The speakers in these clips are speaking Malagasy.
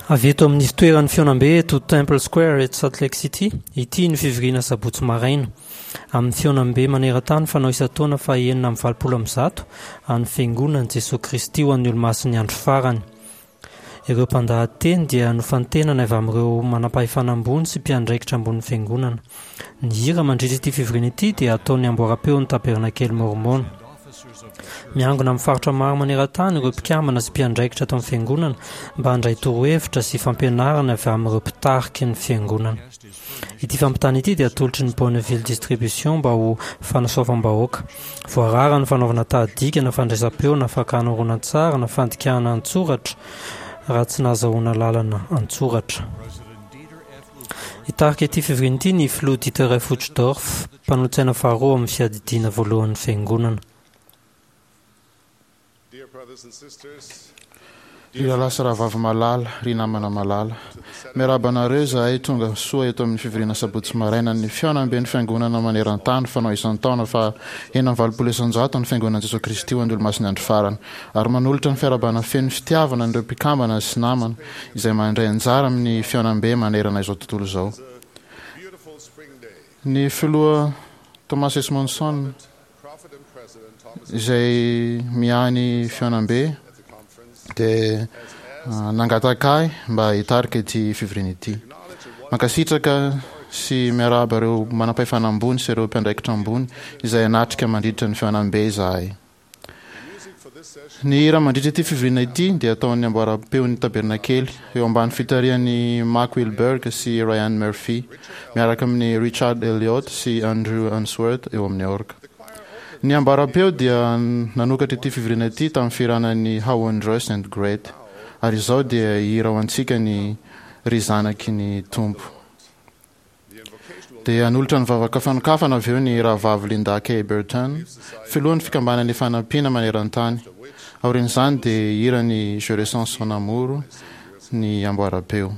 Avy eto amin'ny fitoeran'ny fihaonambe eto Temple Square eto Salt Lake City, ity ny fivoriana sabotsy maraina, amin'ny fihaonambe maneran-tany fanao isan-taona faha 186 an'ny Fiangonan'i Jesoa Kristy ho an'ny Olomasin'ny Andro Farany. Ireo mpandahateny dia nofantenana avy amin'ireo manampahefana ambony sy mpiandraikitra ambonin'ny Fiangonana. Ny hira mandritra ity fivoriana ity dia ataon'ny amboaram-peon'ny Tabernakely Môrmôna. Miangona amin'ny faritra maro maneran-tany ireo mpikambana sy mpiandraikitra ato amin'ny Fiangonana mba handray torohevitra sy fampianarana avy amin'ireo mpitariky ny Fiangonana. Ity fampitana ity dia atolotry ny Bonneville Distribution mba ho fanasoavam-bahoaka. Voarara ny fanaovana tahadika na fandraisam-peo na fakana horonantsary na fandikana an-tsoratra raha tsy nahazahoana lalana an-tsoratra. Hitarika ity fivoriana ity ny Filoha Dieter F. Uchtdorf, mpanolotsaina faharoa ao amin'ny Fiadidiana Voalohan'ny Fiangonana. Ry rahalahy sy rahavavy malala, ry namana malala, miarahaba anareo izahay tonga soa eto amin'ny fivoriana sabotsy maraina ny fihaonamben'ny Fiangonana maneran-tany fanao isan-taona faha 186 ny Fiangonan'i Jesoa Kristy ho an'ny Olomasin'ny Andro Farany ary manolotra ny fiarahabana feno fitiavana an'ireo mpikambana sy namana izay mandray anjara amin'ny fihaonambe manerana izao tontolo izao. Ny Filoha Thomas S. Monson izay miahy ny fihaonambe dia nangataka ahy mba hitarika ity fivoriana ity. Mankasitraka sy miarahaba ireo manampahefana ambony sy ireo mpiandraikitra ambony izay hanatrika mandritra ny fihaonambe izahay. Ny hira mandritra ity fivoriana ity dia ataon'ny amboaram-peon'ny Tabernakely, eo ambany fitarihan'i Mack Wilberg sy Ryan Murphy, miaraka amin'i Richard Elliot sy Andrew Unsworth eo amin'ny orga. Ny ambaram-peo dia nanokatra ity fivoriana ity tamin'ny fihirana ny How Wondrous and Great, ary izao dia hihira ho antsika ny Ry Zanaky ny Tompo. Dia hanolotra ny vavaka fanokafana avy eo ny Rahavavy Linda K. Burton, filohan'ny Fikambanana Ifanampiana maneran-tany. Aorian'izany dia hihira ny Je ressens son amour ny amboaram-peo.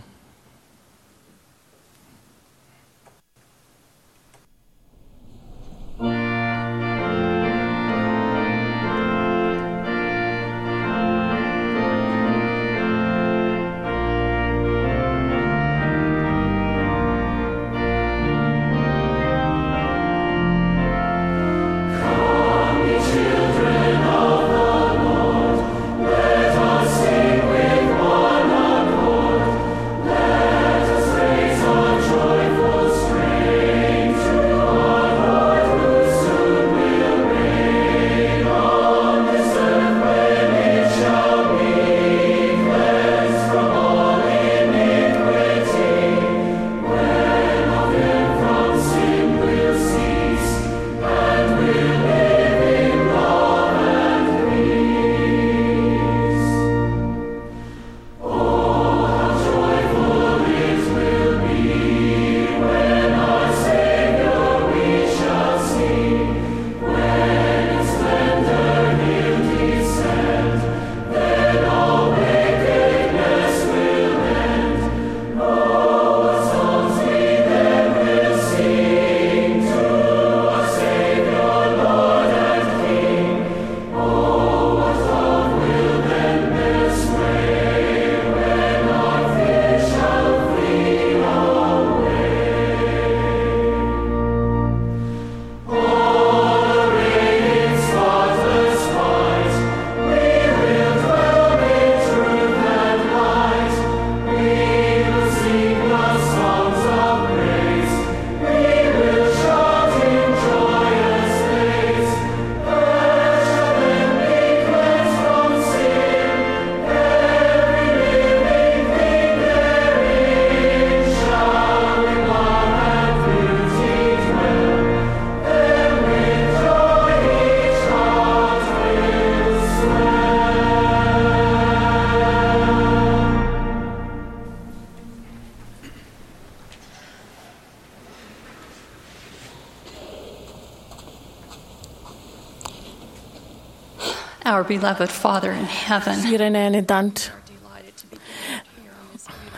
Our beloved Father in heaven. Ry Rainay any an-danitra,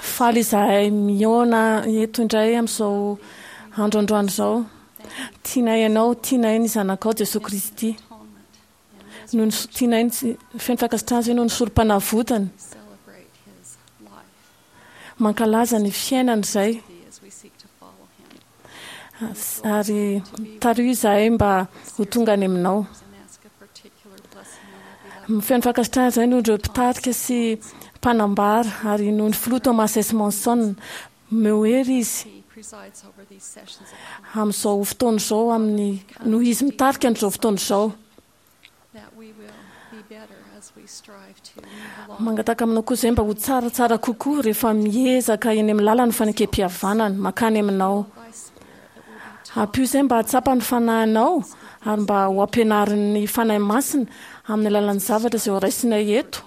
faly izahay mihaona eto indray amin'izao andro androany izao. Tianay Ianao, tianay ny Zanakao Jesoa Kristy. Noho ny tianay ny feno fankasitrahana izay noho ny sorom-panavotany. Mankalaza ny fiainana izay. Ary tariho izahay mba ho tonga any aminao. Feno fankasitrahana izay noho ireo mpitarika sy mpanambara ary noho ny filoha Thomas S. Monson. Omeo hery izy amin'izao fotoana izao amin'ny noho izy mitarika an'izao fotoana izao. Mangataka aminao koa izay mba ho tsaratsara kokoa rehefa miezaka eny amin'ny lalan'ny fanekem-pihavanana mankany aminao. Ampio izay mba hahatsapa ny fanahinao ary mba ho ampianarin'ny Fanahy Masina amin'ny alalan'ny zavatra izay horaisinay eto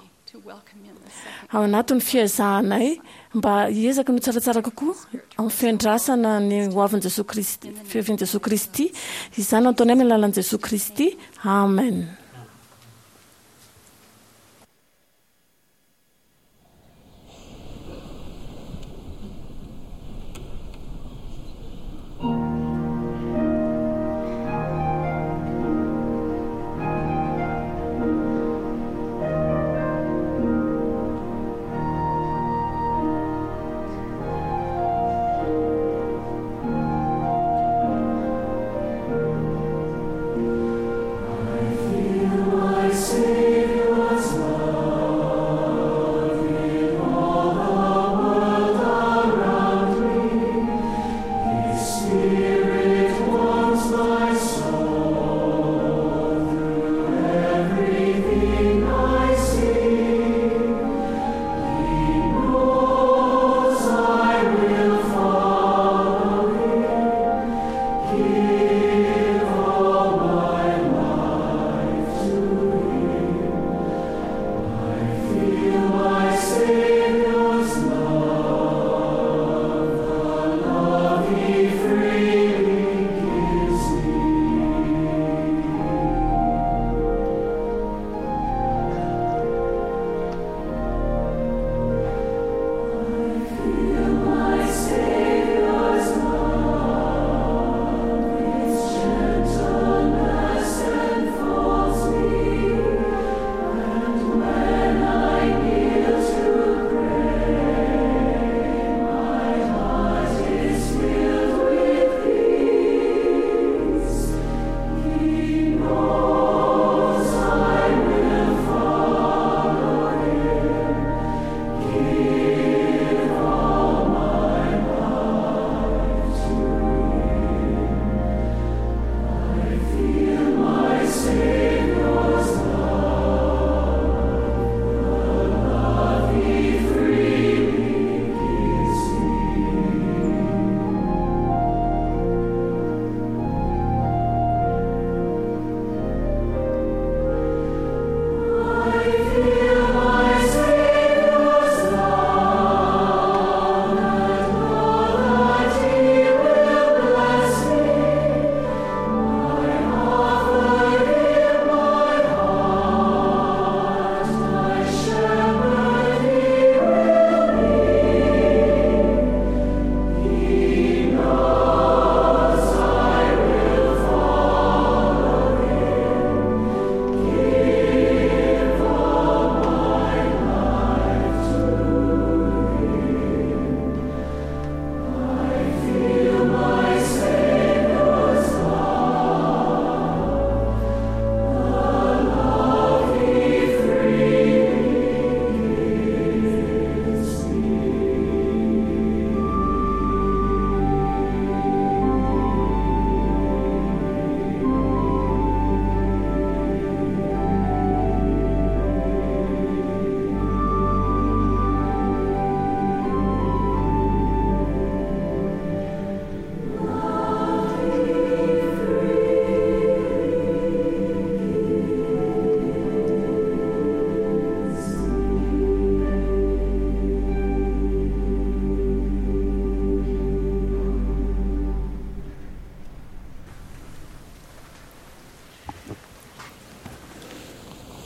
ao anatin'ny fiezahanay mba hiezaka ny ho tsaratsara kokoa amin'ny fiandrasana ny hoavin'i Jesoa Kristy, fiavian'i Jesoa Kristy. Izany no ataonay amin'ny alalan'i Jesoa Kristy. Amen.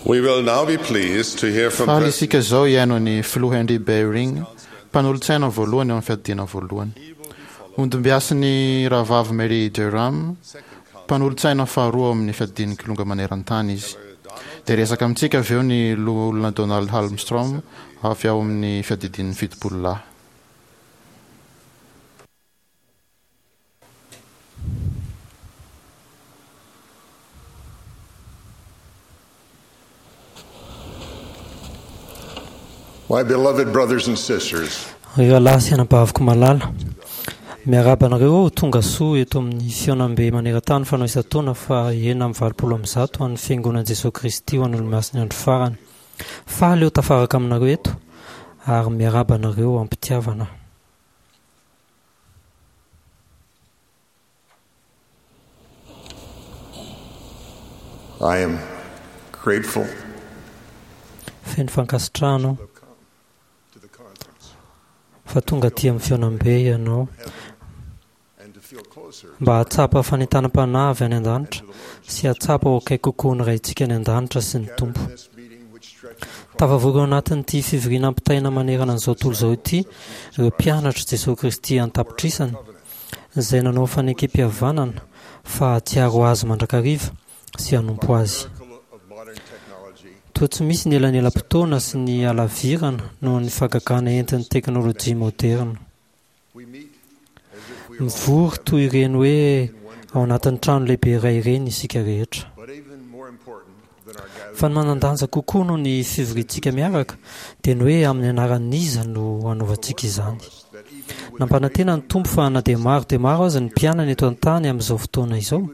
We will now be pleased to hear from Faly isika izao hihaino ny Filoha Henry Eyring, mpanolotsaina voalohany eo amin'ny fiadiana voalohany. Hondimbiasin'ny Rahavavy Mary Durham, mpanolotsaina faharoa ao amin'ny fiadian'ny Kilonga maneran-tany izy. Dia hiresaka amintsika avy eo ny Loholona Donald Halmstrom avy ao amin'ny fiadidian'ny Fitopololahy. My beloved brothers and sisters, Ry rahalahy sy anabaviko malala, miarahaba anareo aho tonga soa eto amin'ny fihaonambe maneran-tany fanao isan-taona faha 186 an'ny Fiangonan'i Jesoa Kristy ho an'ny Olomasin'ny Andro Farany. Faly aho tafaraka aminareo eto ary miarahaba anareo am-pitiavana. I am grateful Feno fankasitrahana aho to the conference fa tonga aty amin'ny fihaonambe ianao and to feel closer mba hahatsapa fanentanam-panahy avy any an-danitra sy hahatsapa ho akaiky kokoa ny Raintsika any an-danitra sy ny Tompo. this meeting which stretches across Tafavory ao anatin'ity fivoriana ampitaina manerana an'izao tontolo izao ity ireo mpianatr'i Jesoa Kristy an-tapitrisany izay nanao fanekempihavanana fa hahatsiaro Azy mandrakariva sy hanompo Azy. miracle of modern technology. Toa tsy misy ny elanelam-potoana sy ny halavirana noho ny fahagagana entin'ny teknolojia moderina. We meet as if we are all Mivory toy ireny hoe ao anatin'ny trano lehibe iray ireny isika rehetra. but even more important than our gathering Fa ny manan-danja kokoa noho ny fivoriantsika miaraka dia ny hoe amin'ny anaran'iza no hanaovantsika izany. that even with Nampanantena ny Tompo fa na dia maro dia maro aza ny mpianany eto an-tany amin'izao fotoana izao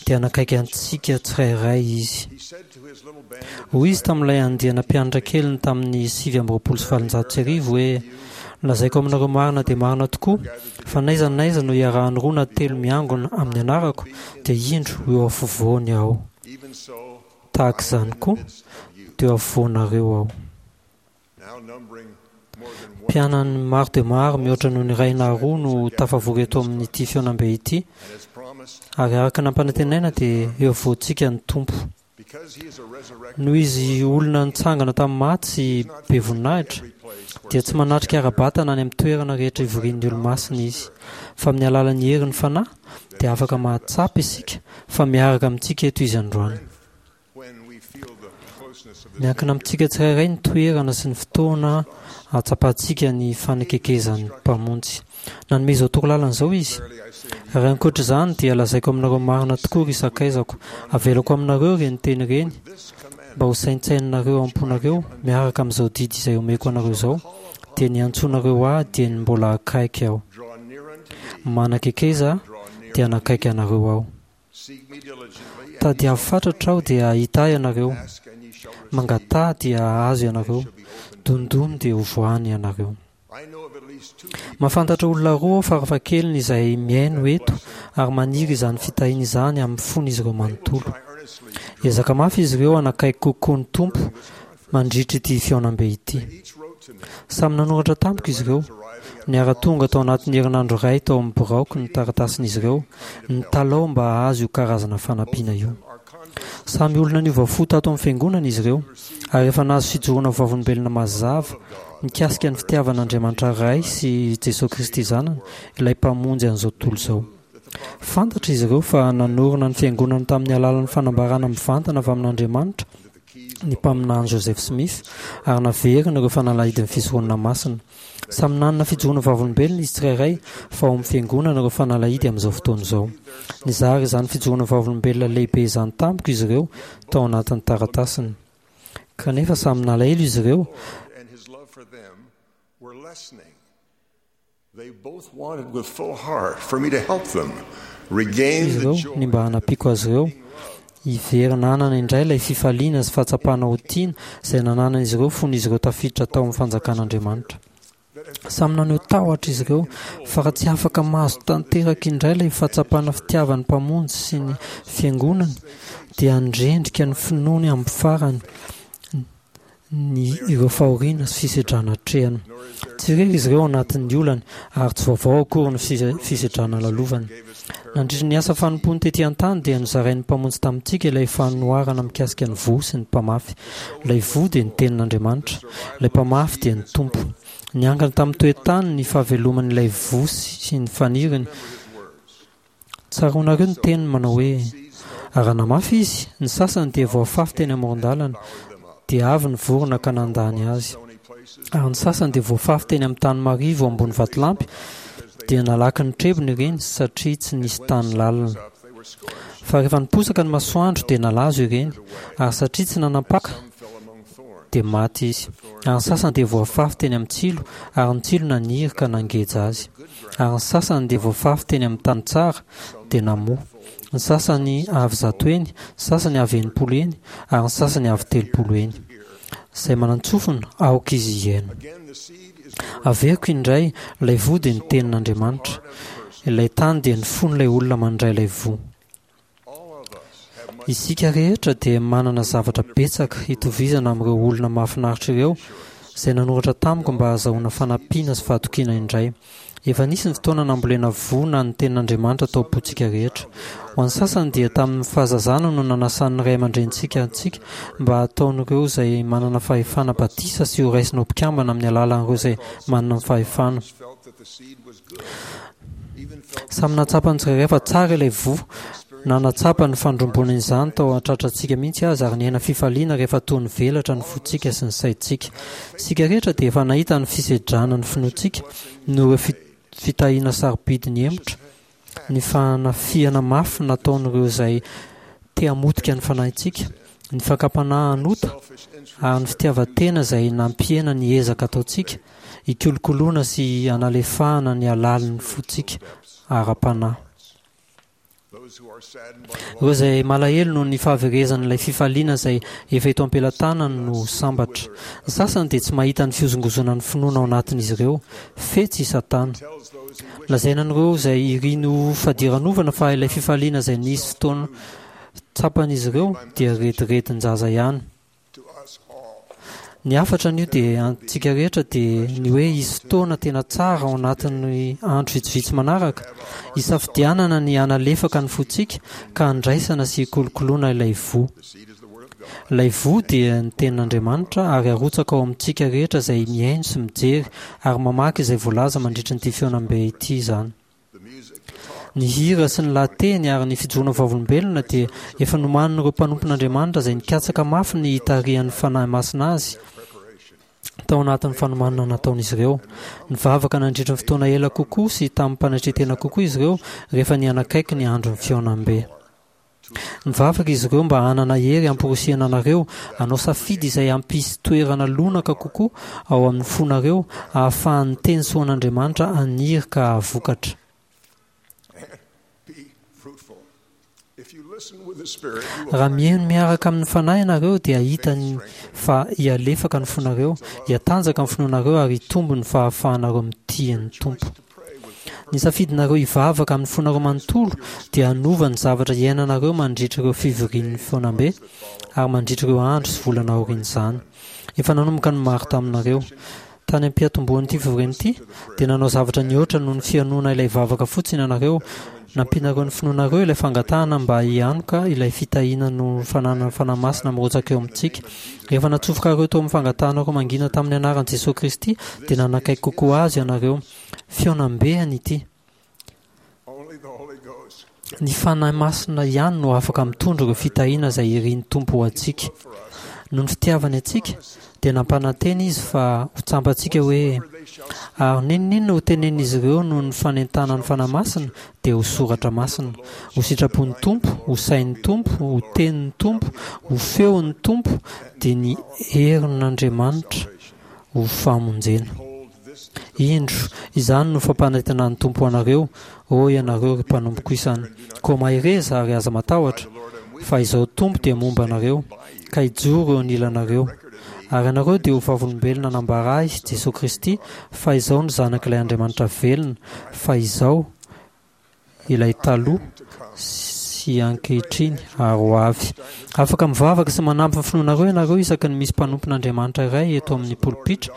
dia hanakaiky antsika tsirairay izy. he said to his little band of Hoy izy tamin'ilay andiana mpianatra keliny tamin'ny 1829 hoe lazaiko aminareo marina dia marina tokoa fa n'aiza n'aiza no iarahan'ny roa na telo miangona amin'ny anarako dia indro ho eo afovoany aho. even so Tahaka izany koa dia eo afovoanareo aho. now numbering more than one Mpianany maro dia maro mihoatra noho ny iray na roa no tafavory eto amin'ity fihaonambe ity and as promised ary araka ny nampanantenaina dia eo afovoantsika ny Tompo. because he is a resurrected Noho izy olona nitsangana tamin'ny maty sy be voninahitra every place where dia tsy manatrika ara-batana any amin'ny toerana rehetra ivorian'ny olomasina izy fa amin'ny alalan'ny herin'ny fanahy dia afaka mahatsapa isika fa miaraka amintsika eto izy androany. when we feel the closeness of the Miankina amintsika tsirairay ny toerana sy ny fotoana ahatsapantsika ny fanekekezan'ny Mpamonjy. Nanome izao torolalana izao izy. Verily I say unto you, Ary ankoatra izany dia lazaiko aminareo marina tokoa ry sakaizako, avelako aminareo ireny teny ireny this commandment mba ho saintsaininareo am-ponareo miaraka amin'izao didy izay omeko anareo izao, dia ny antsoinareo ahy dia ny mbola akaiky aho. draw near unto me, Manakekeza draw near dia hanakaiky anareo aho. seek me diligently, and Tadiavo fatratra aho dia hahita ahy ianareo. ask and ye shall receive. Mangataha dia hahazo ianareo. Shall be opened. Dondony dia hovoahany ianareo. I know of at least two people Mahafantatra olona roa aho farafahakeliny izay mihaino eto ary maniry izany fitahiana izany amin'ny fon'izy ireo manontolo. try earnestly to Ezaka mafy izy ireo hanakaiky kokoa ny Tompo mandritra ity fihaonambe ity. each wrote to me Samy nanoratra tamiko izy ireo. arriving at Niara-tonga tao anatin'ny herinandro iray tao amin'ny biraoko ny taratasin'izy ireo, nitalaho mba hahazo io karazana fanampiana io. our converse Samy olona niova fo tato amin'ny fiangonana izy ireo ary efa nahazo fijoroana ho vavolombelona mazava mikasika ny fitiavan'Andriamanitra Ray sy Jesoa Kristy Zanany, ilay Mpamonjy an'izao tontolo izao. Fantatra izy ireo fa nanorina ny fiangonana tamin'ny alalan'ny fanambarana mivantana avy amin'Andriamanitra ny mpaminany Joseph Smith ary naverina ireo fanalahidin'ny fisoronana masina. Samy nanana fijoroana vavolombelona izy tsirairay fa ao amin'ny fiangonana ireo fanalahidy amin'izao fotoana izao. Nizara izany fijoroana vavolombelona lehibe izany tamiko izy ireo tao anatin'ny taratasiny. Kanefa samy nalahelo izy ireo and his love for them were lessening. They both wanted with full heart for me to help them regain izy the ireo joy ny mba hanampiako azy ireo hiverina hanana indray ilay fifaliana sy fahatsapana ho tiana izay nananan'izy ireo fony izy ireo tafiditra tao amin'ny fanjakan'Andriamanitra. Samy naneho tahotra izy ireo fa raha tsy afaka mahazo tanteraka indray ilay fahatsapana fitiavan'ny Mpamonjy sy ny fiangonany dia handrendrika ny finoany amin'ny farany ny ireo fahoriana sy fisedrana atrehana. Tsy irery izy ireo ao anatin'ny olany ary tsy vaovao akory ny fisedrana lalovany. Nandritra ny asa fanompoany tety an-tany dia nozarain'ny Mpamonjy tamintsika ilay fanoharana mikasika ny voa sy ny mpamafy. Ilay voa dia ny tenin'Andriamanitra, ilay mpamafy dia ny Tompo. Niankina tamin'ny toetany ny fahaveloman'ilay voa sy ny faniriny. Tsaroanareo ny teniny manao hoe raha namafy izy, ny sasany dia voafafy teny amoron-dalana, dia avy ny vorona ka nandany azy. Ary ny sasany dia voafafy teny amin'ny tany marivo ambony vatolampy, dia nalaky ny trebony ireny satria tsy nisy tany lalina. Fa rehefa niposaka ny masoandro dia nalazo ireny, ary satria tsy nanampaka fell among thorns. dia maty izy. Ary ny sasany dia voafafy teny amin'ny tsilo, ary ny tsilo naniry ka nangeja azy. Ary ny sasany dia voafafy teny amin'ny tany tsara, dia namoa. Ny sasany avy zato heny, ny sasany avy 60 heny, ary ny sasany avy 30 heny. Izay manan-tsofina, aoka izy hihaino. Averiko indray, ilay voa dia ny tenin'Andriamanitra. Ilay tany dia ny fon'ilay olona mandray ilay voa. Isika rehetra dia manana zavatra betsaka hitovizana amin'ireo olona mahafinaritra ireo izay nanoratra tamiko mba hahazahoana fanampiana sy fahatokiana indray. Efa nisy ny fotoana nambolena voa na ny tenin'Andriamanitra tao am-pontsika rehetra. Ho an'ny sasany dia tamin'ny fahazazana no nanasan'ny ray aman-drenintsika antsika mba hataon'ireo izay manana fahefana batisa sy horaisina ho mpikambana amin'ny alalan'ireo izay manana ny fahefana. Samy nahatsapa ny tsirairay fa tsara ilay voa, na nahatsapa ny fandrombonana izany tao an-tratrantsika mihitsy aza ary niaina fifaliana rehefa toa nivelatra ny fontsika sy ny saintsika. Isika rehetra dia efa nahita ny fisedrana ny finoantsika noho ireo fitahiana sarobidy nihemotra, ny fanafihana mafy nataon'ireo izay te hamotika ny fanahintsika, ny fakam-panahy hanota ary ny fitiavan-tena izay nampihena ny ezaka ataontsika hikolokoloana sy hanalefahana ny halalin'ny fontsika ara-panahy. Ireo izay malahelo noho ny fahaverezan'ilay fifaliana izay efa eto am-pelatanany no sambatra. Ny sasany dia tsy mahita ny fihozongozonan'ny finoana ao anatin'izy ireo. Fetsy i Satana. Lazaina an'ireo izay iriny ho fadiranovana fa ilay fifaliana izay nisy fotoana tsapan'izy ireo dia rediredin-jaza ihany. Ny hafatra anio dia antsika rehetra dia ny hoe hisy fotoana tena tsara ao anatin'ny andro vitsivitsy manaraka, hisafidianana ny hanalefaka ny fontsika ka handraisana sy hikolokoloana ilay voa. Ilay voa dia ny tenin'Andriamanitra ary arotsaka ao amintsika rehetra izay mihaino sy mijery ary mamaky izay voalaza mandritra ity fihaonambe ity izany. Ny hira sy ny lahateny ary ny fijoroana vavolombelona dia efa nomanin'ireo mpanompon'Andriamanitra izay nikatsaka mafy ny hitarihan'ny Fanahy Masina azy tao anatin'ny fanomanana nataon'izy ireo. Nivavaka nandritra ny fotoana ela kokoa sy tamim-panetren-tena kokoa izy ireo rehefa nihanakaiky ny andron'ny fihaonambe. Mivavaka izy ireo mba hanana hery hamporisihana anareo hanao safidy izay hampisy toerana lonaka kokoa ao amin'ny fonareo hahafahan'ny teny soan'Andriamanitra haniry ka hahavokatra. Raha mihaino miaraka amin'ny Fanahy ianareo dia hahita ny fa hihalefaka ny fonareo, hihatanjaka ny finoanareo ary hitombo ny fahafahanareo mitia ny Tompo. Ny safidinareo hivavaka amin'ny fonareo manontolo dia hanova ny zavatra iainanareo mandritra ireo fivorian'ny fihaonambe ary mandritra ireo andro sy volana aorian'izany. Efa nanomboka ny maro taminareo. Tany am-piantombohan'ity fivoriana ity, dia nanao zavatra nihoatra noho ny fihainoana ilay vavaka fotsiny ianareo. Nampianareo ny finoanareo ilay fangatahana mba hianoka ilay fitahiana noho ny fananana ny Fanahy Masina mirotsaka eo amintsika. Rehefa natsofokareo tao amin'ny fangatahanareo mangina tamin'ny anaran'i Jesoa Kristy, dia nanakaiky kokoa Azy ianareo. Fihaonambe an ity. Ny Fanahy Masina ihany no afaka mitondra ireo fitahiana izay irin'ny Tompo ho antsika. Noho ny fitiavany antsika, dia nampanantena Izy fa ho tsampantsika hoe, Ary n'inon'inona ho tenenin'izy ireo noho ny fanentanan'ny Fanahy Masina, dia ho soratra masina, ho sitrapon'ny Tompo, ho sain'ny Tompo, ho tenin'ny Tompo, ho feon'ny Tompo, dia ny herin'Andriamanitra ho famonjena. Indro, izany no fampanantenan'ny Tompo ho anareo, ô ianareo ry mpanompoko isany. Koa mahereza ary aza matahotra, fa Izaho Tompo dia momba anareo, ka hijoro eo anilanareo. Ary ianareo dia ho vavolombelona hanambara Ahy, Jesoa Kristy, fa Izaho no Zanak'ilay Andriamanitra velona, fa Izaho, ilay taloha sy ankehitriny ary ho avy. Afaka mivavaka sy manampy ny finoanareo ianareo isaky ny misy mpanompon'Andriamanitra iray eto amin'ny polipitra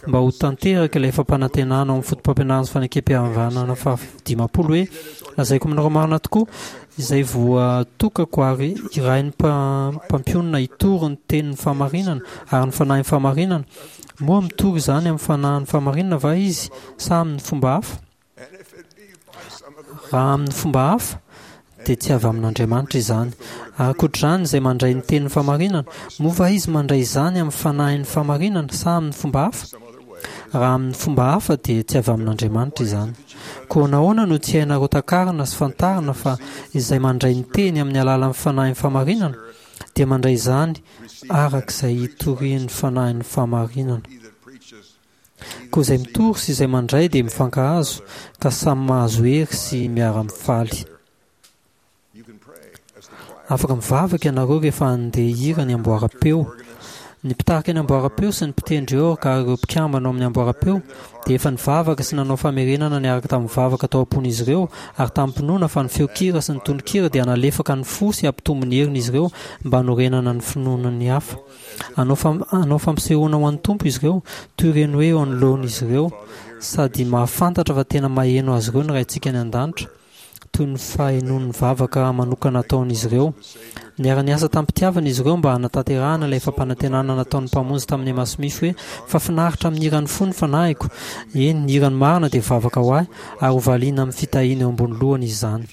mba ho tanteraka ilay fampanantenana ao amin'ny fotopampianarana sy fanekempihavanana faha-50 hoe, Lazaiko aminareo marina tokoa, izay voatokako ary irahin'ny mpampionona hitory ny tenin'ny fahamarinana ary ny fanahin'ny fahamarinana, moa mitory izany amin'ny fanahin'ny fahamarinana va izy sa amin'ny fomba hafa? Raha amin'ny fomba hafa, dia tsy avy amin'Andriamanitra izany. Ankoatr'izany, izay mandray ny tenin'ny fahamarinana, moa va izy mandray izany amin'ny fanahin'ny fahamarinana sa amin'ny fomba hafa? Raha amin'ny fomba hafa, dia tsy avy amin'Andriamanitra izany. Koa nahoana no tsy hainareo takarina sy fantarina fa izay mandray ny teny amin'ny alalan'ny fanahin'ny fahamarinana? dia mandray izany araka izay itorian'ny Fanahin'ny fahamarinana. Koa izay mitory sy izay mandray dia mifankahazo, ka samy mahazo hery sy miara-mifaly. Afaka mivavaka ianareo rehefa handeha hihira ny amboaram-peo. Ny mpitarika ny amboaram-peo sy ny mpitendry orga ary ireo mpikambana ao amin'ny amboaram-peo dia efa nivavaka sy nanao famerenana niaraka tamin'ny vavaka tao am-pon'izy ireo ary tamim-pinoana fa ny feon-kira sy ny tonon-kira dia hanalefaka ny fo sy hampitombo ny herin'izy ireo mba hanorenana ny finoan'ny hafa. Hanao hanao fampisehoana ho an'ny Tompo izy ireo, toy ireny hoe eo anoloan'izy ireo, sady mahafantatra fa tena maheno azy ireo ny Raintsika any An-danitra. toy ny fahenoan'ny vavaka manokana ataon'izy ireo. Niara-niasa tamim-pitiavana izy ireo mba hanatanterahana ilay fampanantenana nataon'ny Mpamonjy tamin'i Emma Smith hoe, Fa finaritra amin'ny hiran'ny fo ny fanahiko. Eny, ny hirany marina dia vavaka ho ahy, ary hovaliana amin'ny fitahiana eo ambony lohany izany.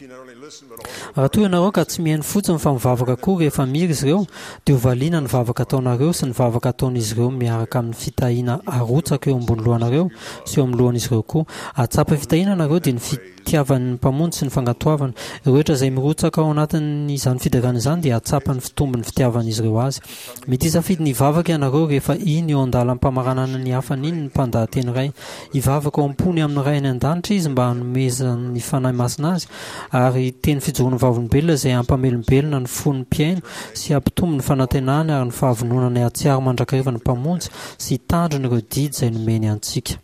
Raha toa ianareo ka tsy mihaino fotsiny fa mivavaka koa rehefa mihira izy ireo, dia hovaliana ny vavaka ataonareo sy ny vavaka ataon'izy ireo miaraka amin'ny fitahiana arotsaka eo ambony lohanareo sy eo amin'ny lohan'izy ireo koa. Hahatsapa fitahiana ianareo dia ny fitiavan'ny Mpamonjy sy ny fankatoavana. Ireo rehetra izay mirotsaka ao anatin'izany fiderana izany dia hahatsapa ny fitombon'ny fitiavan'izy ireo azy. Mety hisafidy ny hivavaka ianareo rehefa iny eo an-dalam-pamaranana ny hafany iny ny mpandahateny iray. Hivavaka ao am-pony amin'ny Ray any An-danitra izy mba hanomezany ny Fanahy Masina azy, ary teny fijoroana vavolombelona izay hampamelombelona ny fon'ny mpihaino sy hampitombo ny fanantenany ary ny fahavononany hahatsiaro mandrakariva ny Mpamonjy sy hitandrina ireo didy izay nomeny antsika.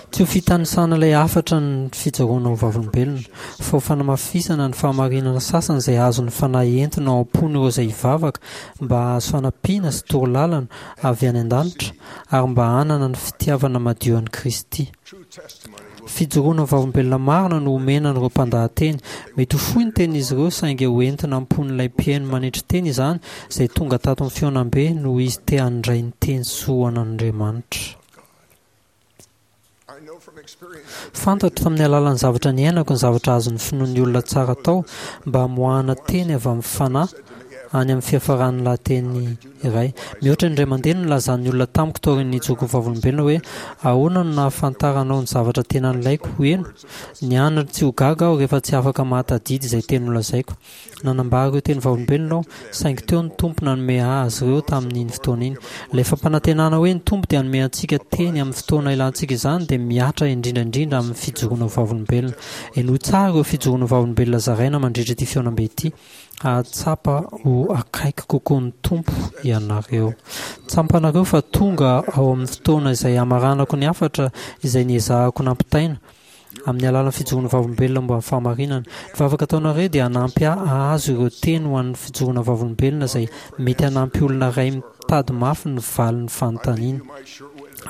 Tsy ho fitanisana ilay hafatra ny fijoroana ho vavolombelona, fa ho fanamafisana ny fahamarinana sasany izay azon'ny Fanahy entina ao am-pon'ireo izay hivavaka mba hahazo fanampiana sy torolalana avy any an-danitra ary mba hanana ny fitiavana madio an'i Kristy. Fijoroana ho vavolombelona marina no omena an'ireo mpandahateny. Mety ho fohy ny tenin'izy ireo saingy ho entina am-pon'ilay mpihaino manetry tena izany izay tonga tato amin'ny fihaonambe noho izy te handray ny teny soan'Andriamanitra. Fantatro tamin'ny alalan'ny zavatra niainako ny zavatra azon'ny finoan'ny olona tsara atao mba hamoahana teny avy amin'ny fanahy any amin'ny fiafaran'ny lahateny iray. Mihoatra ny indray mandeha no nilazan'ny olona tamiko taorian'ny nijoroako ho vavolombelona hoe, Ahoana no nahafantaranao ny zavatra tena nilaiko ho heno? Nianatra tsy ho gaga aho rehefa tsy afaka mahatadidy izay teny nolazaiko. Nanambara ireo teny vavolombelona aho, saingy teo ny Tompo nanome ahy azy ireo tamin'iny fotoana iny. Ilay fampanantenana hoe ny Tompo dia hanome antsika teny amin'ny fotoana ilantsika izany dia mihatra indrindra indrindra amin'ny fijoroana ho vavolombelona. Henoy tsara ireo fijoroana ho vavolombelona zaraina mandritra ity fihaonambe ity. Hahatsapa ho akaiky kokoa ny Tompo ianareo. Tsampanareo fa tonga ao amin'ny fotoana izay hamaranako ny hafatra izay niezahako nampitaina. Amin'ny alalan'ny fijoroana vavolombelona momba ny fahamarinana. Ny vavaka ataonareo dia hanampy ahy hahazo ireo teny ho an'ny fijoroana vavolombelona izay mety hanampy olona iray mitady mafy ny valin'ny fanontaniany.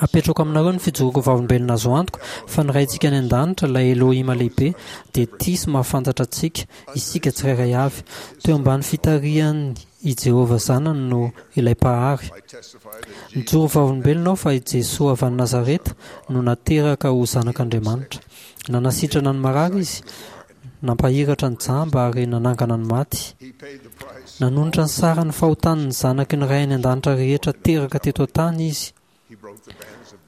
Apetrako aminareo ny fijoroako vavolombelona azo antoka fa ny Raintsika any An-danitra, ilay Elohima lehibe, dia tia sy mahafantatra antsika, isika tsirairay avy. Teo ambany fitarihany i Jehovah Zanany no ilay Mpahary. Mijoro vavolombelona aho fa i Jesoa avy any Nazareta no nateraka ho Zanak'Andriamanitra. Nanasitrana ny marary Izy, nampahiratra ny jamba ary nanangana ny maty. Nanonitra ny saran'ny fahotan'ny zanaky ny Ray any An-danitra rehetra teraka teto an-tany Izy.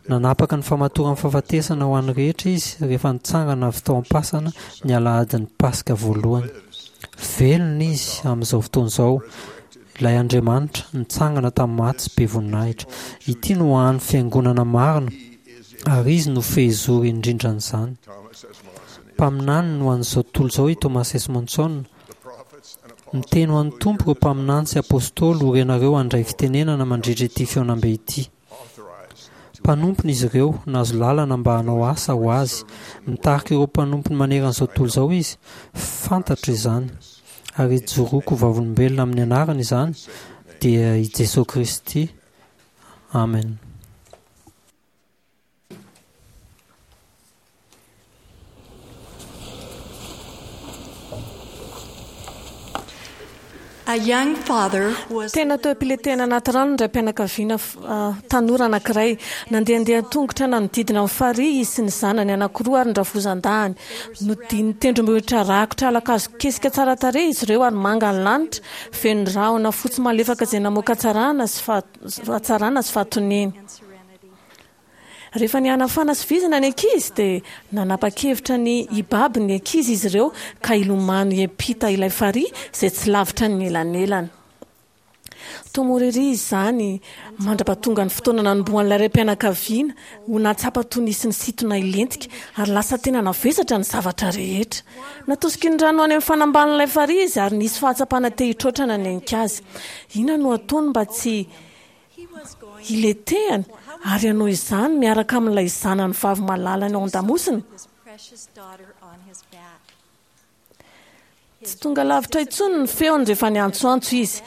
Nanapaka ny famatoran'ny fahafatesana ho an'ny rehetra izy rehefa nitsangana avy tao am-pasana ny alahadin'ny Paska voalohany. Velona izy amin'izao fotoana izao, ilay Andriamanitra nitsangana tamin'ny maty sy be voninahitra. Ity no hany fiangonana marina ary izy no fehizoro indrindran'izany. Mpaminany no an'izao tontolo izao i Thomas S. Monson. Miteny ho an'ny Tompo ireo mpaminany sy apostoly ho renareo handray fitenenana mandritra ity fihaonambe ity. Mpanompony izy ireo, nahazo lalana mba hanao asa ho Azy. Mitarika ireo mpanompony manerana izao tontolo izao Izy. Fantatro izany. Ary ijoroako ho vavolombelona amin'ny anarany izany, dia i Jesoa Kristy. Amen. Tena teo am-piletehana anaty rano ny raim-pianakaviana tanora anankiray. Nandehandeha an-tongotra nanodidina ny farihy izy sy ny zanany anankiroa ary ny rafozan-dahiny. Nodian'ny tendrombohitra rakotra ala-kazo kesika tsara tarehy izy ireo ary manga ny lanitra, feno rahona fotsy malefaka izay namoaka hatsarana sy fahatoniana. Rehefa nihanafana sy vizana ny ankizy dia nanapa-kevitra ny hibaby ny ankizy izy ireo ka hilomano hiampita ilay farihy izay tsy lavitra ny elanelana. Toa mora ery izany mandra-pahatonga ny fotoana nanombohan'ilay raim-pianakaviana ho nahatsapa toy nisy nisintona hilentika ary lasa tena navesatra ny zavatra rehetra. Natosiky ny rano any amin'ny fanambanin'ilay farihy izy ary nisy fahatsapana te hitroatra nanenika azy. Inona no hataony mba tsy hiletehany ary hanao izany miaraka amin'ilay zanany vavy malalany ao an-damosina? Tsy tonga lavitra intsony ny feony rehefa niantsoantso izy.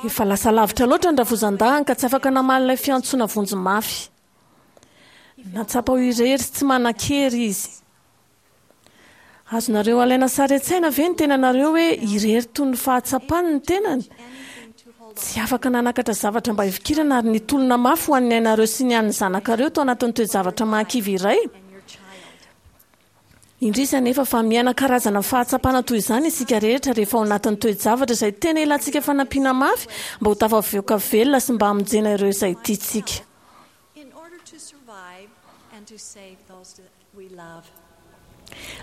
Efa lasa lavitra loatra ny rafozan-dahiny ka tsy afaka namaly ilay fiantsoana vonjy mafy. Nahatsapa ho irery sy tsy manan-kery izy. Azonareo alaina sary an-tsaina ve ny tenanareo hoe irery toy ny fahatsapany ny tenany? Tsy afaka nanakatra zavatra mba hifikirana ary nitolona mafy ho an'ny ainareo sy ny an'ny zanakareo tao anatin'ny toe-javatra mahakivy iray? Indrisy anefa fa miaina karazana fahatsapana toy izany isika rehetra rehefa ao anatin'ny toe-javatra izay tena ilantsika fanampiana mafy mba ho tafavoaka velona sy mba hamonjena ireo izay tiantsika.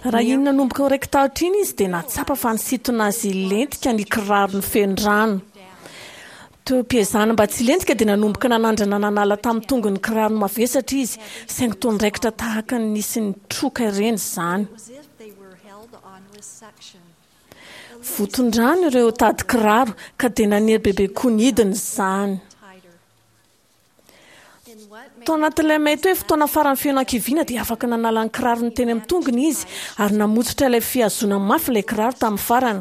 Raha iny nanomboka ho raiki-tahotra iny izy dia nahatsapa fa nisintona azy hilentika ny kirarony feno rano. Teo am-piezahana mba tsy hilentika dia nanomboka nanandrana nanala tamin'ny tongony ny kirarony mavesatra izy, saingy toa niraikitra tahaka ny nisy nitroka ireny izany. Voton-drano ireo tady kiraro ka dia nanery bebe koa ny hidiny izany. Tao anatin'ilay mety hoe fotoana farany feno hakiviana dia afaka nanala ny kirarony teny amin'ny tongony izy ary namotsitra ilay fihazona mafy ilay kiraro tamin'ny farany,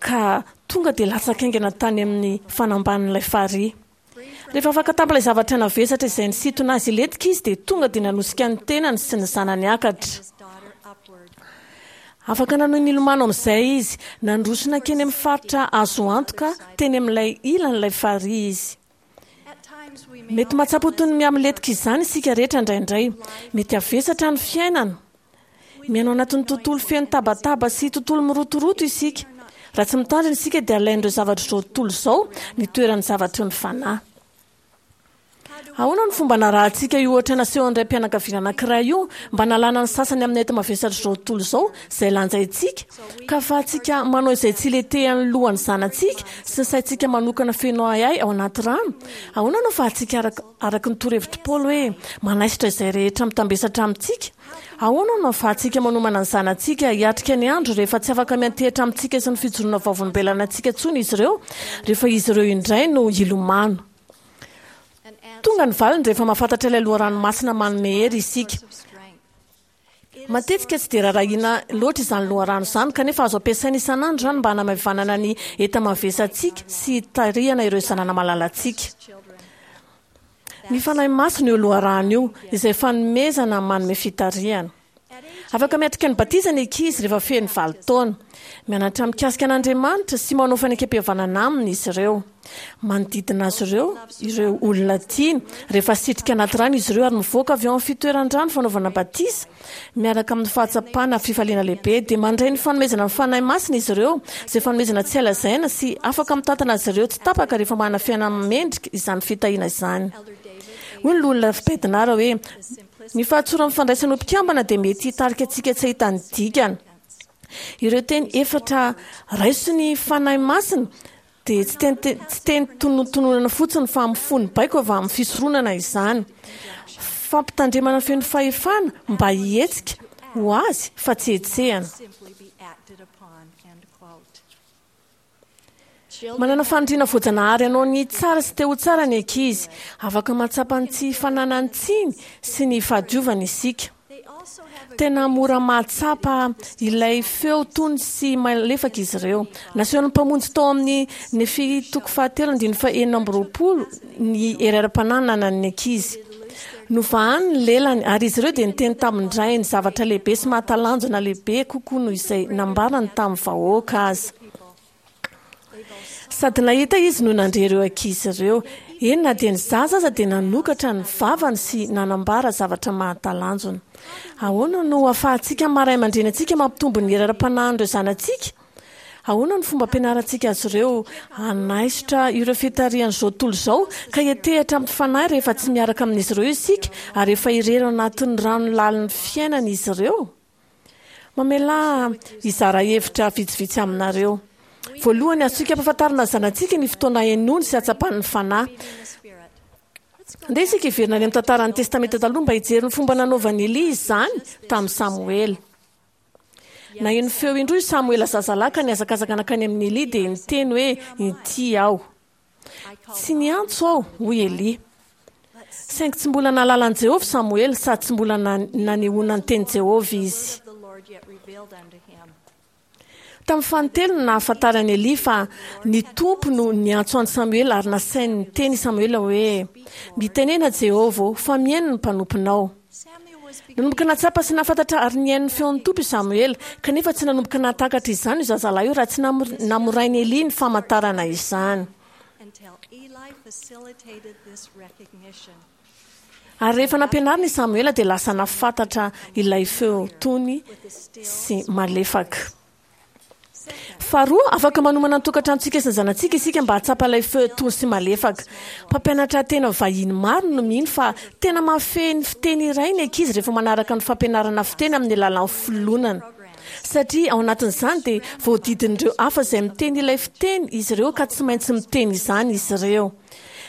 ka tonga dia latsaka haingana tany amin'ny fanambanin'ilay farihy. Rehefa afaka tamin'ilay zavatra navesatra izay nisintona azy hilentika izy dia tonga dia nanosika ny tenany sy ny zanany hiakatra. Afaka nanohy nilomano amin'izay izy. Nandroso nankeny amin'ny faritra azo antoka teny amin'ilay ilan'ilay farihy izy. Mety mahatsapa ho toy ny mihamilentika izany isika rehetra indraindray. Mety havesatra ny fiainana. Miaina ao anatin'ny tontolo feno tabataba sy tontolo mirotoroto isika. Raha tsy mitandrina isika dia alain'ireo zavatr'izao tontolo izao ny toeran'ny zavatry ny fanahy. Ahoana no fomba narahantsika io ohatra nasehon'ny raim-pianakaviana anankiray io mba hanalana ny sasany amin'ny enti-mavesatr'izao tontolo izao izay lanjaintsika, ka ahafahantsika manao izay tsy hilentehan'ny lohan'ny zanatsika sy ny saintsika manokana feno ahiahy ao anaty rano? Ahoana no ahafahantsika, araka ny torohevitr'i Paoly hoe manaisotra izay rehetra mitambesatra amintsika? Ahoana no ahafahantsika manomana ny zanatsika hiatrika ny andro rehefa tsy afaka miantehitra amintsika sy ny fijoroana vavolombelona antsika intsony izy ireo, rehefa izy ireo indray no hilomano? Tonga ny valiny rehefa mahafantatra ilay loharano masina manome hery isika. Matetika tsy dia rarahiana loatra izany loharano izany, kanefa azo ampiasaina isan'andro izany mba hanamaivanana ny enta-mavesantsika sy hitarihana ireo zanana malalantsika. Ny Fanahy Masina io loharano io, izay fanomezana manome fitarihana. Afaka miatrika ny batisa ny ankizy rehefa feno 8 taona. Mianatra mikasika an'Andriamanitra sy manao fanekempihavanana aminy izy ireo. Manodidina azy ireo ireo olona tiany rehefa asitrika anaty rano izy ireo ary mivoaka avy ao amin'ny fitoeran-drano fanaovana batisa miaraka amin'ny fahatsapana fifaliana lehibe. Dia mandray ny fanomezana ny Fanahy Masina izy ireo, izay fanomezana tsy hay lazaina sy afaka mitantana azy ireo tsy tapaka rehefa manana fiainana mendrika izany fitahiana izany. Hoy ny Loholona Bednar hoe, Ny fahatsoran'ny fandraisana ho mpikambana dia mety hitarika antsika tsy hahita ny dikany. Ireo teny efatra raiso ny Fanahy Masina dia tsy teny tsy teny tonontononana fotsiny fa mifono baiko avy amin'ny fisoronana izany. Fampitandremana feno fahefana mba hihetsika ho azy fa tsy hetsehana. Manana faniriana voajanahary hanao ny tsara sy te ho tsara ny ankizy. Afaka mahatsapa ny tsy fananany tsiny sy ny fahadiovany isika. Tena mora mahatsapa ilay feo tony sy malefaka izy ireo. Nasehon'ny Mpamonjy tao amin'ny Nefia toko fahatelo andininy faha-26 ny hery ara-panahy nanan'ny ankizy. Novahany ny lelany, ary izy ireo dia niteny tamin-drainy zavatra lehibe sy mahatalanjona lehibe kokoa noho izay nambarany tamin'ny vahoaka aza. Sady nahita izy no nandre ireo ankizy ireo. Eny, na dia ny zaza aza dia nanokatra ny vavany sy nanambara zavatra mahatalanjona. Ahoana no ahafahantsika maha ray aman-dreny antsika mampitombo ny hery ara-panahin'ireo zanatsika? Ahoana no fomba ampianarantsika azy ireo hanaisotra ireo fitarihan'izao tontolo izao ka hiantehitra amin'ny fanahy rehefa tsy miaraka amin'izy ireo isika ary efa irery ao anatin'ny rano lalin'ny fiainana izy ireo? Mamelà hizara hevitra vitsivitsy aminareo. Voalohany, azontsika ampahafantarina ny zanatsika ny fotoana henoiny sy hahatsapany ny Fanahy. Andeha isika hiverina any amin'ny tantaran'ny Testamenta Taloha mba hijery ny fomba nanaovan'i Elia izany tamin'i Samoela. Naheno feo indroa i Samoela zazalahy ka nihazakazaka nankany amin'i Elia dia niteny hoe, Inty aho. Tsy niantso aho, hoy Elia. Saingy tsy mbola nahalala an'i Jehovah Samoela sady tsy mbola nanehoana ny tenin'i Jehovah izy. Tamin'ny fanintelony no nahafantaran'i Elia fa ny Tompo no niantso an'i Samoela ary nasainy niteny i Samoela hoe, Mitenena Jehovah ô, fa mihaino ny mpanomponao. Nanomboka nahatsapa sy nahafantatra ary nihaino ny feon'ny Tompo i Samoela, kanefa tsy nanomboka nahatakatra izany io zazalahy io raha tsy namorain'i Elia ny famantarana izany. Ary rehefa nampianarina i Samoela dia lasa nahafantatra ilay feo tony sy malefaka. Faharoa, afaka manomana ny tokantranontsika sy ny zanatsika isika mba hahatsapa ilay feo tony sy malefaka. Mpampianatra tena vahiny maro no mino fa tena mahafehy ny fiteny iray ny ankizy rehefa manaraka ny fampianarana fiteny amin'ny alalan'ny filonana. Satria ao anatin'izany dia voadidin'ireo hafa izay miteny ilay fiteny izy ireo ka tsy maintsy miteny izany izy ireo.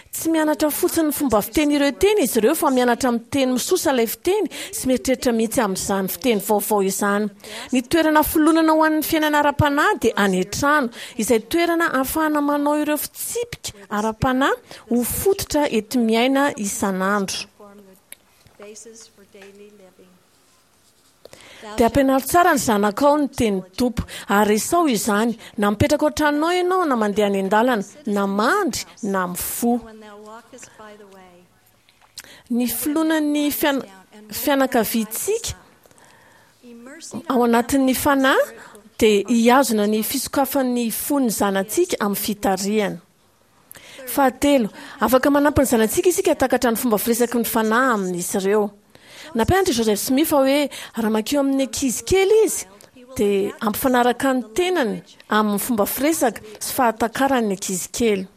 Tsy mianatra fotsiny ny fomba fiteny ireo teny izy ireo fa mianatra miteny misosa ilay fiteny sy mieritreritra mihitsy amin'izany fiteny vaovao izany. Ny toerana filonana ho an'ny fiainana ara-panahy dia any an-trano, izay toerana ahafahana manao ireo fitsipika ara-panahy ho fototra enti-miaina isan'andro. Dia ampianaro tsara ny zanakao ny tenin'ny Tompo, ary resaho izany, na mipetraka ao an-tranonao ianao, na mandeha any an-dalana, na mandry, na mifoha. Ny filonan'ny fianakaviantsika ao anatin'ny fanahy dia hihazona ny fisokafan'ny fon'ny zanatsika amin'ny fitarihana. Fahatelo, afaka manampy ny zanatsika isika hahatakatra ny fomba firesaky ny Fanahy amin'izy ireo. Nampianatra i Joseph Smith fa hoe raha mankeo amin'ny ankizy kely izy, dia hampifanaraka ny tenany amin'ny fomba firesaka sy fahatakarany ny ankizy kely.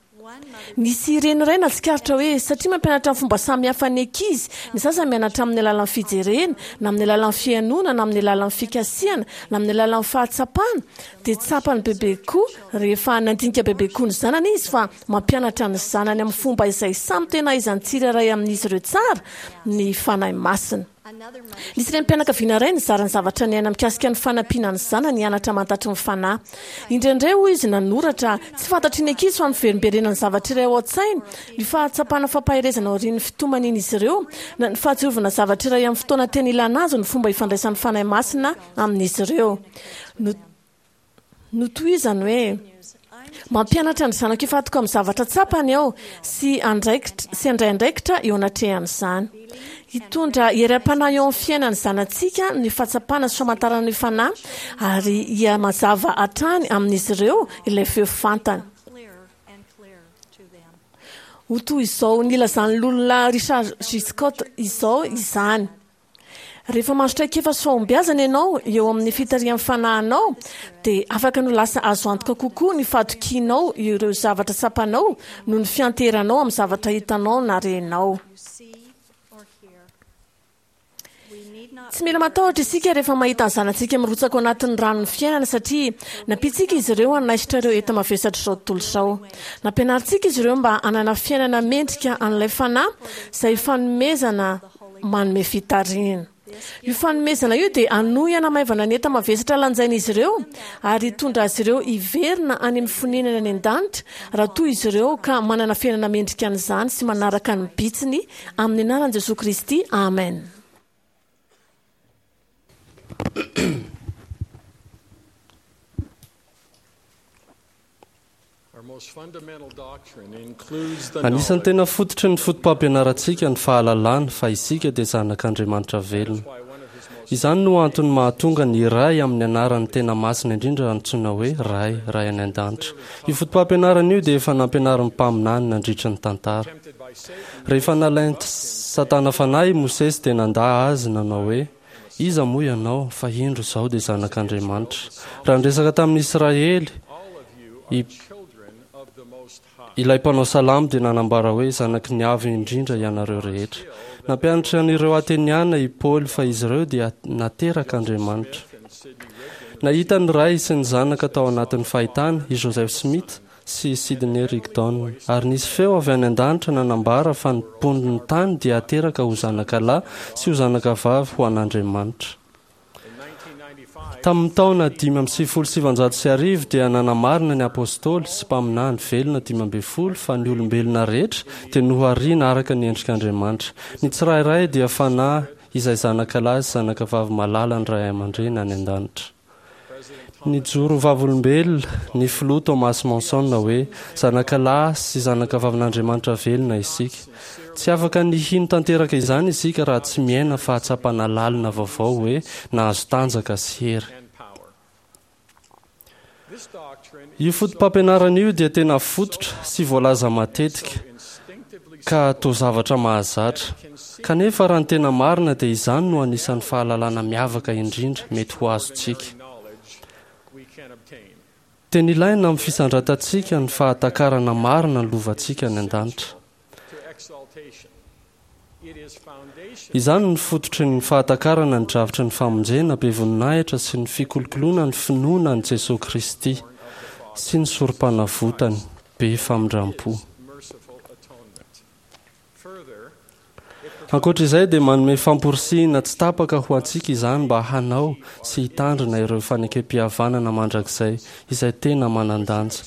Nisy reny iray nahatsikaritra hoe satria mampianatra amin'ny fomba samy hafa ny ankizy, ny sasany mianatra amin'ny alalan'ny fijerena, na amin'ny alalan'ny fihainoana, na amin'ny alalan'ny fikasihana, na amin'ny alalan'ny fahatsapana, dia tsapany bebe koa rehefa nandinika bebe koa ny zanany izy fa mampianatra ny zanany amin'ny fomba izay samy tena ahaizan'ny tsirairay amin'izy ireo tsara ny Fanahy Masina. Nisy renim-pianakaviana iray nizara ny zavatra niainany mikasika ny fanampiana ny zanany hianatra hamantatry ny Fanahy. Indraindray, hoy izy nanoratra, tsy fantatry ny ankizy fa miverimberena ny zavatra iray ao an-tsainy, ny fahatsapana fampaherezana aorian'ny fitomanian'izy ireo, na ny fahatsiarovana zavatra iray amin'ny fotoana tena ilana azy ny fomba ifandraisan'ny Fanahy Masina amin'izy ireo. Notohizany hoe, Mampianatra ny zanako hifantoka amin'ny zavatra tsapany aho sy andraikitra sy handray andraikitra eo anatrehan'izany. Hitondra hery am-panahy eo amin'ny fiainan'ny zanatsika ny fahatsapana sy famantarana ny Fanahy ary hihamazava hatrany amin'izy ireo ilay feo fantany. Ho toy izao nilazan'ny Loholona Richard G. Scott izao izany. Rehefa mahazo traikefa sy fahombiazana ianao eo amin'ny fitarihan'ny fanahinao, dia afaka ny ho lasa azo antoka kokoa ny fahatokianao ireo zavatra tsapanao noho ny fianteheranao amin'ny zavatra hitanao na renao. Tsy mila matahotra isika rehefa mahita ny zanatsika mirotsaka ao anatin'ny ranon'ny fiainana satria nampiantsika izy ireo hanaisotra ireo enta-mavesatr'izao tontolo izao. Nampianarintsika izy ireo mba hanana fiainana mendrika an'ilay Fanahy izay fanomezana manome fitarihana. Io fanomezana io dia hanohy hanamaivana ny enta-mavesatra lanjain'izy ireo ary hitondra azy ireo hiverina any amin'ny fonenany any an-danitra raha toa izy ireo ka manana fiainana mendrika an'izany sy manaraka ny bitsiny amin'ny anaran'i Jesoa Kristy, amen. Anisan'ny tena fototry ny fotopampianarantsika ny fahalalana fa isika dia zanak'Andriamanitra velona. Izany no antony mahatonga ny Ray amin'ny anarany tena masina indrindra antsoina hoe Ray, Ray any An-danitra. Io fotopampianarana io dia efa nampianarin'ny mpaminany nandritry ny tantara. Rehefa nalain'i Satana fanahy i Mosesy dia nandà azy nanao hoe, Iza moa ianao, fa indro izaho dia zanak'Andriamanitra. Raha niresaka tamin'ny Israely i ilay mpanao salamo dia nanambara hoe zanaky ny Avo Indrindra ianareo rehetra. Nampianatra an'ireo Ateniana i Paoly fa izy ireo dia naterak'Andriamanitra. Nahita ny Ray sy ny Zanaka tao anatin'ny fahitana i Joseph Smith sy Sidney Rigdon, ary nisy feo avy any an-danitra nanambara fa ny mponin'ny tany dia hateraka ho zanakalahy sy ho zanakavavy ho an'Andriamanitra. Tamin'ny taona 1995 dia nanamarina ny Apôstôly sy mpaminany velona 15 fa ny olombelona rehetra dia nohariana araka ny endrik'Andriamanitra. Ny tsirairay dia fanahy izay zanakalahy sy zanakavavy malalan'ny ray aman-dreny any an-danitra. Nijoro ho vavolombelona ny Filoha Thomas Monson hoe, Zanakalahy sy zanakavavin'Andriamanitra velona isika. Tsy afaka ny hino tanteraka izany isika raha tsy miaina fahatsapana lalina vaovao hoe nahazo tanjaka sy hery. Io fotopampianarana io dia tena fototra sy voalaza matetika ka toa zavatra mahazatra. Kanefa raha ny tena marina dia izany no anisan'ny fahalalana miavaka indrindra mety ho azontsika. Tena ilaina amin'ny fisandratantsika ny fahatakarana marina ny lovantsika any an-danitra. Izany no fototry ny fahatakarana ny drafitry ny famonjena be voninahitra sy ny fikolokoloana ny finoana an'i Jesoa Kristy sy ny Sorompanavotany be famindram-po. Ankoatra izay dia manome famporisihina tsy tapaka ho antsika izany mba hanao sy hitandrina ireo fanekempihavanana mandrakizay izay tena manan-danja.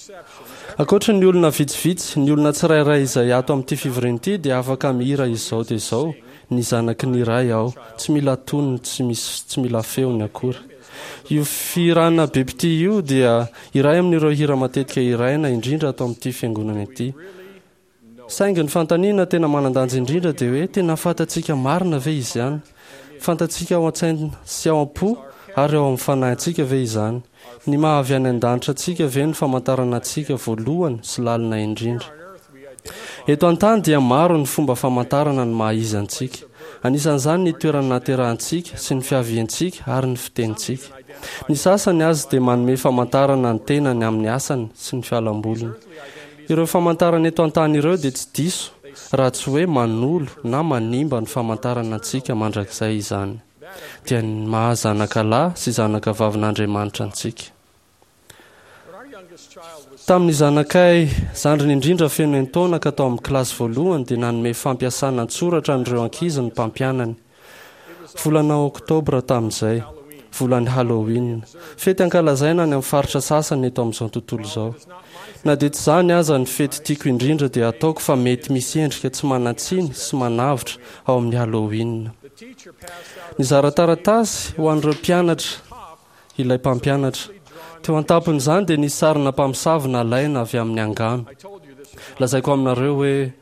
Ankoatry ny olona vitsivitsy, ny olona tsirairay izay ato amin'ity fivoriana ity dia afaka mihira izao dia izao, Ny zanaky ny Ray aho, tsy mila tonony, tsy misy, tsy mila feony akory. Io fihirana be mpitia io dia iray amin'ireo hira matetika hiraina indrindra ato amin'ity fiangonana ity. Saingy ny fanontaniana tena manan-danja indrindra dia hoe tena fantatsika marina ve izany? Fantatsika ao an-tsaina sy ao am-po ary ao amin'ny fanahintsika ve izany? Ny maha avy any an-danitra antsika ve no famantarana antsika voalohany sy lalina indrindra? Eto an-tany dia maro ny fomba famantarana ny maha izy antsika. Anisan'izany ny toerana nahaterahantsika sy ny fiaviantsika ary ny fitenintsika. Ny sasany aza dia manome famantarana ny tenany amin'ny asany sy ny fialamboliny. Ireo famantarana eto an-tany ireo dia tsy diso raha tsy hoe manolo na manimba ny famantarana antsika mandrakizay izany, dia ny maha zanaka lahy sy zanaka vavin'Andriamanitra antsika. Tamin'ny zanakay zandriny indrindra feno enin-taona ka tao amin'ny kilasy voalohany dia nanome fampiasana an-tsoratra an'ireo ankizy ny mpampianany. Volana Oktobra tamin'izay, volan'ny Halloween, fety ankalazaina any amin'ny faritra sasany eto amin'izao tontolo izao. Na dia tsy izany aza ny fety tiako indrindra dia ataoko fa mety misy endrika tsy manan-tsiny sy manavotra ao amin'ny Halloween. Nizara taratasy ho an'ireo mpianatra ilay mpampianatra. Teo an-tampon'izany dia nisy sarina mpamosavy nalaina avy amin'ny angano. Lazaiko aminareo hoe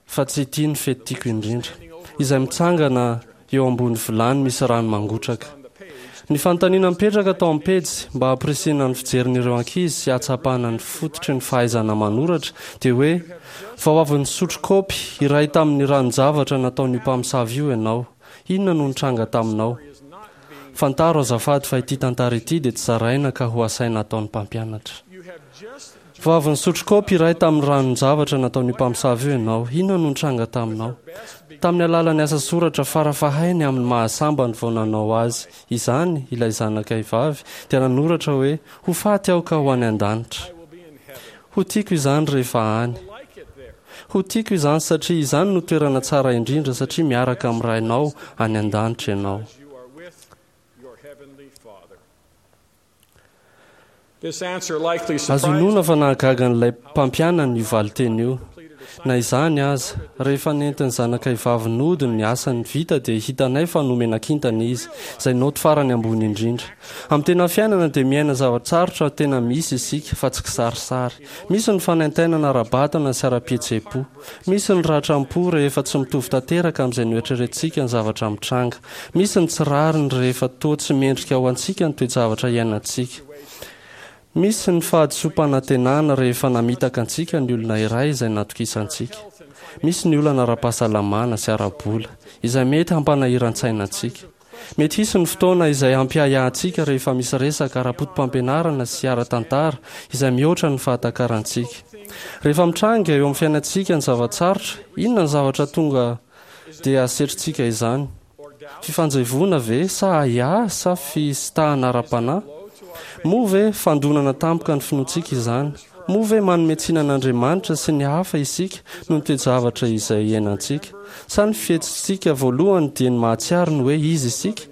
Fa tsy ity ny fety tiako indrindra. Izay mitsangana eo ambony vilany misy rano mangotraka. Ny fanontaniana mipetraka tao amin'ny pejy mba hampirisihina ny fijerin'ireo ankizy sy hahatsapana ny fototry ny fahaizana manoratra dia hoe, Vao avy nisotro kaopy iray tamin'ny ranon-javatra nataon'io mpamosavy io ianao. Inona no nitranga taminao? Fantaro azafady fa ity tantara ity dia tsy zaraina ka ho asaina ataon'ny mpampianatra. Vao avy nisotro kaopy iray tamin'ny ranon-javatra nataon'io mpamosavy io ianao. Inona no nitranga taminao? Tamin'ny alalan'ny asa soratra farafahainy amin'ny maha-sambany vao nanao azy izany ilay zanakay vavy dia nanoratra hoe, Ho faty aho ka ho any an-danitra. Ho tiako izany rehefa any. Ho tiako izany satria izany no toerana tsara indrindra satria miaraka amin'ny Rainao any an-danitra ianao. Azo inoana fa nahagaga an'ilay mpampianany io valinteny io. Na izany aza, rehefa nentin'ny zanakay vavy nody ny asany vita dia hitanay fa nomena kintana izy, izay naoty farany ambony indrindra. Amin'ny tena fiainana dia miaina zava-tsarotra tena misy isika, fa tsy kisarisary. Misy ny fanaintainana ara-batana sy ara-pihetseham-po. Misy ny ratram-po rehefa tsy mitovy tanteraka amin'izay noeritreretintsika ny zavatra mitranga. Misy ny tsy rariny rehefa toa tsy mendrika ho antsika ny toe-javatra iainantsika. Misy ny fahadisoam-panantenana rehefa namitaka antsika ny olona iray izay natokisantsika. Misy ny olana ara-pahasalamana sy ara-bola izay mety hampanahiran-tsaina antsika. Mety hisy ny fotoana izay hampiahiahy antsika rehefa misy resaka ara-potopampianarana sy ara-tantara izay mihoatra ny fahatakarantsika. Rehefa mitranga eo amin'ny fiainantsika ny zava-tsarotra, inona ny zavatra tonga dia asetrintsika izany? Fifanjevoana ve sa ahiahy sa fisintahana ara-panahy? Moa ve fandonana tampoka ny finoantsika izany? Moa ve manome tsiny an'Andriamanitra sy ny hafa isika noho ny toe-javatra izay iainantsika? Sa ny fihetsitsika voalohany dia ny mahatsiaro ny hoe iza isika?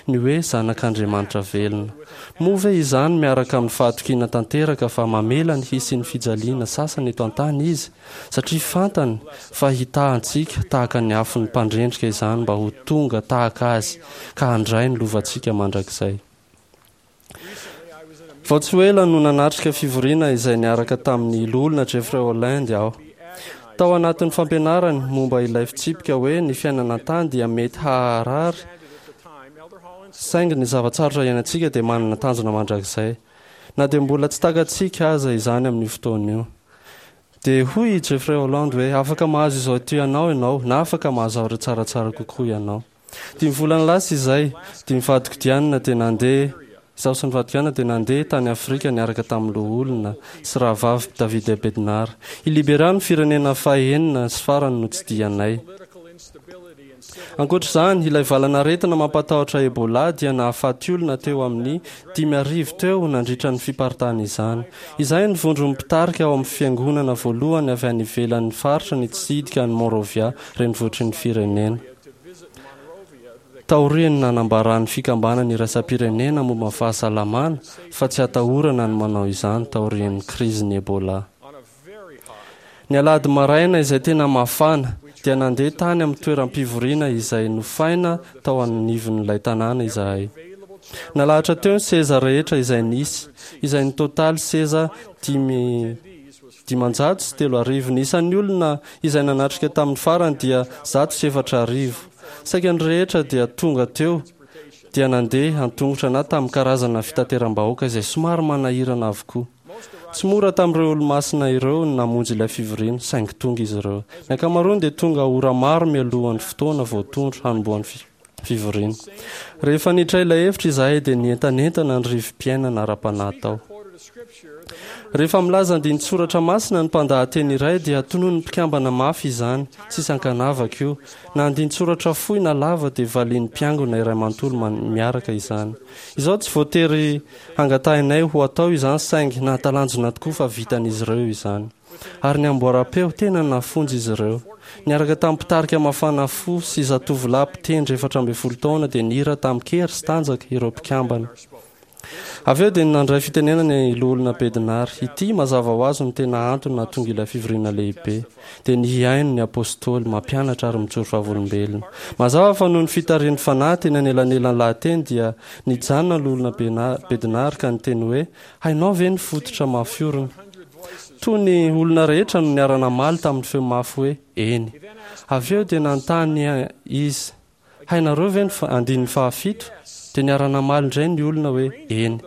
Ny hoe zanak'Andriamanitra velona. Moa ve izany miaraka amin'ny fahatokiana tanteraka fa mamela ny hisian'ny fijaliana sasany eto an-tany Izy, satria fantany fa hitaha antsika tahaka ny afon'ny mpandrendrika izany mba ho tonga tahaka Azy ka handray ny lovantsika mandrakizay? Vao tsy ho ela no nanatrika fivoriana izay niaraka tamin'ny Loholona Jeffrey Holland aho. Tao anatin'ny fampianarany momba ilay fitsipika hoe ny fiainana an-tany dia mety haharary saingy ny zava-tsarotra iainantsika dia manana tanjona mandrakizay, na dia mbola tsy takatsika aza izany amin'io fotoana io. Dia hoy i Jeffrey Holland hoe, Afaka mahazo izao tianao ianao, na afaka mahazo zavatra tsaratsara kokoa ianao. Dimy volana lasa izay, dia ny vadiko Diana dia nandeha, izaho sy ny vadiko Diana dia nandeha tany Afrika niaraka tamin'ny loholona sy rahavavy Davide Bednar. I Liberia no firenena fahenina sy farany notsidihanay. Ankoatra izany, ilay valanaretina mampatahotra Ebola dia nahafaty olona teo amin'ny 5000 teo nandritra ny fiparitahan'izany. Izahay no vondron'ny mpitarika ao amin'ny fiangonana voalohany avy any ivelan'ny faritra nitsidika an'i Monrovia, renivohitry ny firenena. Taorian'ny nanambaran'ny Fikambanana Iraisam-pirenena momba ny Fahasalamana fa tsy atahorana ny manao izany taorian'ny krizin'ny Ebola. Ny alahady maraina izay tena mafana, dia nandeha tany amin'ny toeram-pivoriana izay nofaina tao anivon'ilay tanàna izahay. Nalahatra teo ny seza rehetra izay nisy, izay nitotaly seza 35 500. Ny isan'ny olona izay nanatrika tamin'ny farany dia 4100. Saika ny rehetra dia tonga teo dia nandeha an-tongotra na tamin'ny karazana fitateram-bahoaka izay somary manahirana avokoa. Tsy mora tamin'ireo Olomasina ireo ny namonjy ilay fivoriana, saingy tonga izy ireo. Ny ankamaroany dia tonga ora maro mialohan'ny fotoana voatondro hanombohan'ny fivoriana. Rehefa niditra ilay efitra izahay dia nientanentana ny rivo-piainana ara-panahy tao. Rehefa milaza andinin-tsoratra masina ny mpandahateny iray dia tononin'ny mpikambana mafy izany, tsy isan-kanavaka io. Na andinin-tsoratra fohy na lava dia valian'ny mpiangona iray manontolo miaraka izany. Izao tsy voatery hangatahinay ho atao izany saingy nahatalanjona tokoa fa vitan'izy ireo izany. Ary ny amboaram-peo, tena nafonja izy ireo. Niaraka tamin'ny mpitarika mafana fo sy zatovolahy mpitendry 14 taona dia nihira tamin-kery sy tanjaka ireo mpikambana. Avy eo dia nandray fitenenana i Loholona Bednar. Ity, mazava ho azy, no tena antony nahatonga ilay fivoriana lehibe, dia ny hihaino ny Apostoly, mampianatra ary mijoro vavolombelona. Mazava fa noho ny fitarihan'ny Fanahy teny anelanelan'ny lahateny dia nijanona ny Loholona Bednar ka niteny hoe, Hainao ve ny fototra mafy orina? Toa ny olona rehetra no niara-namaly tamin'ny feo mafy hoe, Eny. Avy eo dia nanontany izy, Hainareo ve ny andininy fahafito? Dia niara-namaly indray ny olona hoe, Eny.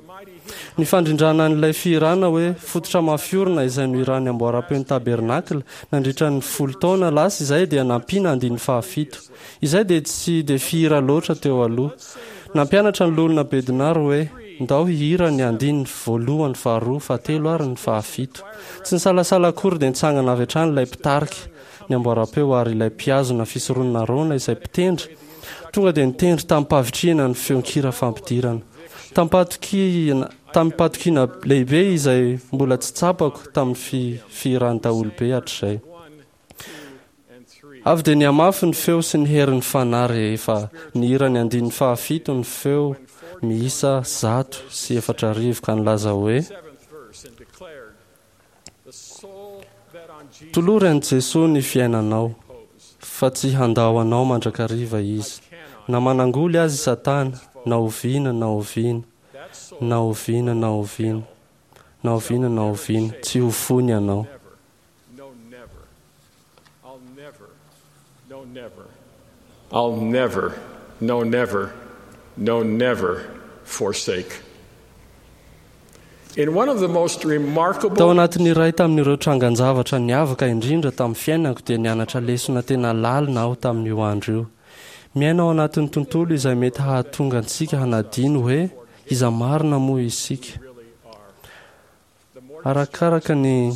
Ny fandrindrana an'ilay fihirana hoe Fototra mafy orina izay nohiran'ny Amboaram-peon'ny Tabernakla nandritra ny folo taona lasa izay dia nampiana andininy fahafito. Izay dia tsy dia fihira loatra teo aloha. Nampianatra ny Loholona Bednar hoe, Ndao hihira ny andininy voalohany, faharoa, fahatelo ary ny fahafito. Tsy nisalasala akory dia nitsangana avy hatrany ilay mpitarika ny amboaram-peo ary ilay mpihazona fisoronana Arona izay mpitendry tonga dia nitendry tamim-pahavitrihana ny feon-kira fampidirana. Tamim-pahatokiana tamim-pahatokiana lehibe izay mbola tsy tsapako tamin'ny fihiran'ny daholobe hatrizay. Avy dia nihamafy ny feo sy ny herin'ny Fanahy rehefa nihira ny andininy fahafito ny feo miisa 104 ka nilaza hoe, Tolory an'i Jesoa ny fiainanao, fa tsy handao anao mandrakariva Izy. Na manangoly aza i Satana, na oviana na oviana, na oviana na oviana, na oviana na oviana, tsy ho foiny ianao. I'll never, no never, no never forsake. In one of the most remarkable Tao anatin'ny iray tamin'ireo trangan-javatra niavaka indrindra tamin'ny fiainako dia nianatra lesona tena lalina aho tamin'io andro io. Miaina ao anatin'ny tontolo izay mety hahatonga antsika hanadino hoe iza marina moa isika. Arakaraka ny.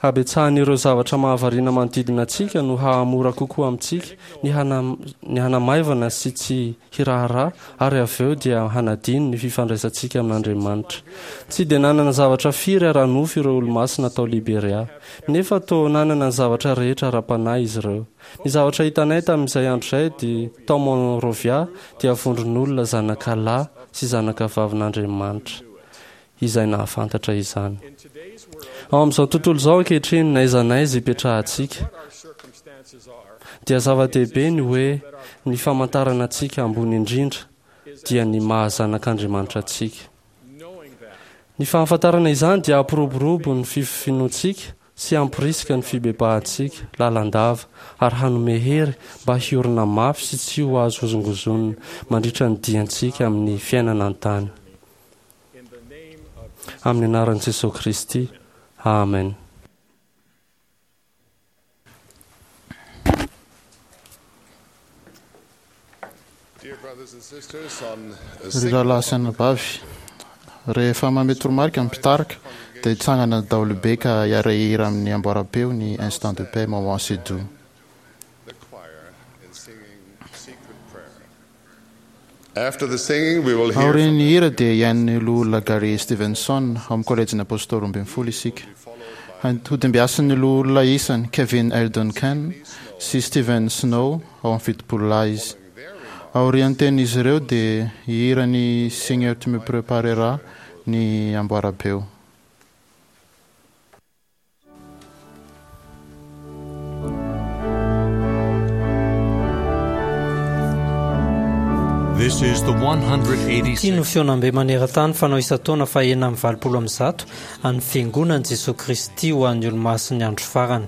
Habetsahan'ireo zavatra mahavariana manodidina antsika no hahamora kokoa amintsika ny ny hanamaivana sy tsy hiraharaha ary avy eo dia hanadino ny fifandraisantsika amin'Andriamanitra. Tsy dia nanana zavatra firy ara-nofo ireo Olomasina tao Liberia. Nefa toa nanana ny zavatra rehetra ara-panahy izy ireo. Ny zavatra hitanay tamin'izay andro izay dia tao Monrovia dia vondron'olona zanaka lahy sy zanaka vavin'Andriamanitra izay nahafantatra izany. Ao amin'izao tontolo izao ankehitriny, n'aiza n'aiza ipetrahantsika, dia zava-dehibe ny hoe ny famantarana antsika ambony indrindra dia ny maha zanak'Andriamanitra antsika. Ny fahafantarana izany dia hampiroborobo ny finoantsika sy hamporisika ny fibebahantsika lalandava ary hanome hery mba hiorina mafy sy tsy ho azo hozongozonina mandritra ny diantsika amin'ny fiainana an-tany. Amin'ny anaran'i Jesoa Kristy. Amen. Ry rahalahy sy anabavy, rehefa manome toromarika ny mpitarika, dia hitsangana ny daholobe ka hiara-hihira amin'ny amboaram-peo ny Instant de paix, moment si doux. Aorian'ny hira dia hihaino ny Loholona Gary Stevenson ao amin'ny Kôlejin'ny Apôstôly Roambinifolo isika. Hodimbiasin'ny Loholona isany Kevin L. Duncan sy Steven Snow ao amin'ny Fitopololahy izy. Aorian'ny tenin'izy ireo dia hihira ny Seigneur tu me prepareras ny amboarabeo. Ity no fihaonambe maneran-tany fanao isan-taona faha 186 an'ny Fiangonan'i Jesoa Kristy ho an'ny Olomasin'ny Andro Farany.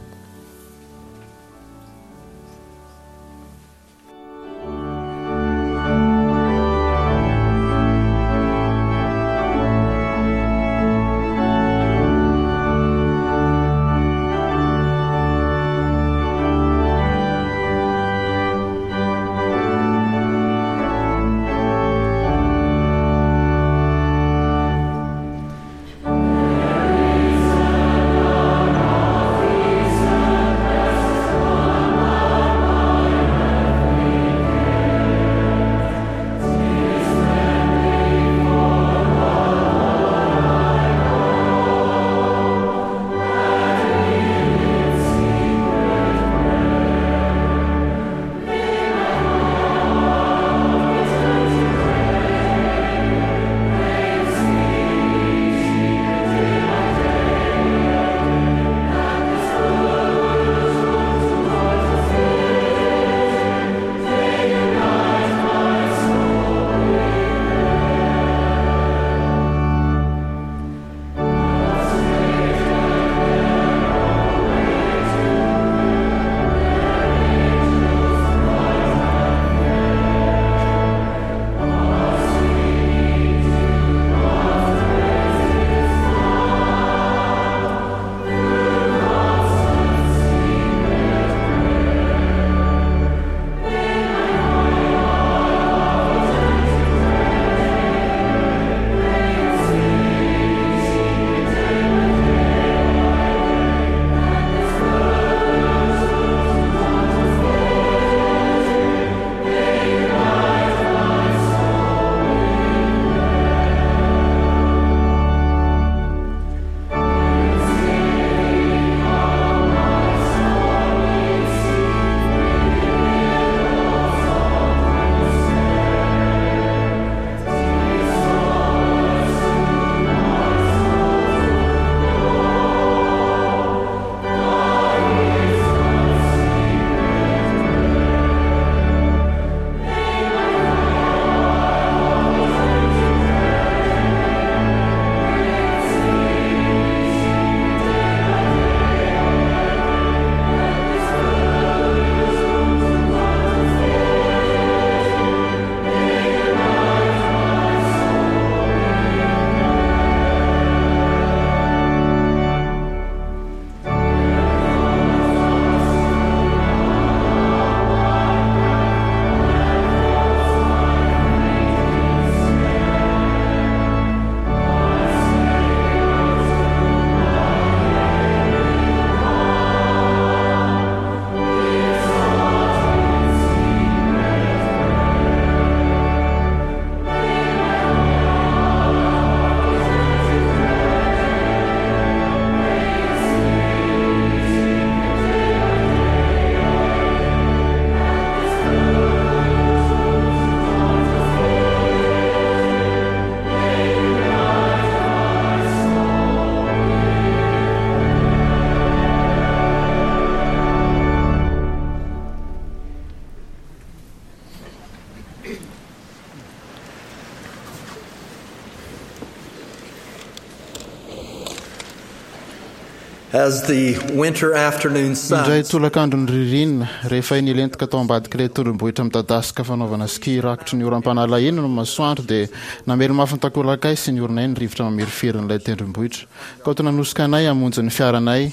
As the winter afternoon sun Indray tolakandron'ny ririnina, rehefa iny nilentika tao ambadik'ilay tendrombohitra midadasika fanaovana ski rakotry ny oram-panala iny ny masoandro dia namely mafy ny takolakay sy ny oronay ny rivotra mamirifirin'ilay tendrombohitra. Kaoty nanosika anay hamonjy ny fiaranay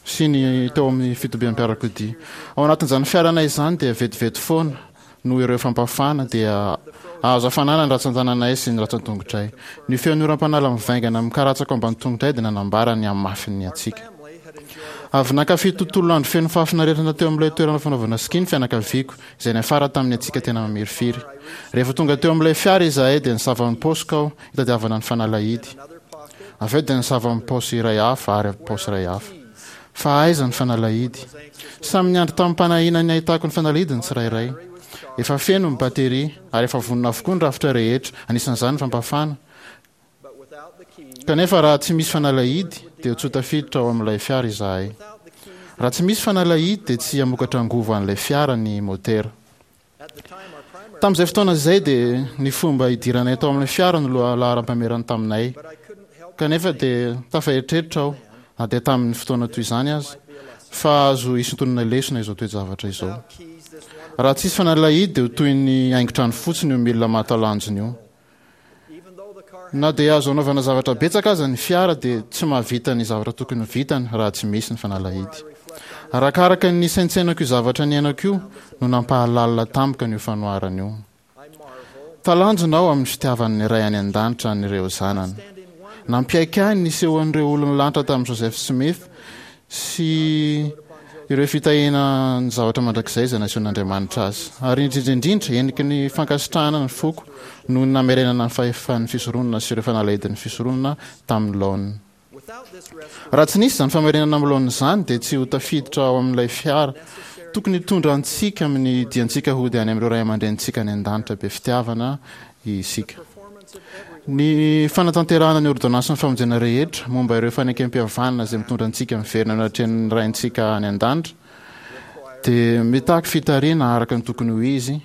sy ny teo amin'ny fitobiam-piarakodia. Ao anatin'izany fiaranay izany dia vetivety foana noho ireo fampafana dia azo hafanana ny ratsan-tananay sy ny ratsan-tongotray. Ny feon'ny oram-panala mivaingana mikaratsaka ao ambany tongotray dia nanambara ny hamafin'ny hatsiaka. Avy nankafy tontolo andro feno fahafinaretana teo amin'ilay toerana fanaovana ski ny fianakaviako, izay niafara tamin'ny hatsiaka tena mamirifiry. Rehefa tonga teo amin'ilay fiara izahay dia nisava ny paosiko aho hitadiavana ny fanalahidy. Avy eo dia nisava ny paosy iray hafa ary paosy iray hafa. Fa aiza ny fanalahidy? Samy niandry tamim-panahiana ny hahitako ny fanalahidy ny tsirairay. Efa feno ny bateria, ary efa vonona avokoa ny rafitra rehetra, anisan'izany ny fampafana. Kanefa raha tsy misy fanalahidy, dia tsy ho tafiditra ao amin'ilay fiara izahay. Raha tsy misy fanalahidy, dia tsy hamokatra angovo an'ilay fiara ny motera. Tamin'izay fotoana izay dia ny fomba hidiranay tao amin'ilay fiara no lohalaharam-pahamerana taminay. Kanefa dia tafaeritreritra aho, na dia tamin'ny fotoana toy izany aza, fa azo isintonana lesona izao toe-javatra izao. Raha tsisy fanalahidy dia ho toy ny haingon-trano fotsiny io milina mahatalanjona io. Na dia azo anaovana zavatra betsaka aza ny fiara dia tsy mahavita ny zavatra tokony ho vitany raha tsy misy ny fanalahidy. Arakaraka ny nisaintsainako io zavatra niainako io no nampahalalina tampoka an'io fanoharana io. Talanjona aho amin'ny fitiavan'ny Ray any An-danitra an'ireo zanany. Nampiaiky ahy ny nisehoan'ireo olon'ny lanitra tamin'i Joseph Smith sy ireo fitahiana ny zavatra mandrakizay izay nasehon'Andriamanitra azy. Ary indrindra indrindra, heniky ny fankasitrahana ny foko noho ny namerenana ny fahefan'ny fisoronana sy ireo fanalahidin'ny fisoronana tamin'ny laoniny. Raha tsy nisy izany famerenana amin'ny laoniny izany, dia tsy ho tafiditra ao amin'ilay fiara tokony hitondra antsika amin'ny diantsika hody any amin'ireo ray aman-drenintsika any an-danitra be fitiavana isika. Ny fanatanterahana ny ôrdônansin'ny famonjena rehetra momba ireo fanekempihavanana izay mitondra antsika miverina eo anatrehan'ny Raintsika any An-danitra dia mitaky fitarihana araka ny tokony ho izy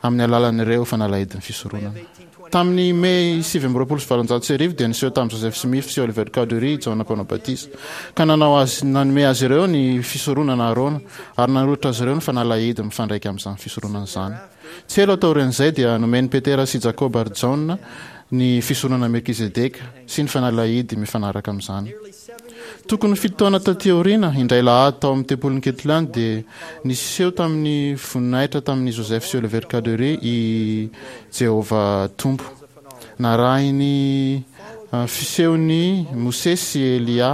amin'ny alalan'ireo fanalahidin'ny fisoronana. Tamin'ny Mey 1829 dia niseho tamin'i Joseph Smith sy Oliver Cowdery i Jaona Mpanao Batisa, ka nanao azy nanome azy ireo ny fisoronana Arona ary nanolotra azy ireo ny fanalahidy mifandraika amin'izany fisoronana izany. Tsy ela taorian'izay dia nomen'i Petera sy Jakoba ary Jaona ny fisoronana Melkizedeka sy ny fanalahidy mifanaraka amin'izany. Tokony ho fito taona tatỳ aoriana, indray lahady tao amin'ny tempolin'i Kirtland dia niseho tamin'ny voninahitra tamin'i Joseph sy Oliver Cowdery i Jehovah Tompo. Narahin'ny fisehon'i Mosesy sy Elia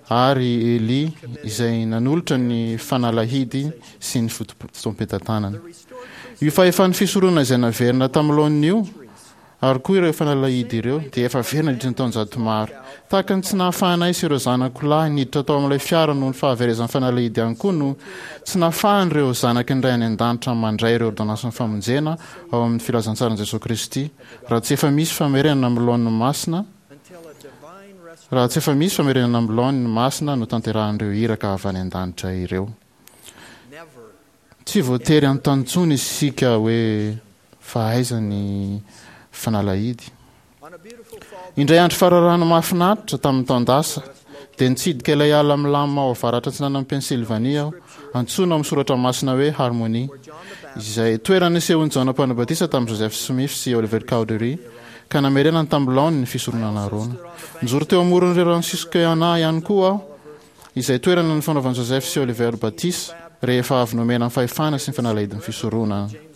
ary Elia izay nanolotra ny fanalahidy sy ny fotoam-pitantanana. Io fahefan'ny fisoronana izay naverina tamin'ny laoniny io, ary koa ireo fanalahidy ireo, dia efa very nandritra ny taonjato maro. Tahaka ny tsy nahafahanay sy ireo zanako lahy niditra tao amin'ilay fiara noho ny fahaverezan'ny fanalahidy ihany koa no tsy nahafahan'ireo zanaky ny Ray any An-danitra mandray ireo ôrdônansin'ny famonjena ao amin'ny filazantsaran'i Jesoa Kristy raha tsy efa misy famerenana amin'ny laoniny masina raha tsy efa misy famerenana amin'ny laoniny masina notanterahin'ireo iraka avy any an-danitra ireo. Tsy voatery hanontany intsony isika hoe fa aiza ny fanalahidy. Indray andro fararano mahafinaritra tamin'ny taon-dasa, dia nitsidika ilay ala milamina ao avaratra atsinanan'i Pennsylvanie aho, antsoina ao amin'ny soratra masina hoe Harmony, izay toerana nisehoan'i Jaona Mpanao Batisa tamin'i Joseph Smith sy Oliver Cowdery, ka namerenany tamin'ny laoniny ny fisoronana Arona. Nijoro teo amoron'ny rano Susquehanna ihany koa aho, izay toerana nifanaovan'i Joseph sy Oliver batisa rehefa avy nomena ny fahefana sy ny fanalahidin'ny fisoronana.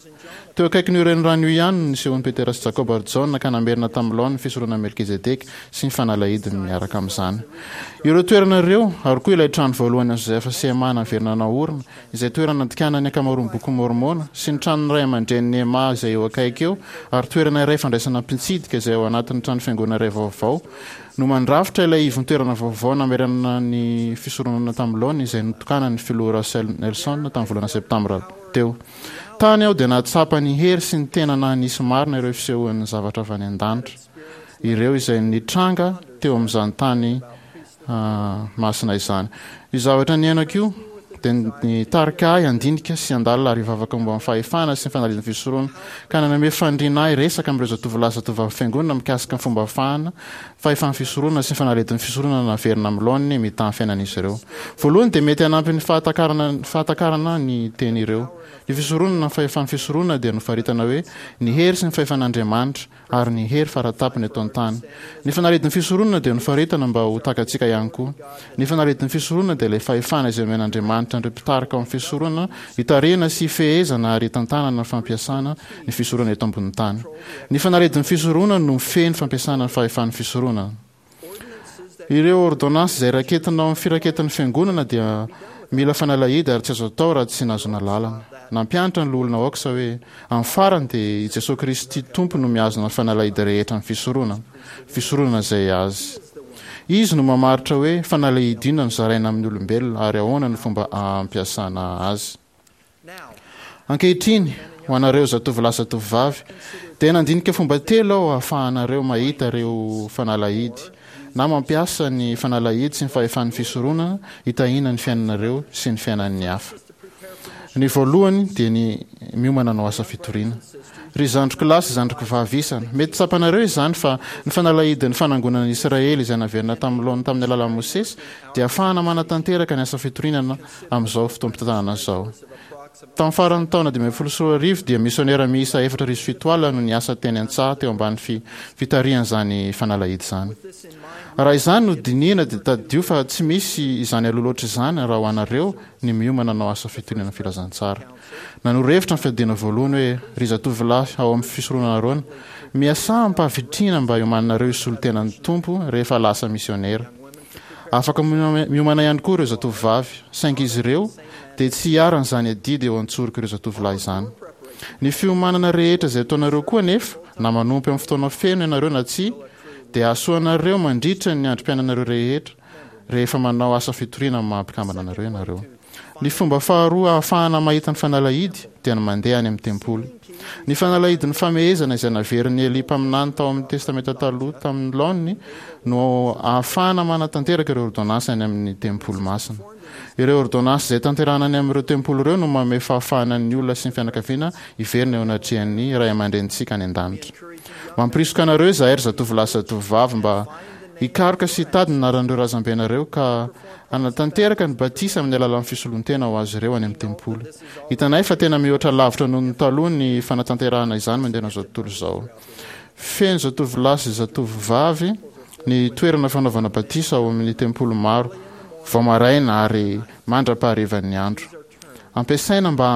Teo akaikin'io renirano io ihany no nisehoan'i Petera sy Jakoba ary Jaona ka namerina tamin'ny laoniny ny fisoronan'i Melkizedeka sy ny fanalahidiny miaraka amin'izany. Ireo toerana ireo, ary koa ilay trano voalohany an'i Joseph sy Emma naverina naorina, izay toerana nandikana ny ankamaroan'ny Bokin'i Môrmôna, sy ny tranon'ny ray aman-drenin'i Emma izay eo akaiky eo, ary toerana iray fandraisana mpitsidika izay ao anatin'ny trano fiangonana iray vaovao, no mandrafitra ilay ivon-toerana vaovao namerenana ny fisoronana tamin'ny laoniny izay notokanan'ny Filoha Russell Nelson tamin'ny volana Septambra teo. Tany aho dia nahatsapa ny hery sy ny tena naha-nisy marina ireo fisehoan'ny zavatra avy any an-danitra ireo izay nitranga teo amin'izany tany masina izany. Io zavatra niainako io. dia nitarika ahy handinika sy handalina ary hivavaka momba ny fahefana sy ny fanalahidin'ny fisoronana, ka nanome faniriana ahy hiresaka amin'ireo zatovolahy sy zatovovavy fiangonana mikasika ny fomba ahafahana fahefan'ny fisoronana sy ny fanalahidin'ny fisoronana naverina amin'ny laoniny mitaha ny fiainan'izy ireo. Voalohany dia mety hanampy ny fahatakarana fahatakarana ny teny ireo. Ny fisoronana ny fahefan'ny fisoronana dia nofaritana hoe ny hery sy ny fahefan'Andriamanitra, ary ny hery faratapony eto an-tany. Ny fanalahidin'ny fisoronana dia nofaritana mba ho takatsika ihany koa. Ny fanalahidin'ny fisoronana dia ilay fahefana izay omen'Andriamanitra an'ireo mpitarika ao amin'ny fisoronana hitarihana sy hifehezana ary hitantanana ny fampiasana ny fisoronana eto ambonin'ny tany. Ny fanalahidin'ny fisoronana no mifehy ny fampiasana ny fahefan'ny fisoronana. Ireo ôrdônansy izay raketina ao amin'ny firaketan'ny Fiangonana dia mila fanalahidy ary tsy azo atao raha tsy nahazoana lalana. Nampianatra ny Loholona Oaks hoe, Amin'ny farany dia i Jesoa Kristy Tompo no mihazona ny fanalahidy rehetra amin'ny fisoronana, fisoronana izay Azy. Izy no mamaritra hoe fanalahidy inona no zaraina amin'ny olombelona ary ahoana no fomba ampiasana azy. Ankehitriny, ho anareo zatovolahy sy zatovovavy, dia nandinika fomba telo aho ahafahanareo mahita ireo fanalahidy, na mampiasa ny fanalahidy sy ny fahefan'ny fisoronana hitahiana ny fiainanareo sy ny fiainan'ny hafa. Ny voalohany dia ny miomana hanao asa fitoriana. Ry zandriko lahy sy zandriko vavy isany, mety tsapanareo izany fa ny fanalahidin'ny fanangonana an'i Israely izay naverina tamin'ny laoniny tamin'ny alalan'i Mosesy dia ahafahana manatanteraka ny asa fitoriana amin'izao fotoam-pitantanana izao. Tamin'ny faran'ny taona 2015 dia misionera miisa 7700 no niasa teny an-tsaha teo ambany fitarihan'izany fanalahidy izany. Raha izany no dinihina dia tadidio fa tsy misy izany aloha loatra izany raha ho anareo ny miomana hanao asa fitoriana ny filazantsara. Nanoro hevitra ny fiadiana voalohany hoe, Ry zatovolahy ao amin'ny fisoronana Arona, miasà amim-pahavitrihana mba hiomananareo hisolo tena ny Tompo rehefa lasa misionera. Afaka miomana ihany koa ireo zatovovavy, saingy izy ireo dia tsy hiharan'izany adidy eo an-tsorok'ireo zatovolahy izany. Ny fiomanana rehetra izay ataonareo koa anefa, na manompo amin'ny fotoana feno ianareo na tsia, dia hahasoa anareo mandritra ny androm-piainanareo rehetra rehefa manao asa fitoriana amin'ny maha-mpikambana anareo ianareo. Ny fomba faharoa ahafahana mahita ny fanalahidy dia ny mandeha any amin'ny tempoly. Ny fanalahidin'ny famehezana izay naverin'i Elia mpaminany tao amin'ny Testamenta Taloha tamin'ny laoniny no ahafahana manatanteraka ireo ôrdônansy any amin'ny tempoly masina. Ireo ôrdônansy izay tanterahana any amin'ireo tempoly ireo no manome fahafahana ny olona sy ny fianakaviana hiverina eo anatrehan'ny Ray aman-drenintsika any an-danitra. Mampirisika anareo izahay ry zatovolahy sy zatovovavy mba hikaroka sy hitady ny anaran'ireo razambenareo ka hanatanteraka ny batisa amin'ny alalan'ny fisoloan-tena ho azy ireo any amin'ny tempoly. Hitanay fa tena mihoatra lavitra noho ny taloha ny fanatanterahana izany manerana izao tontolo izao. Feno zatovolahy sy zatovovavy ny toerana fanaovana batisa ao amin'ny tempoly maro vao maraina ary mandra-paharivan'ny andro. Ampiasaina mba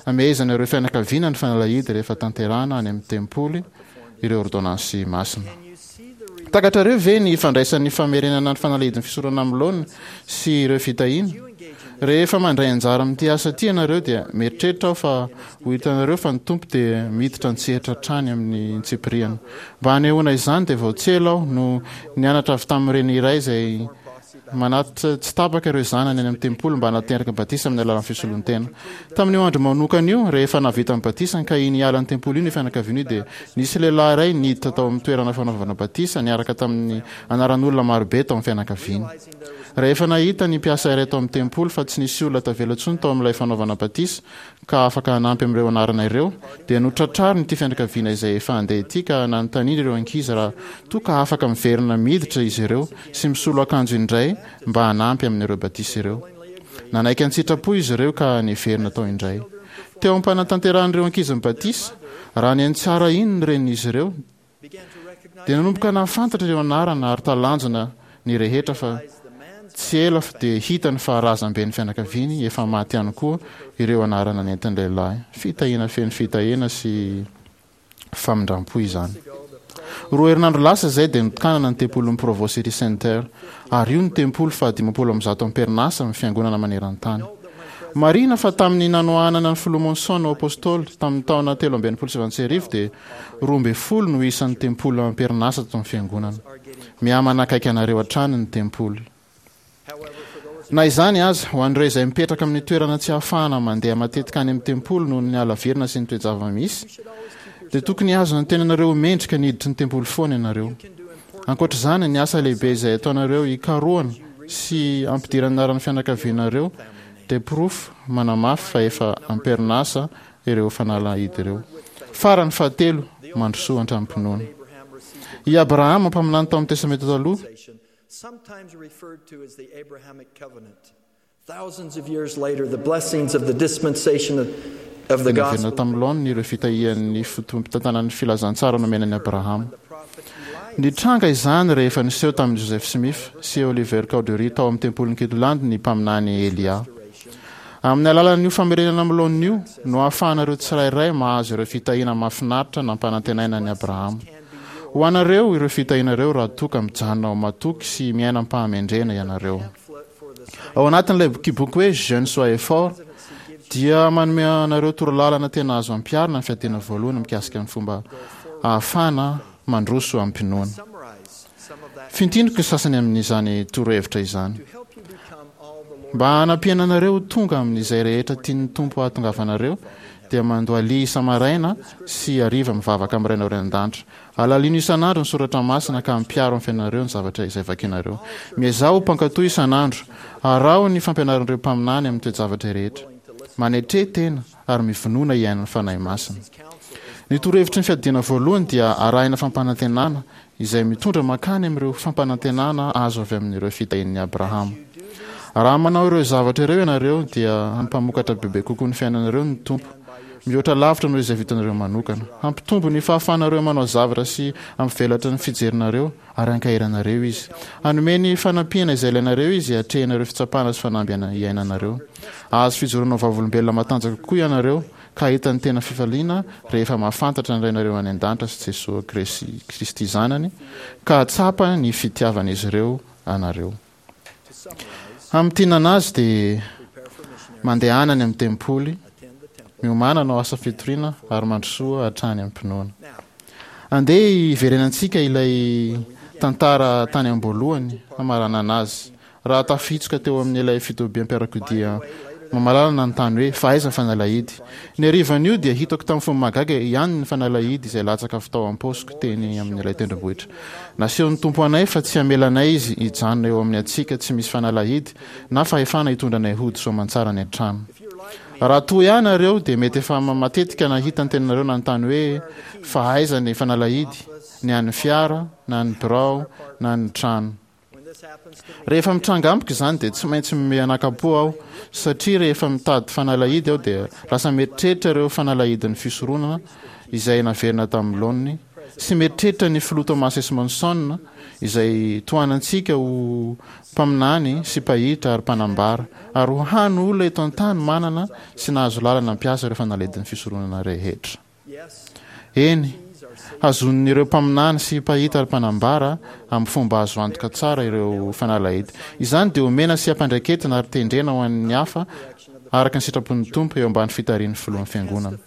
hamehezana ireo fianakaviana ny fanalahidy rehefa tanterahana any amin'ny tempoly ireo ôrdônansy masina. Takatrareo ve ny ifandraisan'ny famerenana ny fanalahidin'ny fisoronana amin'ny laoniny sy ireo fitahiana? Rehefa mandray anjara amin'ity asa ity ianareo dia mieritreritra aho fa ho hitanareo fa ny Tompo dia miditra an-tsehatra hatrany amin'ny antsipiriany. Mba hanehoana izany dia vao tsy ela aho no nianatra avy tamin'ny reny iray izay Manatitra tsy tapaka ireo zanany any amin'ny tempoly mba hanateraka batisa amin'ny alalan'ny fisoloan-tena. Tamin'io andro manokana io, rehefa nahavita ny batisany ka iny hiala ny tempoly iny io fianakaviana io dia nisy lehilahy iray niditra tao amin'ny toerana fanaovana batisa niaraka tamin'ny anaran'olona marobe tao amin'ny fianakaviany. Rehefa nahita ny mpiasa iray tao amin'ny tempoly fa tsy nisy olona tavela intsony tao amin'ilay fanaovana batisa ka afaka hanampy amin'ireo anarana ireo, dia notratrariny ity fianakaviana izay efa handeha ity ka nanontaniany ireo ankizy raha toa ka afaka miverina miditra izy ireo sy misolo akanjo indray mba hanampy amin'ireo batisa ireo. Nanaiky an-tsitrapo izy ireo ka niverina tao indray. Teo am-panatanterahan'ireo ankizy ny batisa, raha nihaino tsara iny ny renin'izy ireo, Dia nanomboka nahafantatra ireo anarana ary talanjona ny rehetra fa tsy ela dia hitany fa razamben'ny fianakaviany efa maty ihany koa ireo anarana nentin'ny lehilahy. Fitahiana feno fitahiana sy famindram-po izany. Roa herinandro lasa izay dia notokanana ny tempolin'ny Provo City Center ary io no tempoly faha 150 am-perinasa amin'ny fiangonana maneran-tany. Marihina fa tamin'ny nanohanana ny filoha Monson ho apostoly tamin'ny taona 1963 dia 12 no isan'ny tempoly am-perinasa tato amin'ny Fiangonana. Miha-manakaiky anareo hatrany ny tempoly. Na izany aza, ho an'ireo izay mipetraka amin'ny toerana tsy ahafahana mandeha matetika any amin'ny tempoly noho ny halavirana sy ny toe-java-misy, dia tokony hihazona ny tenanareo ho mendrika ny hiditry ny tempoly foana ianareo. Ankoatra izany, ny asa lehibe izay ataonareo hikarohana sy hampidirana ny anaran'ny fianakavianareo, dia porofo manamafy fa efa am-perinasa ireo fanalahidy ireo. Farany fahatelo, mandrosoa hatramin'ny-pinoana. I Abrahama, mpaminany tao amin'ny Testamenta Taloha, Sometimes referred to as the Abrahamic covenant. Thousands of years later, the blessings of the dispensation of, of the dia naverina gospel tamin'ny laoniny ireo fitahian'ny fotoampitantanan'ny filazantsara nomena an'i Abrahama. Nitranga izany rehefa niseho tamin'i Joseph Smith sy Oliver Cowdery tao amin'ny tempolin'i Kirtland ny mpaminany Elia. Amin'ny alalan'io famerenana amin'ny laoniny io no ahafahanareo tsirairay mahazo ireo fitahiana mahafinaritra nampanantenaina an'i Abrahama. Ho anareo ireo fitahiana ireo raha toa ka mijanona ho matoky sy miaina am-pahamendrehana ianareo. Ao anatin'ilay bokiboky hoe Jeunes soyez forts dia manome anareo torolalana tena azo ampiharina ny fiadiana voalohany mikasika ny fomba ahafahana mandroso amim-pinoana. Fintiniko ny sasany amin'izany torohevitra izany. Mba hanampiana anareo ho tonga amin'izay rehetra tian'ny Tompo hahatongavanareo, dia mandohalia isa-maraina sy hariva mivavaka amin'ny Rainareo any an-danitra. Alalino isan'andro ny soratra masina ka ampiharo amin'ny fiainanareo ny zavatra izay vakinareo. Miezaha ho mpankatò isan'andro. Araho ny fampianaran'ireo mpaminany amin'ny toe-javatra rehetra. Manetre tena ary mivonona hihaino ny Fanahy Masina. Ny torohevitry ny fiadiana voalohany dia arahina fampanantenana izay mitondra mankany amin'ireo fampanantenana azo avy amin'ireo fitahian'i Abrahama. Raha manao ireo zavatra ireo ianareo dia hampamokatra bebe kokoa ny fiainanareo ny Tompo, mihoatra lavitra noho izay vitanareo manokana. Hampitombo ny fahafahanareo manao zavatra sy hampivelatra ny fijerinareo ary hankahery anareo Izy. Hanome ny fanampiana izay ilainareo Izy hiatrehana ireo fitsapana sy fanamby iainanareo. Hahazo fijoroana ho vavolombelona matanjaka kokoa ianareo ka hahita ny tena fifaliana rehefa mahafantatra ny Rainareo any An-danitra sy Jesoa Kristy Zanany, ka hahatsapa ny fitiavan'izy ireo anareo. Hamintinana azy dia mandehana any amin'ny tempoly, miomàna hanao asa fitoriana ary mandrosoa hatrany am-pinoana. Andeha hiverenantsika ilay tantara tany am-boalohany hamaranana azy. Raha tafihitsoka teo amin'ilay fitobiam-piarakodia mamalala nanontany hoe, Fa aiza ny fanalahidy? Ny harivan'io dia hitako tamin'ny fomba mahagaga ihany ny fanalahidy izay latsaka avy tao am-paosiko teny amin'ilay tendrombohitra. Nasehon'ny Tompo anay fa tsy hamela anay Izy hijanona eo amin'ny hatsiaka tsy misy fanalahidy na fahefana hitondra anay hody soamantsara any an-trano. Raha toa ahy ianareo dia mety efa matetika nahita ny tenanareo nanontany hoe, Fa aiza ny fanalahidy? Ny an'ny fiara, na ny birao, na ny trano. Rehefa mitranga amiko izany dia tsy maintsy mianakam-po aho satria rehefa mitady fanalahidy aho dia lasa mieritreritra ireo fanalahidin'ny fisoronana izay naverina tamin'ny laoniny sy mieritreritra ny filoha Thomas S. Monson izay tohanantsika ho mpaminany sy mpahita ary mpanambara ary ho hany olona eto an-tany manana sy nahazo lalana hampiasa ireo fanalahidin'ny fisoronana rehetra. Eny, hazonin'ireo mpaminany sy mpahita ary mpanambara amin'ny fomba azo antoka tsara ireo fanalahidy. Izany dia omena sy ampiandraiketina ary tendrena ho an'ny hafa araka ny sitrapon'ny Tompo eo ambany fitarihan'ny Filohan'ny Fiangonana.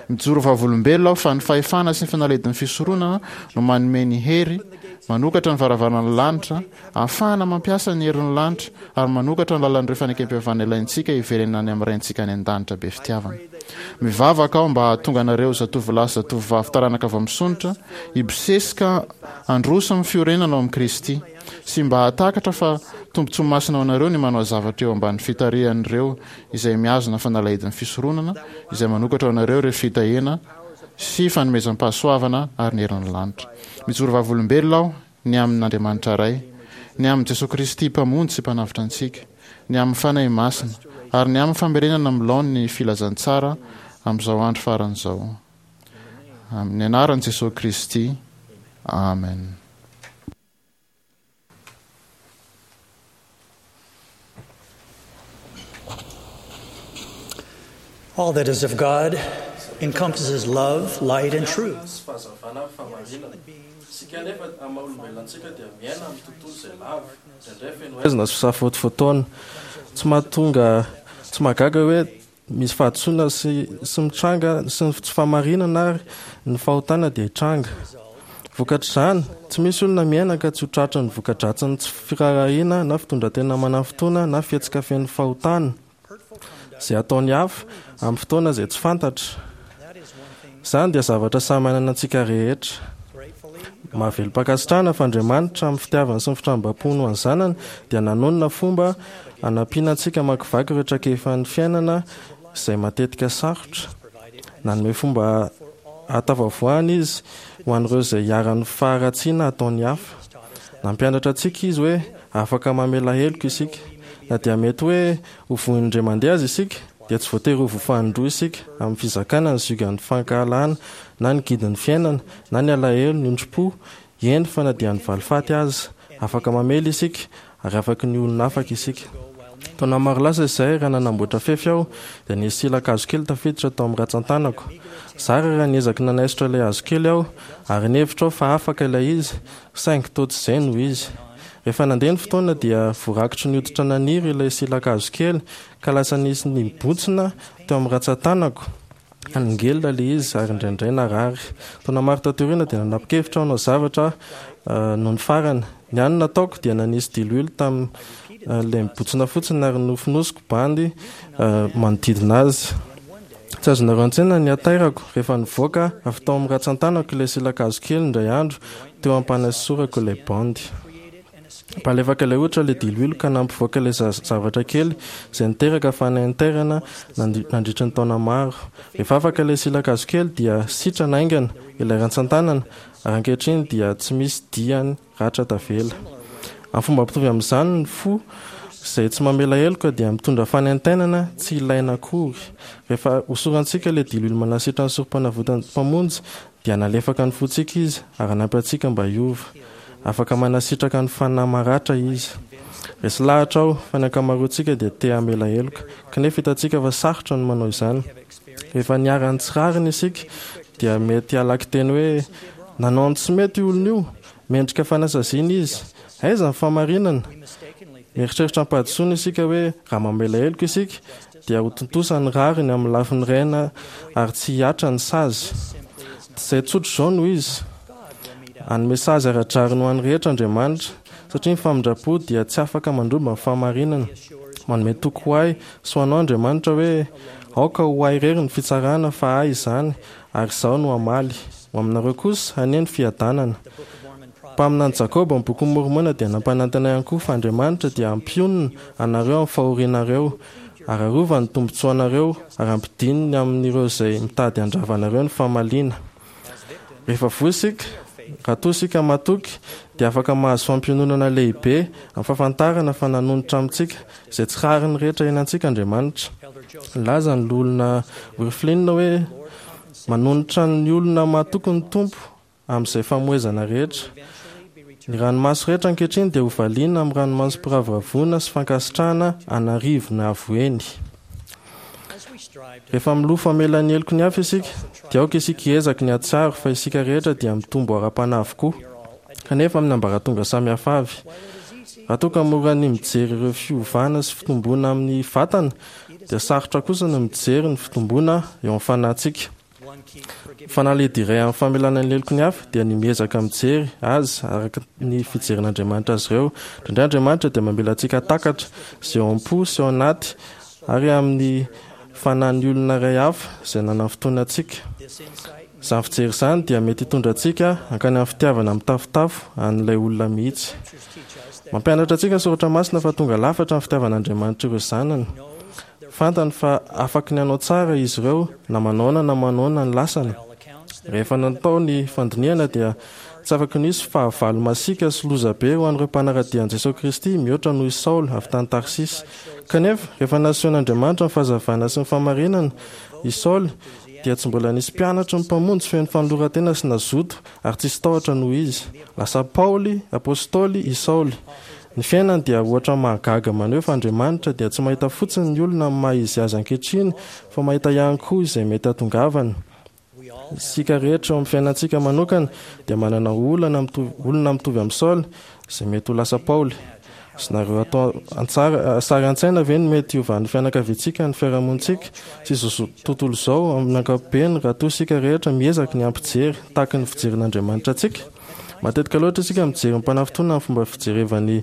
Mijoro vavolombelona aho fa ny fahefana sy ny fanalahidin'ny fisoronana no manome ny hery, manokatra ny varavaran'ny lanitra, ahafahana mampiasa ny herin'ny lanitra ary manokatra ny lalan'ireo fanekempihavanana ilaintsika hiverenana any amin'ny Raintsika any An-danitra be fitiavana. Mivavaka aho mba hahatonga anareo zatovolahy sy zatovovavy taranaka vao misondrotra hibosesika handroso amin'ny fiorenana ao amin'i Kristy sy mba hahatakatra fa tombontsoa masina ho anareo ny manao zavatra eo ambany fitarihan'ireo izay mihazona fanalahidin'ny fisoronana izay manokatra ho anareo ireo fitahiana sy fanomezam-pahasoavana ary ny herin'ny lanitra. Mijoro vavolombelona aho ny amin' Andriamanitra Ray, ny amin'i Jesoa Kristy Mpamonjy sy Mpanavotra antsika, ny amin'ny Fanahy Masina, ary ny amin'ny famerenana amin'ny laoniny ny filazantsara amin'izao andro farany izao. Amin'ny anaran'i Jesoa Kristy, amen. All that is of God encompasses love, light and truth. Sy fahazavana ary fahamarinana. Isika anefa, amin'ny maha olombelona antsika, dia miaina amin'ny tontolo izay lavo, indraindray feno haizina sy fisafotofotoana. Tsy mahatonga, tsy mahagaga hoe misy fahadisoana sy sy mitranga sy ny tsy fahamarinana ary ny fahotana dia hitranga. Vokatr'izany, tsy misy olona miaina ka tsy ho tratry ny voka-dratsin'ny tsy firaharahiana na fitondran-tena manafintohina na fihetsika feno fahotana izay ataon'ny hafa amin'ny fotoana izay tsy fantatra. Izany dia zavatra samy ananantsika rehetra. Mahavelom-pankasitrahana fa Andriamanitra, amin'ny fitiavany sy ny fitrambampony ho an'ny zanany, dia nanonona fomba hanampiana antsika hamakivaky ireo traikefan'ny fiainana izay matetika sarotra. Nanome fomba hahatafavoahana Izy ho an'ireo izay iharan'ny faharatsiana ataon'ny hafa. Nampianatra antsika Izy hoe afaka mamela heloka isika. Na dia mety hoe ho voin'ny indray mandeha aza isika, dia tsy voatery ho voafanindroa isika amin'ny fizakana ny ziogan'ny fankahalana na ny gidin'ny fiainana na ny alahelo, ny ondrim-po, eny fa na dia ny valifaty aza. Afaka mamela isika ary afaky ny olona afaka isika. Taona maro lasa izay, raha nanamboatra fefy aho, dia nisy sila-kazo kely tafiditra tao amin'ny ratsan-tanako. Zara raha niezaky nanaisotra ilay hazo kely aho, ary nihevitra aho fa afaka ilay izy, saingy toa tsy izay no izy. Rehefa nandeha ny fotoana dia voarakotry ny hoditra naniry ilay sila-kazo kely, ka lasa nisy nibontsina teo amin'ny ratsan-tanako. Naningelina ilay izy ary indraindray narary. Taona maro taty aoriana dia nanapa-kevitra aho hanao zavatra nony farany. Ny hany nataoko dia nanisy diloilo tamin'ilay mibontsina fotsiny ary nofonosiko bandy manodidina azy. Tsy azonareo an-tsaina ny hatairako rehefa nivoaka avy tao amin'ny ratsan-tanako ilay sila-kazo kely indray andro teo am-panaisorako ilay bandy. Mpalefaka ilay hoditra ilay diloilo ka nampivoaka ilay zavatra kely izay niteraka fanaintairana nandritry ny taona maro. Rehefa afaka ilay sila-kazo kely dia sitrana haingana ilay rantsan-tanana ary ankehitriny dia tsy misy diany ratra tavela. Amin'ny fomba mitovy amin'izany ny fo izay tsy mamela heloka dia mitondra fanaintainana tsy ilaina akory. Rehefa hosorantsika ilay diloilo manasitra ny Sorompanavotan'ny Mpamonjy dia nalefaka ny fontsika Izy ary hanampy antsika mba hiova. Afaka manasitraka ny fanahy maratra Izy. Resy lahatra aho fa ny ankamaroantsika dia te hamela heloka, kanefa hitantsika fa sarotra ny manao izany. Rehefa niharan'ny tsy rariny isika dia mety halaky teny hoe, Nanao ny tsy mety io olona io, mendrika fanasaziana izy. Aiza ny fahamarinana? Mieritreritra am-pahadisoana isika hoe raha mamela heloka isika dia ho tontosa ny rariny amin'ny lafiny iray na ary tsy hihatra ny sazy. Tsy izay tsotra izao no izy. Hanome sazy ara-drariny ho an'ny rehetra Andriamanitra, satria ny famindram-po dia tsy afaka mandromba ny fahamarinana. Manome toky ho ahy sy ho anao Andriamanitra hoe, Aoka ho ahy irery ny fitsarana fa ahy izany, ary izaho no hamaly. Ho aminareo kosa, anie ny fiadanana. Mpaminany Jakoba ao amin'ny Bokin'i Môrmôna dia nampanantena ihany koa fa Andriamanitra dia hampionona anareo amin'ny fahorianareo, ary harovany ny tombontsoanareo, ary hampidininy amin'ireo izay mitady handrava anareo ny famaliana. Rehefa voa isika, raha toa isika matoky, dia afaka mahazo fampiononana lehibe amin'ny fahafantarana fa nanonitra amintsika izay tsy rariny rehetra iainantsika Andriamanitra. Nilaza ny Loholona Wirthlin hoe, Manonitra ny olona matoky ny Tompo amin'izay famoizana rehetra. Ny ranomaso rehetra ankehitriny dia hovaliana amin'ny ranomasom-piravoravoana sy fankasitrahana an'arivony avo heny. Rehefa milofo hamela ny heloky ny hafa isika, dia aoka isika hiezaky ny hahatsiaro fa isika rehetra dia mitombo ara-panahy avokoa, kanefa amin'ny ambaratonga samy hafa avy. Raha toa ka mora ny mijery ireo fiovana sy fitomboana amin'ny vatana, dia sarotra kosa ny mijery ny fitomboana eo amin'ny fanahintsika. Ny fanalahidi iray amin'ny famelana ny heloky ny hafa dia ny miezaka mijery azy araka ny fijerin'Andriamanitra azy ireo. Indraindray Andriamanitra dia mamela antsika hahatakatra izay ao am-po sy ao anaty ary amin'ny fanahin'ny olona iray hafa izay nanafintohina antsika. Izany fijery izany dia mety hitondra antsika hankany amin'ny fitiavana mitafotafo an'ilay olona mihitsy. Mampianatra antsika ny Soratra Masina fa tonga lafatra ny fitiavan'Andriamanitra ireo zanany. Fantany fa afaky ny hanao tsara izy ireo na manaona na manaona ny lasany. Rehefa natao ny fandinihana dia tsy afaky ny hisy fahavalo masiaka sy loza be ho an'ireo mpanara-dia an'i Jesoa Kristy mihoatra noho i Saoly avy tany Tarsisy. Kanefa, rehefa nasehon'Andriamanitra ny fahazavana sy ny fahamarinana i Saoly dia tsy mbola nisy mpianatry ny Mpamonjy feno fanoloran-tena sy nazoto ary tsisy tahotra noho izy. Lasa Paoly, Apostoly, i Saoly. Ny fiainany dia ohatra mahagaga maneho fa Andriamanitra dia tsy mahita fotsiny ny olona amin'ny maha izy azy ankehitriny fa mahita ihany koa izay mety hatongavany. Isika rehetra eo amin'ny fiainantsika manokana dia manana olana mitovy olona mitovy amin'i Saoly izay mety ho lasa Paoly. Azonareo atao an-tsary sary an-tsaina ve ny mety hiovan'ny fianakaviantsika, ny fiarahamonintsika sy izao tontolo izao amin'ny ankapobeny raha toa isika rehetra miezaka ny hampijery tahaka ny fijerin'Andriamanitra antsika? Matetika loatra isika mijery ny mpanafintohina amin'ny fomba fijerevany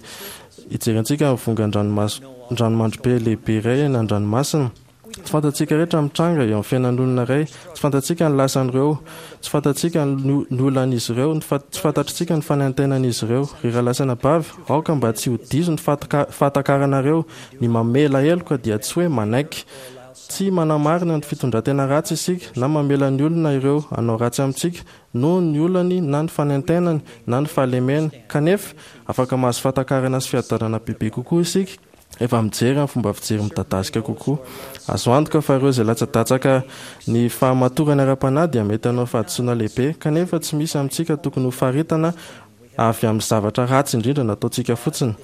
hijerentsika ny vongan-dranomaso-dranomandry be lehibe iray eny an-dranomasina. Tsy fantatsika rehetra ny mitranga eo amin'ny fiainan'olona iray, tsy fantatsika ny lasan'ireo, tsy fantatsika ny olan'izy ireo, tsy fantatritsika ny fanaintainan'izy ireo. Ry rahalahy sy anabavy, aoka mba tsy ho diso ny fahatakaranareo, ny mamela heloka dia tsy hoe manaiky. Tsy manamarina ny fitondran-tena ratsy isika na mamela ny olona ireo hanao ratsy amintsika noho ny olany na ny fanaintainany na ny fahalemeny. Kanefa, afaka mahazo fahatakarana sy fiadanana bebe kokoa isika rehefa mijery amin'ny fomba fijery midadasika kokoa. Azo antoka fa ireo izay latsadatsaka ny fahamatorany ara-panahy dia mety hanao fahadisoana lehibe, kanefa tsy misy amintsika tokony hofaritana avy amin'ny zavatra ratsy indrindra nataontsika fotsiny.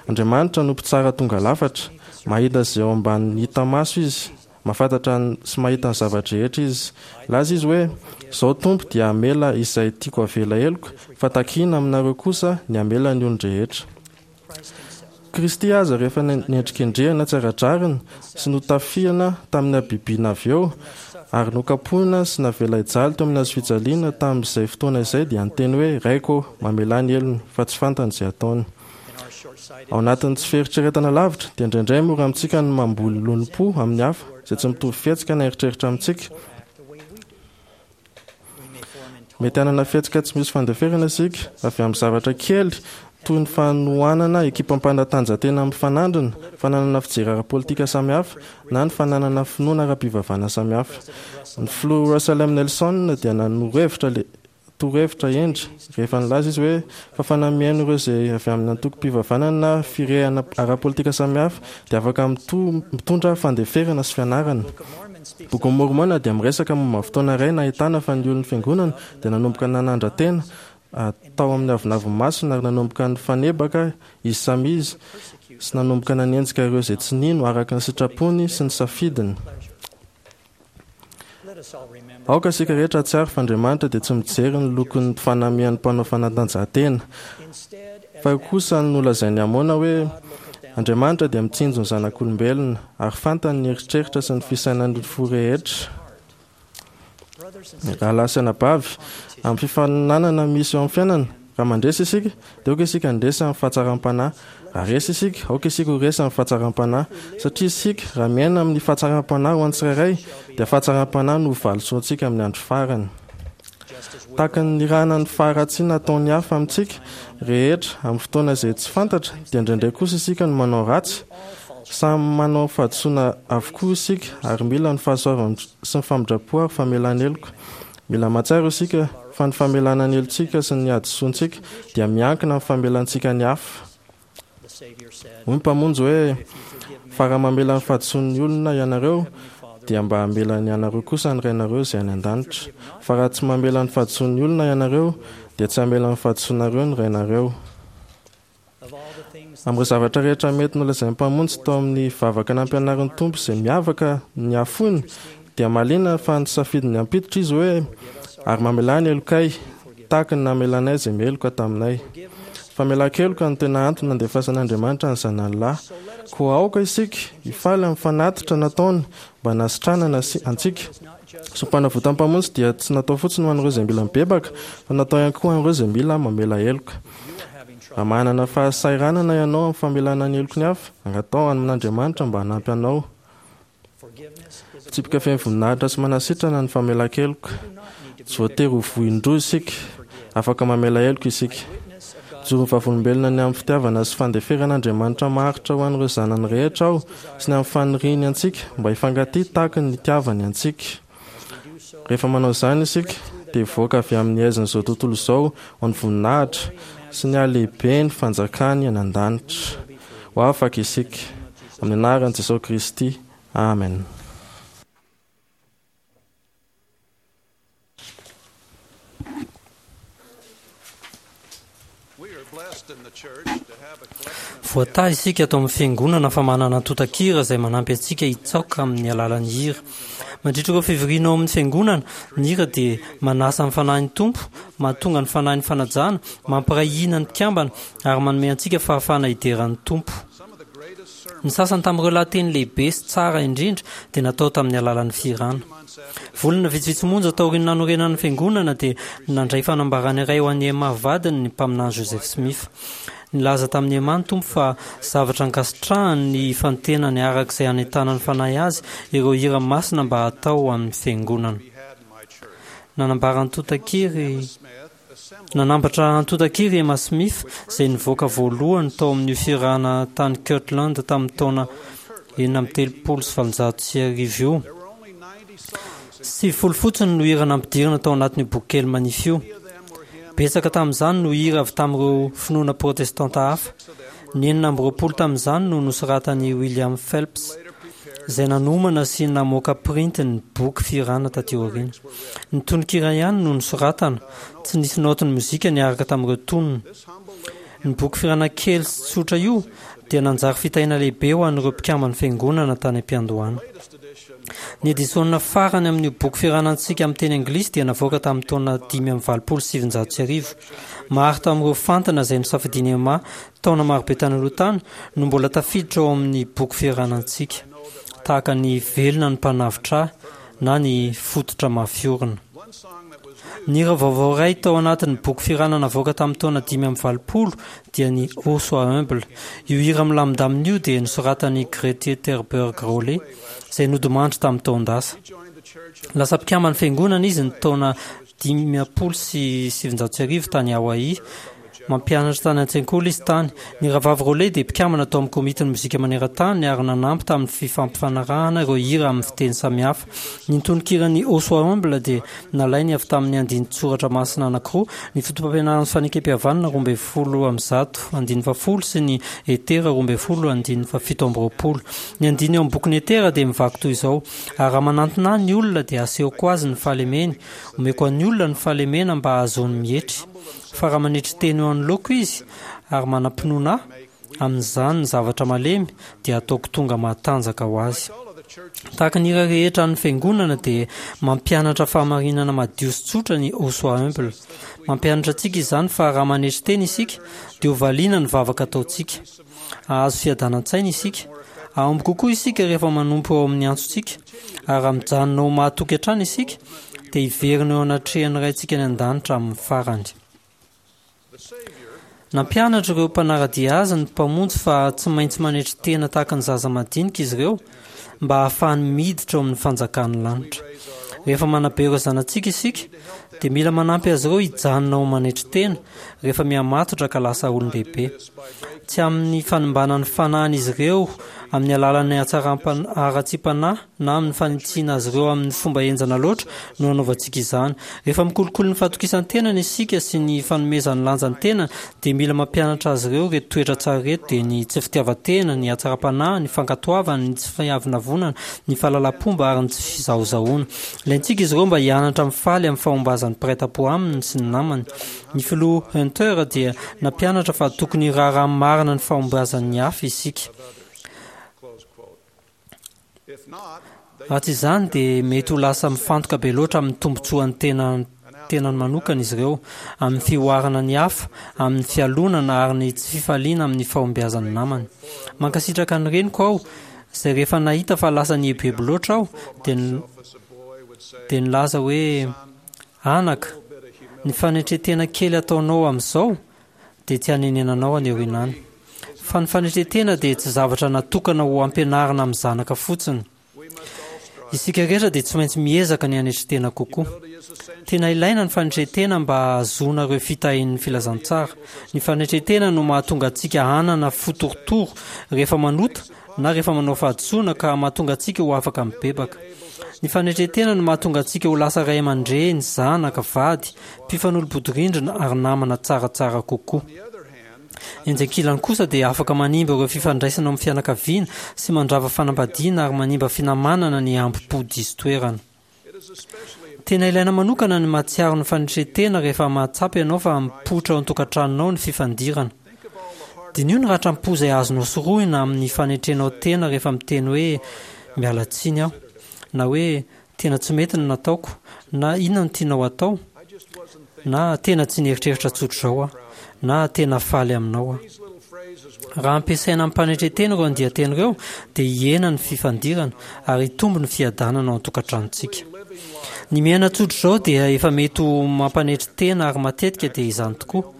Andriamanitra no Mpitsara tonga lafatra. Mahita izay ao ambanin'ny hita maso Izy. Mahafantatra sy mahita ny zava-drehetra Izy. Nilaza Izy hoe, Izaho Tompo dia hamela izay tiako havela heloka, fa takiana aminareo kosa ny hamela ny olon-drehetra. Kristy aza rehefa nendrikendrehana tsy ara-drariny sy notafihana tamin'ny habibiana avy eo, ary nokapohina sy navela hijaly teo amin'ny hazofijaliana tamin'izay fotoana izay dia niteny hoe, Raiko ô, mamelà ny helony, fa tsy fantany izay ataony. Ao anatin'ny tsy fieritreretana lavitra, dia indraindray mora amintsika ny mamboly lolompo amin'ny hafa izay tsy mitovy fihetsika na eritreritra amintsika. Mety hanana fihetsika tsy misy fandeferana isika avy amin'ny zavatra kely toy ny fanohanana ekipam-panatanjahantena mifanandrina, fananana fijery ara-politika samihafa, na ny fananana finoana ara-pivavahana samihafa. Ny Filoha Russell M. Nelson dia nanoro hevitra torohevitra hendry rehefa nilaza izy hoe fafana mihaino ireo izay avy amin'ny antokom-pivavahana na firehana ara-politika samihafa dia afaka mitondra fandeferana sy fianarana. Bokin'i Môrmôna dia miresaka momba fotoana iray nahitana fa ny olon'ny Fiangonana dia nanomboka nanandra-tena tao amin'ny avonavon'ny masony ary nanomboka nifanebaka izy samy izy sy nanomboka nanenjika ireo izay tsy nino araka ny sitrapony sy ny safidiny. Aoka isika rehetra hahatsiaro fa Andriamanitra dia tsy mijery ny lokon'ny fanamian'ny mpanao fanatanjahantena. Fa kosa nolazain'i Amôna hoe, Andriamanitra dia mitsinjo ny zanak'olombelona, ary fantany ny eritreritra sy ny fisainan'ny fo rehetra. Rahalahy sy anabavy, amin'ny fifaninanana misy eo amin'ny fiainana, raha mandresy isika, dia aoka isika handresy amin'ny fahatsaram-panahy. Raha resy isika, aoka isika ho resy amin'ny fahatsaram-panahy. Satria isika, raha miaina amin'ny fahatsaram-panahy ho an'ny tsirairay, dia fahatsaram-panahy no ho valisoantsika amin'ny andro farany. Tahaka ny nirahana ny faharatsiana ataon'ny hafa amintsika rehetra amin'ny fotoana izay tsy fantatra, dia indraindray kosa isika no manao ratsy. Samy manao fahadisoana avokoa isika ary mila ny fahasoavana sy ny famindram-po ary famelana heloka. Mila mahatsiaro isika fa ny famelana ny helotsika sy ny hadisoantsika dia miankina amin'ny famelantsika ny hafa. Hoy ny Mpamonjy hoe, Fa raha mamela ny fahadisoan'ny olona ianareo, dia mba hamela ny anareo kosa ny Rainareo izay any an-danitra. Fa raha tsy mamela ny fahadisoan'ny olona ianareo, dia tsy hamela ny fahadisoanareo ny Rainareo. Amin'ireo zavatra rehetra mety nolazain'ny Mpamonjy tao amin'ny vavaka nampianarin'ny Tompo izay miavaka ny hafoiny, dia mahaliana fa nisafidy ny hampiditra Izy hoe, Ary mamelà ny helokay, tahaka ny namelanay izay meloka taminay. Famelan-keloka no tena antony nandefasan'Andriamanitra ny Zanany Lahy. Koa aoka isika hifaly amin'ny fanatitra nataony mba hanasitranana antsika. Sorompanavotan'ny Mpamonjy dia tsy natao fotsiny ho an'ireo izay mila mibebaka, fa natao ihany koa ho an'ireo izay mila mamela heloka. Raha manana fahasahiranana ianao amin'ny famelana ny heloky ny hafa, angataho amin'Andriamanitra mba hanampy anao. Fitsipika feno voninahitra sy manasitrana ny famelan-keloka. Tsy voatery ho voin-droa isika. Afaka mamela heloka isika. Mijoro ho vavolombelona ny amin'ny fitiavana sy fandeferan'Andriamanitra maharitra ho an'ireo zanany rehetra aho sy ny amin'ny faniriany antsika mba hifankatia tahaka ny nitiavany antsika. Rehefa manao izany isika, dia hivoaka avy amin'ny haizin'izao tontolo izao ho an'ny voninahitra sy ny halehiben'ny fanjakany any an-danitra. Ho afaka isika. Amin'ny anaran'i Jesosy Kristy. Amen. Voatahy isika ato amin'ny Fiangonana fa manana antontan-kira izay manampy antsika hitsaoka amin'ny alalan'ny hira. Mandritra ireo fivoriana ao amin'ny Fiangonana, ny hira dia manasa ny Fanahin'ny Tompo, mahatonga ny Fanahin'ny fanajana, mampiray hina ny mpikambana ary manome antsika fahafahana hidera ny Tompo. Ny sasany tamin'ireo lahateny lehibe sy tsara indrindra dia natao tamin'ny alalan'ny fihirana. Volana vitsivitsy monja taorian'ny nanorenana ny Fiangonana dia nandray fanambarana iray ho an'i Emma vadiny ny Mpaminany Joseph Smith. Nilaza tamin'i Emma ny Tompo fa zavatra ankasitrahany ny hifantenany araka izay hanentanan'ny Fanahy azy ireo hira masina mba hatao ho an'ny Fiangonana. Nanambara antontan-kiry Nanambatra antontan-kiry i Emma Smith izay nivoaka voalohany tao amin'io fihirana tany Kirtland tamin'ny taona 1836 io. 90 fotsiny no hira nampidirina tao anatin'io bokikely manify io. Betsaka tamin'izany no hira avy tamin'ireo finoana protestanta hafa. Ny 26 tamin'izany no nosoratan'i William Phelps, izay nanomana sy namoaka printy ny boky fihirana taty aoriana. Ny tononkira ihany no nosoratana, tsy nisy naotin'ny mozika niaraka tamin'ireo tonony. Ny boky fihirana kely sy tsotra io dia nanjary fitahiana lehibe ho an'ireo mpikamban'ny Fiangonana tany am-piandohana. Ny edisiona farany amin'io boky fihirana antsika amin'ny teny anglisy dia navoaka tamin'ny taona 1985. Maro tamin'ireo fantina izay nosafidian'i Emma taona marobe tany aloha tany no mbola tafiditra ao amin'ny boky fihirana antsika, tahaka ny Velona ny Mpanavotra Ahy na ny Fototra Mafy Orina. Ny hira vaovao iray tao anatin'ny boky fihirana navoaka tamin'ny taona 85 dia ny Oh Sois Humble. Io hira milamindamina io dia nosoratan'i Grete Terberg Rowley, izay nodimandry tamin'ny taon-dasa. Lasa mpikamban'ny Fiangonana izy ny taona 1950 tany Hawaii. Mampianatra tany an-tsekoly izy tany. Ny Rahavavy Rowley dia mpikambana tao amin'ny Komitin'ny Mozika Maneran-tany ary nanampy tamin'ny fifampifanarahana ireo hira amin'ny fiteny samihafa. Ny tononkiran'ny Ô Sois Humble dia nalainy avy tamin'ny andinin-tsoratra masina anankiroa, ny Fotopampianaran'ny Fanekempihavanana 112 andininy fahafolo sy ny Etera 12 andininy fahafito amby 20. Ny andininy ao amin'ny bokin'i Etera dia mivaky toy izao, Ary raha manantona ahy ny olona dia asehoko azy ny fahalemeny, omeko an'ny olona ny fahalemena mba hahazoany mietry. Fa raha manetry tena eo anoloako izy, ary manam-pinoana ahy, amin'izany ny zavatra malemy dia hataoko tonga matanjaka ho azy. Tahaka ny hira rehetra an'ny Fiangonana dia mampianatra fahamarinana madio sy tsotra ny Ô Sois Humble. Mampianatra antsika izany fa raha manetry tena isika dia ho valiana ny vavaka ataontsika. Hahazo fiadanan-tsaina isika. Hahomby kokoa isika rehefa manompo eo amin'ny antsontsika. Ary raha mijanona ho mahatoky hatrany isika, dia hiverina eo anatrehan'ny Raintsika any An-danitra amin'ny farany. Nampianatra ireo mpanara-dia azy ny Mpamonjy fa tsy maintsy manetry tena tahaka ny zaza madinika izy ireo mba hahafahany miditra ao amin'ny fanjakan'ny lanitra. Rehefa manabe ireo zanatsika isika, dia mila manampy azy ireo hijanona ho manetry tena rehefa mihamatotra ka lasa olon-dehibe. Tsy amin'ny fanimbana ny fanahin'izy ireo amin'ny alalan'ny hatsaram-panahy na amin'ny fanitsiana azy ireo amin'ny fomba henjana loatra no anaovantsika izany. Rehefa mikolokolo ny fahatokisan-tenany isika sy ny fanomezany lanja ny tenany, dia mila mampianatra azy ireo ireto toetra tsara ireto, dia ny tsy fitiavan-tena, ny hatsaram-panahy, ny fankatoavana, ny tsy fiavonavonana, ny fahalalam-pomba ary ny tsy fizahozahoana. Ilaintsika izy ireo mba hianatra mifaly amin'ny fahombazan'ny mpiray tampo aminy sy ny namany. Ny Filoha Hunter dia nampianatra fa tokony hiraharaha marina ny fahombiazan'ny hafa isika. Raha tsy izany dia mety ho lasa mifantoka be loatra amin'ny tombontsoan'ny tena tenany manokana izy ireo, amin'ny fihoarana ny hafa, amin'ny fialonana ary ny tsy fifaliana amin'ny fahombiazan'ny namany. Mankasitraka ny reniko aho izay rehefa nahita fa lasa nieboebo loatra aho dia dia nilaza hoe, Anaka, ny fanetren-tena kely ataonao amin'izao dia tsy hanenenanao any aoriana any. Fa ny fanetren-tena dia tsy zavatra natokana ho ampianarina amin'ny zanaka fotsiny. Isika rehetra dia tsy maintsy miezaka ny hanetry tena kokoa. Tena ilaina ny fanetren-tena mba hahazoana ireo fitahian'ny filazantsara. Ny fanetren-tena no mahatonga antsika hanana fo torotoro rehefa manota na rehefa manao fahadisoana ka mahatonga antsika ho afaka mibebaka. Ny fanetren-tena no mahatonga antsika ho lasa ray aman-dreny, zanaka, vady, mpifanolo-bodirindrina ary namana tsaratsara kokoa. Etsy ankilany kosa dia afaka manimba ireo fifandraisana ao amin'ny fianakaviana sy mandrava fanambadiana ary manimba finamanana ny hambom-po diso toerana. Tena ilaina manokana ny mahatsiaro ny fanetren-tena rehefa mahatsapa ianao fa mipoitra ao an-tokantranonao ny fifandirana. Diniho ny ratram-po izay azonao sorohina amin'ny fanetrenao tena rehefa miteny hoe miala tsiny aho, na hoe tena tsy mety ny nataoko, na inona no tianao hatao, na tena tsy nieritreritra tsotr'izao aho, na tena faly aminao aho. Raha ampiasaina amim-panetren-tena ireo andian-teny ireo, dia hihena ny fifandirana ary hitombo ny fiadanana ao an-tokantranontsika. Ny miaina tsotra izao dia efa mety ho mampanetry tena ary matetika dia izany tokoa.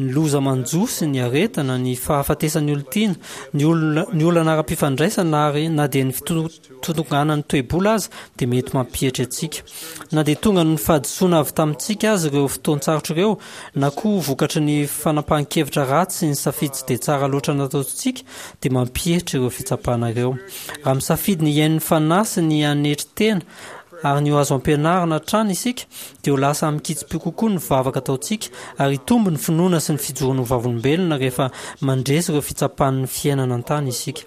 Ny loza manjo sy ny aretina, ny fahafatesan'ny olon-tiana, ny olona, ny olana ara-pifandraisana ary na dia ny fitotonganan'ny toe-bola aza dia mety mampietry antsika. Na dia tonga noho ny fahadisoana avy tamintsika aza ireo fotoan-tsarotra ireo, na koa vokatry ny fanapahan-kevitra ratsy sy ny safidy tsy dia tsara loatra nataontsika, dia mampietry ireo fitsapana ireo. Raha misafidy ny hihaino ny Fanahy sy ny hanetry tena ary ny ho azo ampianarina hatrany isika, dia ho lasa amin-kitsim-po kokoa ny vavaka ataontsika ary hitombo ny finoana sy ny fijoroana ho vavolombelona rehefa mandresy ireo fitsapan'ny fiainana an-tany isika.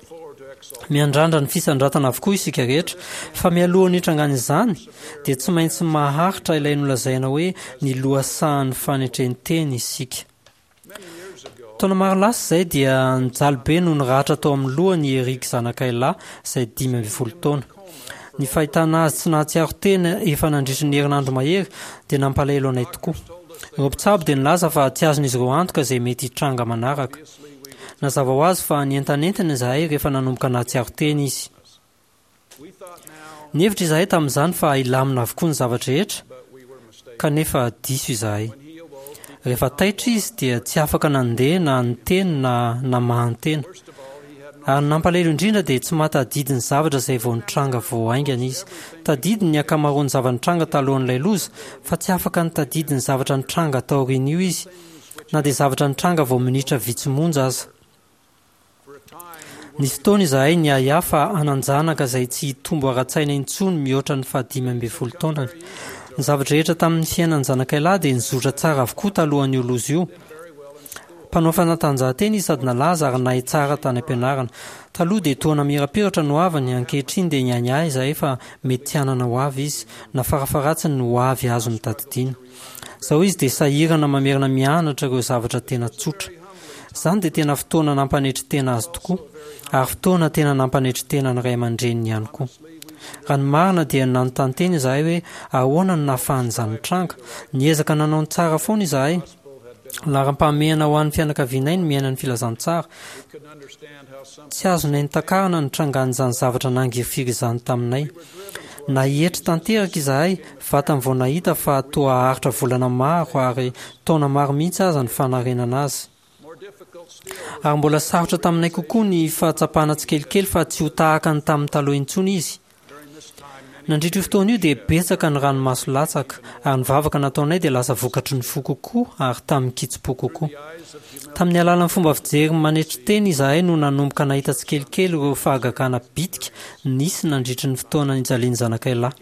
Miandrandra ny fisandratana avokoa isika rehetra, fa mialohan'ny hitrangan'izany dia tsy maintsy maharitra ilay nolazaina hoe ny lohasahan'ny fanetren-tena isika. Taona maro lasa izay dia nijaly be noho ny ratra tao amin'ny lohany i Eric zanakay lahy izay 15 taona. Ny fahitana azy tsy nahatsiaro tena efa nandritry ny herinandro mahery dia nampalahelo anay tokoa. Ireo mpitsabo dia nilaza fa tsy azon'izy ireo antoka izay mety hitranga manaraka. Nazava ho azy fa nientanentana izahay rehefa nanomboka nahatsiaro tena izy. Nihevitra izahay tamin'izany fa hilamina avokoa ny zava-drehetra, kanefa diso izahay. Rehefa taitra izy dia tsy afaka nandeha na niteny na namahan-tena. Ary ny nampalahelo indrindra dia tsy mahatadidy ny zavatra izay vao nitranga vao haingana izy. Tadidiny ny ankamaroan'ny zava-nitranga talohan'ilay loza, fa tsy afaka nitadidy ny zavatra nitranga taorian'io izy, na dia zavatra nitranga vao minitra vitsy monja aza. Nisy fotoana izahay niahiahy fa hanan-janaka izay tsy hitombo ara-tsaina intsony mihoatra ny faha-15 taonany. Ny zava-drehetra tamin'ny fiainan'ny zanakay lahy dia nizotra tsara avokoa talohan'io loza io. Mpanao fanatanjahantena izy sady nalaza ary nahay tsara tany am-pianarana. Taloha dia toa namirapiratra ny hoaviny, ankehitriny dia niahiahy izahay fa mety tsy hanana hoavy izy, na farafaharatsiny ny hoavy azony tadidiana. Izao izy dia sahirana mamerina mianatra ireo zavatra tena tsotra. Izany dia tena fotoana nampanetry tena azy tokoa, ary fotoana tena nampanetry tena ny ray aman-dreniny ihany koa. Raha ny marina dia nanontany tena izahay hoe ahoana no nahafahan'izany nitranga. Niezaka nanao ny tsara foana izahay. Laharam-pahamehana ho an'ny fianakavianay ny miaina ny filazantsara. Tsy azonay notakarina ny nitrangan'izany zavatra nangirifiry izany taminay. Nahietry tanteraka izahay vatany vao nahita fa toa haharitra volana maro ary taona maro mihitsy aza ny fanarenana azy. Ary mbola sarotra taminay kokoa ny fahatsapana tsikelikely fa tsy ho tahaka ny tamin'ny taloha intsony izy. Nandritra io fotoana io dia betsaka ny ranomaso latsaka, ary ny vavaka nataonay dia lasa vokatry ny fo kokoa ary tamin-kitsim-po kokoa. Tamin'ny alalan'ny fomba fijery manetry tena izahay no nanomboka nahita tsikelikely ireo fahagagana bitika nisy nandritry ny fotoana nijalian'ny zanakay lahy.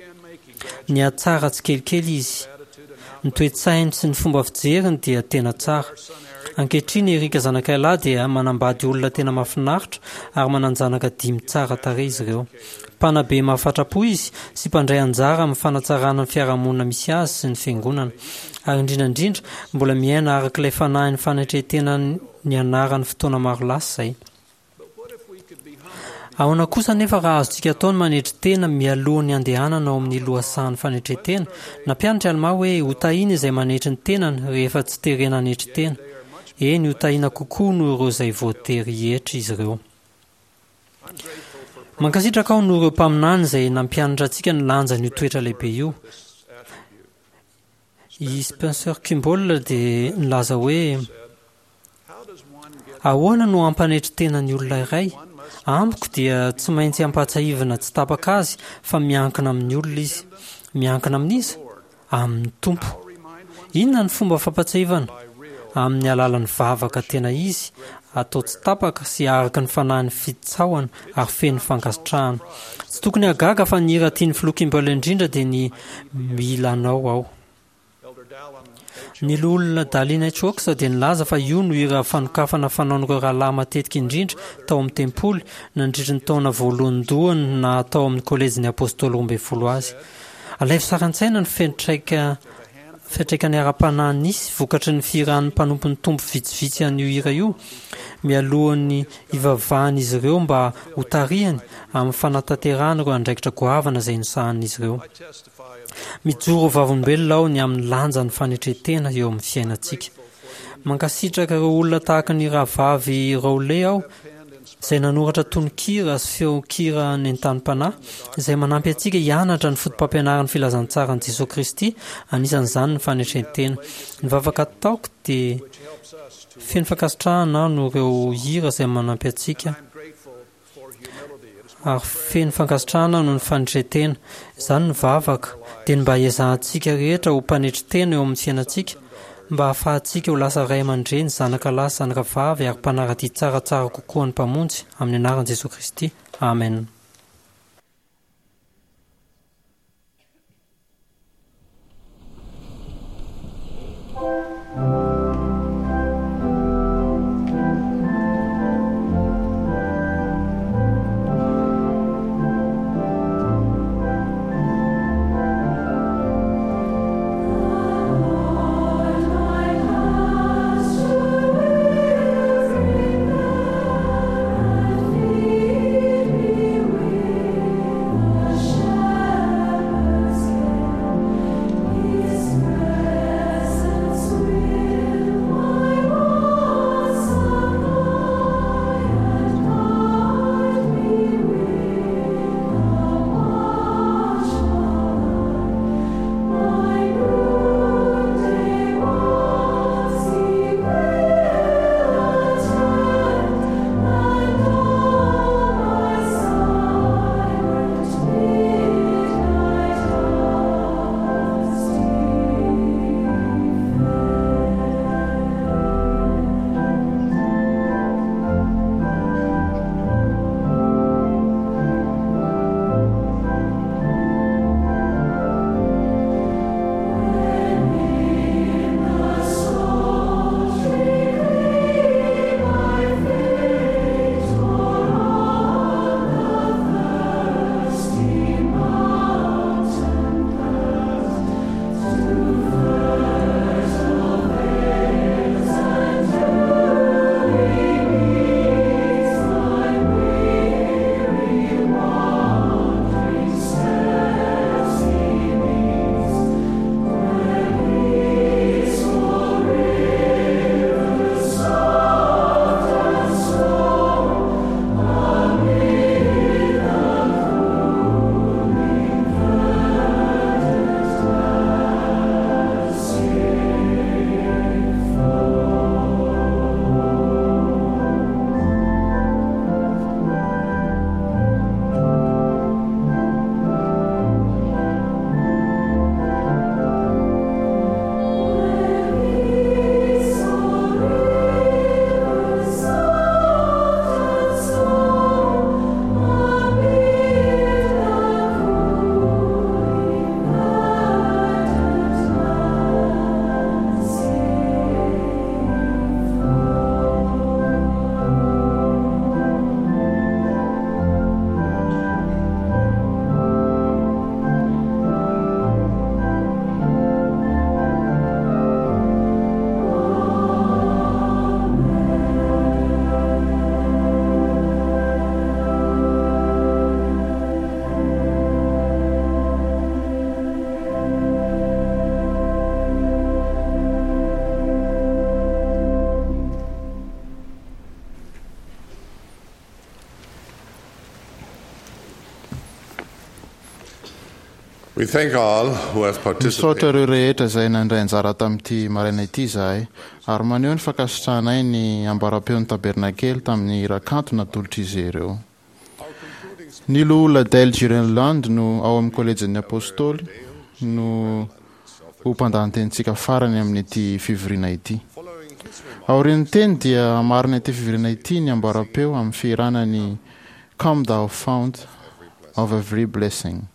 Nihatsara tsikelikely izy. Ny toe-tsainy sy ny fomba fijeriny dia tena tsara. Ankehitriny Eric zanakay lahy dia manambady olona tena mahafinaritra ary manan-janaka dimy tsara tarehy izy ireo. Mpanabe mahafatra-po izy sy mpandray anjara amin'ny fanatsarana ny fiarahamonina misy azy sy ny fiangonana. Ary indrindra indrindra, mbola miaina araka ilay fanahin'ny fanetren-tena nianarany fotoana maro lasa izay. Ahoana kosa anefa raha azontsika atao ny manetry tena mialoha ny handehanana ao amin'ny lohasahan'ny fanetren-tena? Nampianatra i Almà hoe hotahiana izay manetry ny tenany rehefa tsy terena hanetry tena. Eny, hotahiana kokoa noho ireo izay voatery hietry izy ireo. Mankasitraka aho noho ireo mpaminany izay nampianatra antsika ny lanjan'io toetra lehibe io. I Spencer Kimball dia nilaza hoe, Ahoana no hampanetry tena ny olona iray? Amiko dia tsy maintsy ampahatsiahivina tsy tapaka azy fa miankina amin'ny olona izy. Miankina amin'iza? Amin'ny Tompo. Inona ny fomba fampahatsiahivana? Amin'ny alalan'ny vavaka tena izy, atao tsy tapaka sy araka ny fanahin'ny fitsaohana ary feno fankasitrahana. Tsy tokony hahagaga fa ny hira tian'ny Filoha Kimball indrindra dia ny Mila Anao Aho. Ny Loholona Dallin H. Oaks dia nilaza fa io no hira fanokafana fanaon'ireo rahalahy matetika indrindra tao amin'ny tempoly nandritry ny taona voalohandohany naha tao amin'ny Kolejin'ny Apôstôly Roambinifolo azy. Alaivo sary an-tsaina ny fiantraika fiantraikany ara-panahy nisy vokatry ny fihiran'ny mpanompon'ny Tompo vitsivitsy an'io hira io mialohan'ny hivavahan'izy ireo mba hotarihany amin'ny fanatanterahana ireo andraikitra goavana izay nosahanin'izy ireo. Mijoro ho vavolombelona aho ny amin'ny lanjan'ny fanetren-tena eo amin'ny fiainantsika. Mankasitraka ireo olona tahaka ny Rahavavy Rowley aho. izay nanoratra tononkira sy feon-kira nentanim-panahy, izay manampy antsika hianatra ny fotopampianaran'ny filazantsaran'i Jesoa Kristy, anisan'izany ny fanetren-tena. Ny vavaka ataoko dia feno fankasitrahana aho noho ireo hira izay manampy antsika ary feno fankasitrahana noho ny fanetren-tena. Izany ny vavaka, dia ny mba hiezahantsika rehetra ho mpanetry tena eo amin'ny fiainantsika, mba hahafahantsika ho lasa ray aman-dreny, zanaka lahy sy zanaka vavy ary mpanara-dia tsaratsara kokoa an'ny Mpamonjy, amin'ny anaran'i Jesoa Kristy. Amen. Misaotra ireo rehetra izay nandray anjara tamin'ity maraina ity izahay, ary maneho ny fankasitrahanay ny ambaram-peon'ny Tabernakely tamin'ny hira kanto natolotr'izy ireo. Ny Loholona Dale Girenland no ao amin'ny Kolejin'ny Apostoly no ho mpandahan-tenintsika farany amin'ity fivoriana ity. Aorian'ny teny dia hamarana ity fivoriana ity ny ambaram-peo amin'ny fihirana ny Come Thou Fount of Every Blessing.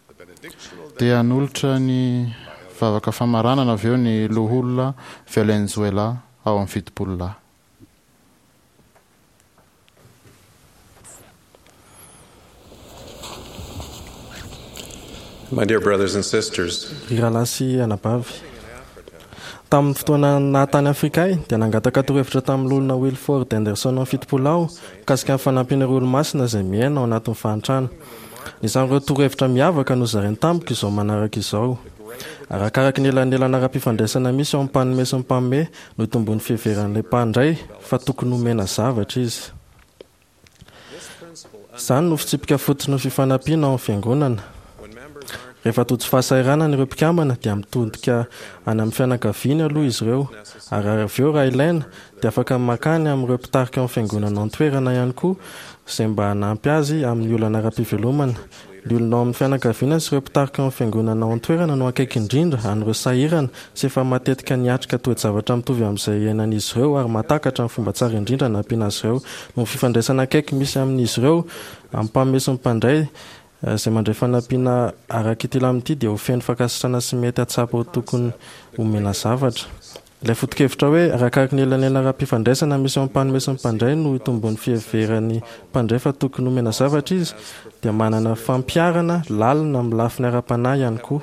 Dia hanolotra ny vavaka famaranana avy eo ny Loholona Valenzuela ao amin'ny Fitopololahy. My dear brothers and sisters. Ry rahalahy sy anabavy, tamin'ny fotoana naha tany Afrika ahy, dia nangataka torohevitra tamin'ny Loholona Wilford Henderson 70 aho mikasika ny fanampiana ireo Olomasina izay miaina ao anatin'ny fahantrana. Anisan'ireo torohevitra miavaka nozarainy tamiko izao manaraka izao, Arakaraka ny elanelana ara-pifandraisana misy eo amin'ny mpanome sy ny mpanome no itomboan'ny fiheveran'ilay mpandray fa tokony homena zavatra izy. Izany no fitsipika fototry ny fifanampiana ao amin'ny Fiangonana. Rehefa tojo fahasahiranana ireo mpikambana dia mitodika any amin'ny fianakaviany aloha izy ireo, ary avy eo raha ilaina dia afaka mankany amin'ireo mpitarika ao amin'ny Fiangonana ao an-toerana ihany koa izay mba hanampy azy amin'ny olana ara-pivelomana. Ny olona ao amin'ny fianakaviana sy ireo mpitarika ao amin'ny Fiangonana ao an-toerana no akaiky indrindra an'ireo sahirana sy efa matetika niatrika toe-javatra mitovy amin'izay iainan'izy ireo ary mahatakatra ny fomba tsara indrindra hanampiana azy ireo. Noho ny fifandraisana akaiky misy amin'izy ireo, amin'ny mpanome sy ny mpandray, izay mandray fanampiana araka ity lamina ity dia ho feno fankasitrahana sy mety hahatsapa ho tokony homena zavatra. Ilay foto-kevitra hoe arakaraky ny elanelana ara-pifandraisana misy eo amin'ny mpanome sy ny mpandray no itomboan'ny fiheveran'ny mpandray fa tokony homena zavatra izy dia manana fampiharana lalina amin'ny lafiny ara-panahy ihany koa.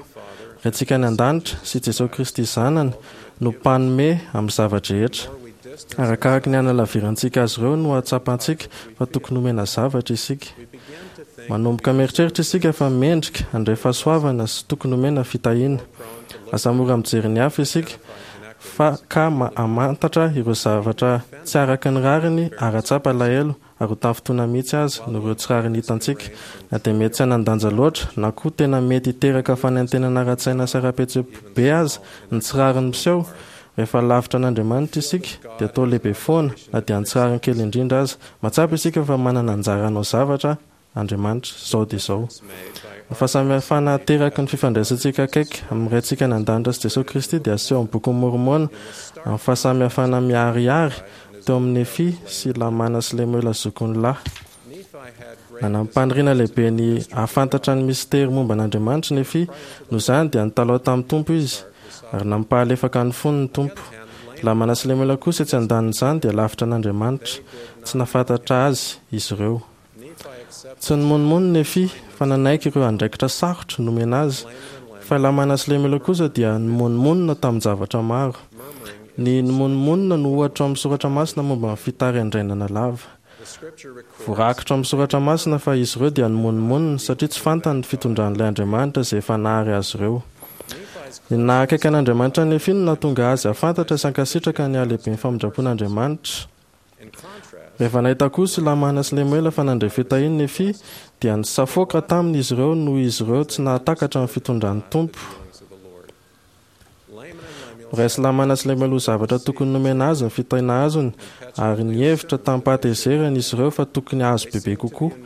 Raintsika any An-danitra sy Jesoa Kristy Zanany no mpanome amin'ny zava-drehetra. Arakaraky ny hanalavirantsika azy ireo no hahatsapantsika fa tokony homena zavatra isika. Manomboka mieritreritra isika fa mendrika handray fahasoavana sy tokony homena fitahiana. Lasa mora mijery ny hafa isika fa ka hamantatra ireo zavatra tsy araka ny rariny ary hahatsapa alahelo ary ho tafintohina mihitsy aza noho ireo tsy rariny hitantsika, na dia mety tsy hanan-danja loatra na koa tena mety hiteraka fanaintainana ara-tsaina sy ara-pihetseham-po be aza ny tsy rariny miseho. Rehefa lavitra an'Andriamanitra isika dia toa lehibe foana na dia ny tsy rariny kely indrindra aza. Mahatsapa isika fa manana anjara hanao zavatra Andriamanitra, izao dia izao. Ny fahasamihafana ateraky ny fifandraisantsika akaiky amin'ny Raintsika any An-danitra sy Jesoa Kristy dia aseho amin'ny Bokin'i Môrmôna amin'ny fahasamihafana miharihary teo amin'i Nefia sy Lamàna sy Lemoela zokiny lahy. Nanam-paniriana lehibe ny hahafantatra ny mistery momba an'Andriamanitra i Nefia, noho izany dia nitalaho tamin'ny Tompo izy, ary nampahalefaka ny fony ny Tompo. Lamàna sy Lemoela kosa etsy an-danin'izany dia lavitra an'Andriamanitra, tsy nahafantatra Azy izy ireo. Tsy nimonomonona Nefia fa nanaiky ireo andraikitra sarotra nomena azy, fa i Lamàna sy Lemoela kosa dia nimonomonona tamin-javatra maro. Ny nimonomonona no ohatra ao amin'ny soratra masina momba ny fitariandrainana lava. Voarakitra ao amin'ny soratra masina fa izy ireo dia nimonomonona satria tsy fantany ny fitondran'ilay Andriamanitra izay efa nahary azy ireo. Ny naha akaiky an'Andriamanitra an'i Nefia no nahatonga azy hahafantatra sy hankasitraka ny halehiben'ny famindram-pon'Andriamanitra. Rehefa nahita kosa i Lamàna sy Lemoela fa nandray fitahiana Nefia, dia nisafoaka taminy izy ireo noho izy ireo tsy nahatakatra ny fitondran'ny Tompo. Noraisin'i Lamàna sy Lemoela ho zavatra tokony nomena azy ny fitahiana azony, ary nihevitra tamim-pahatezerana izy ireo fa tokony hahazo bebe kokoa.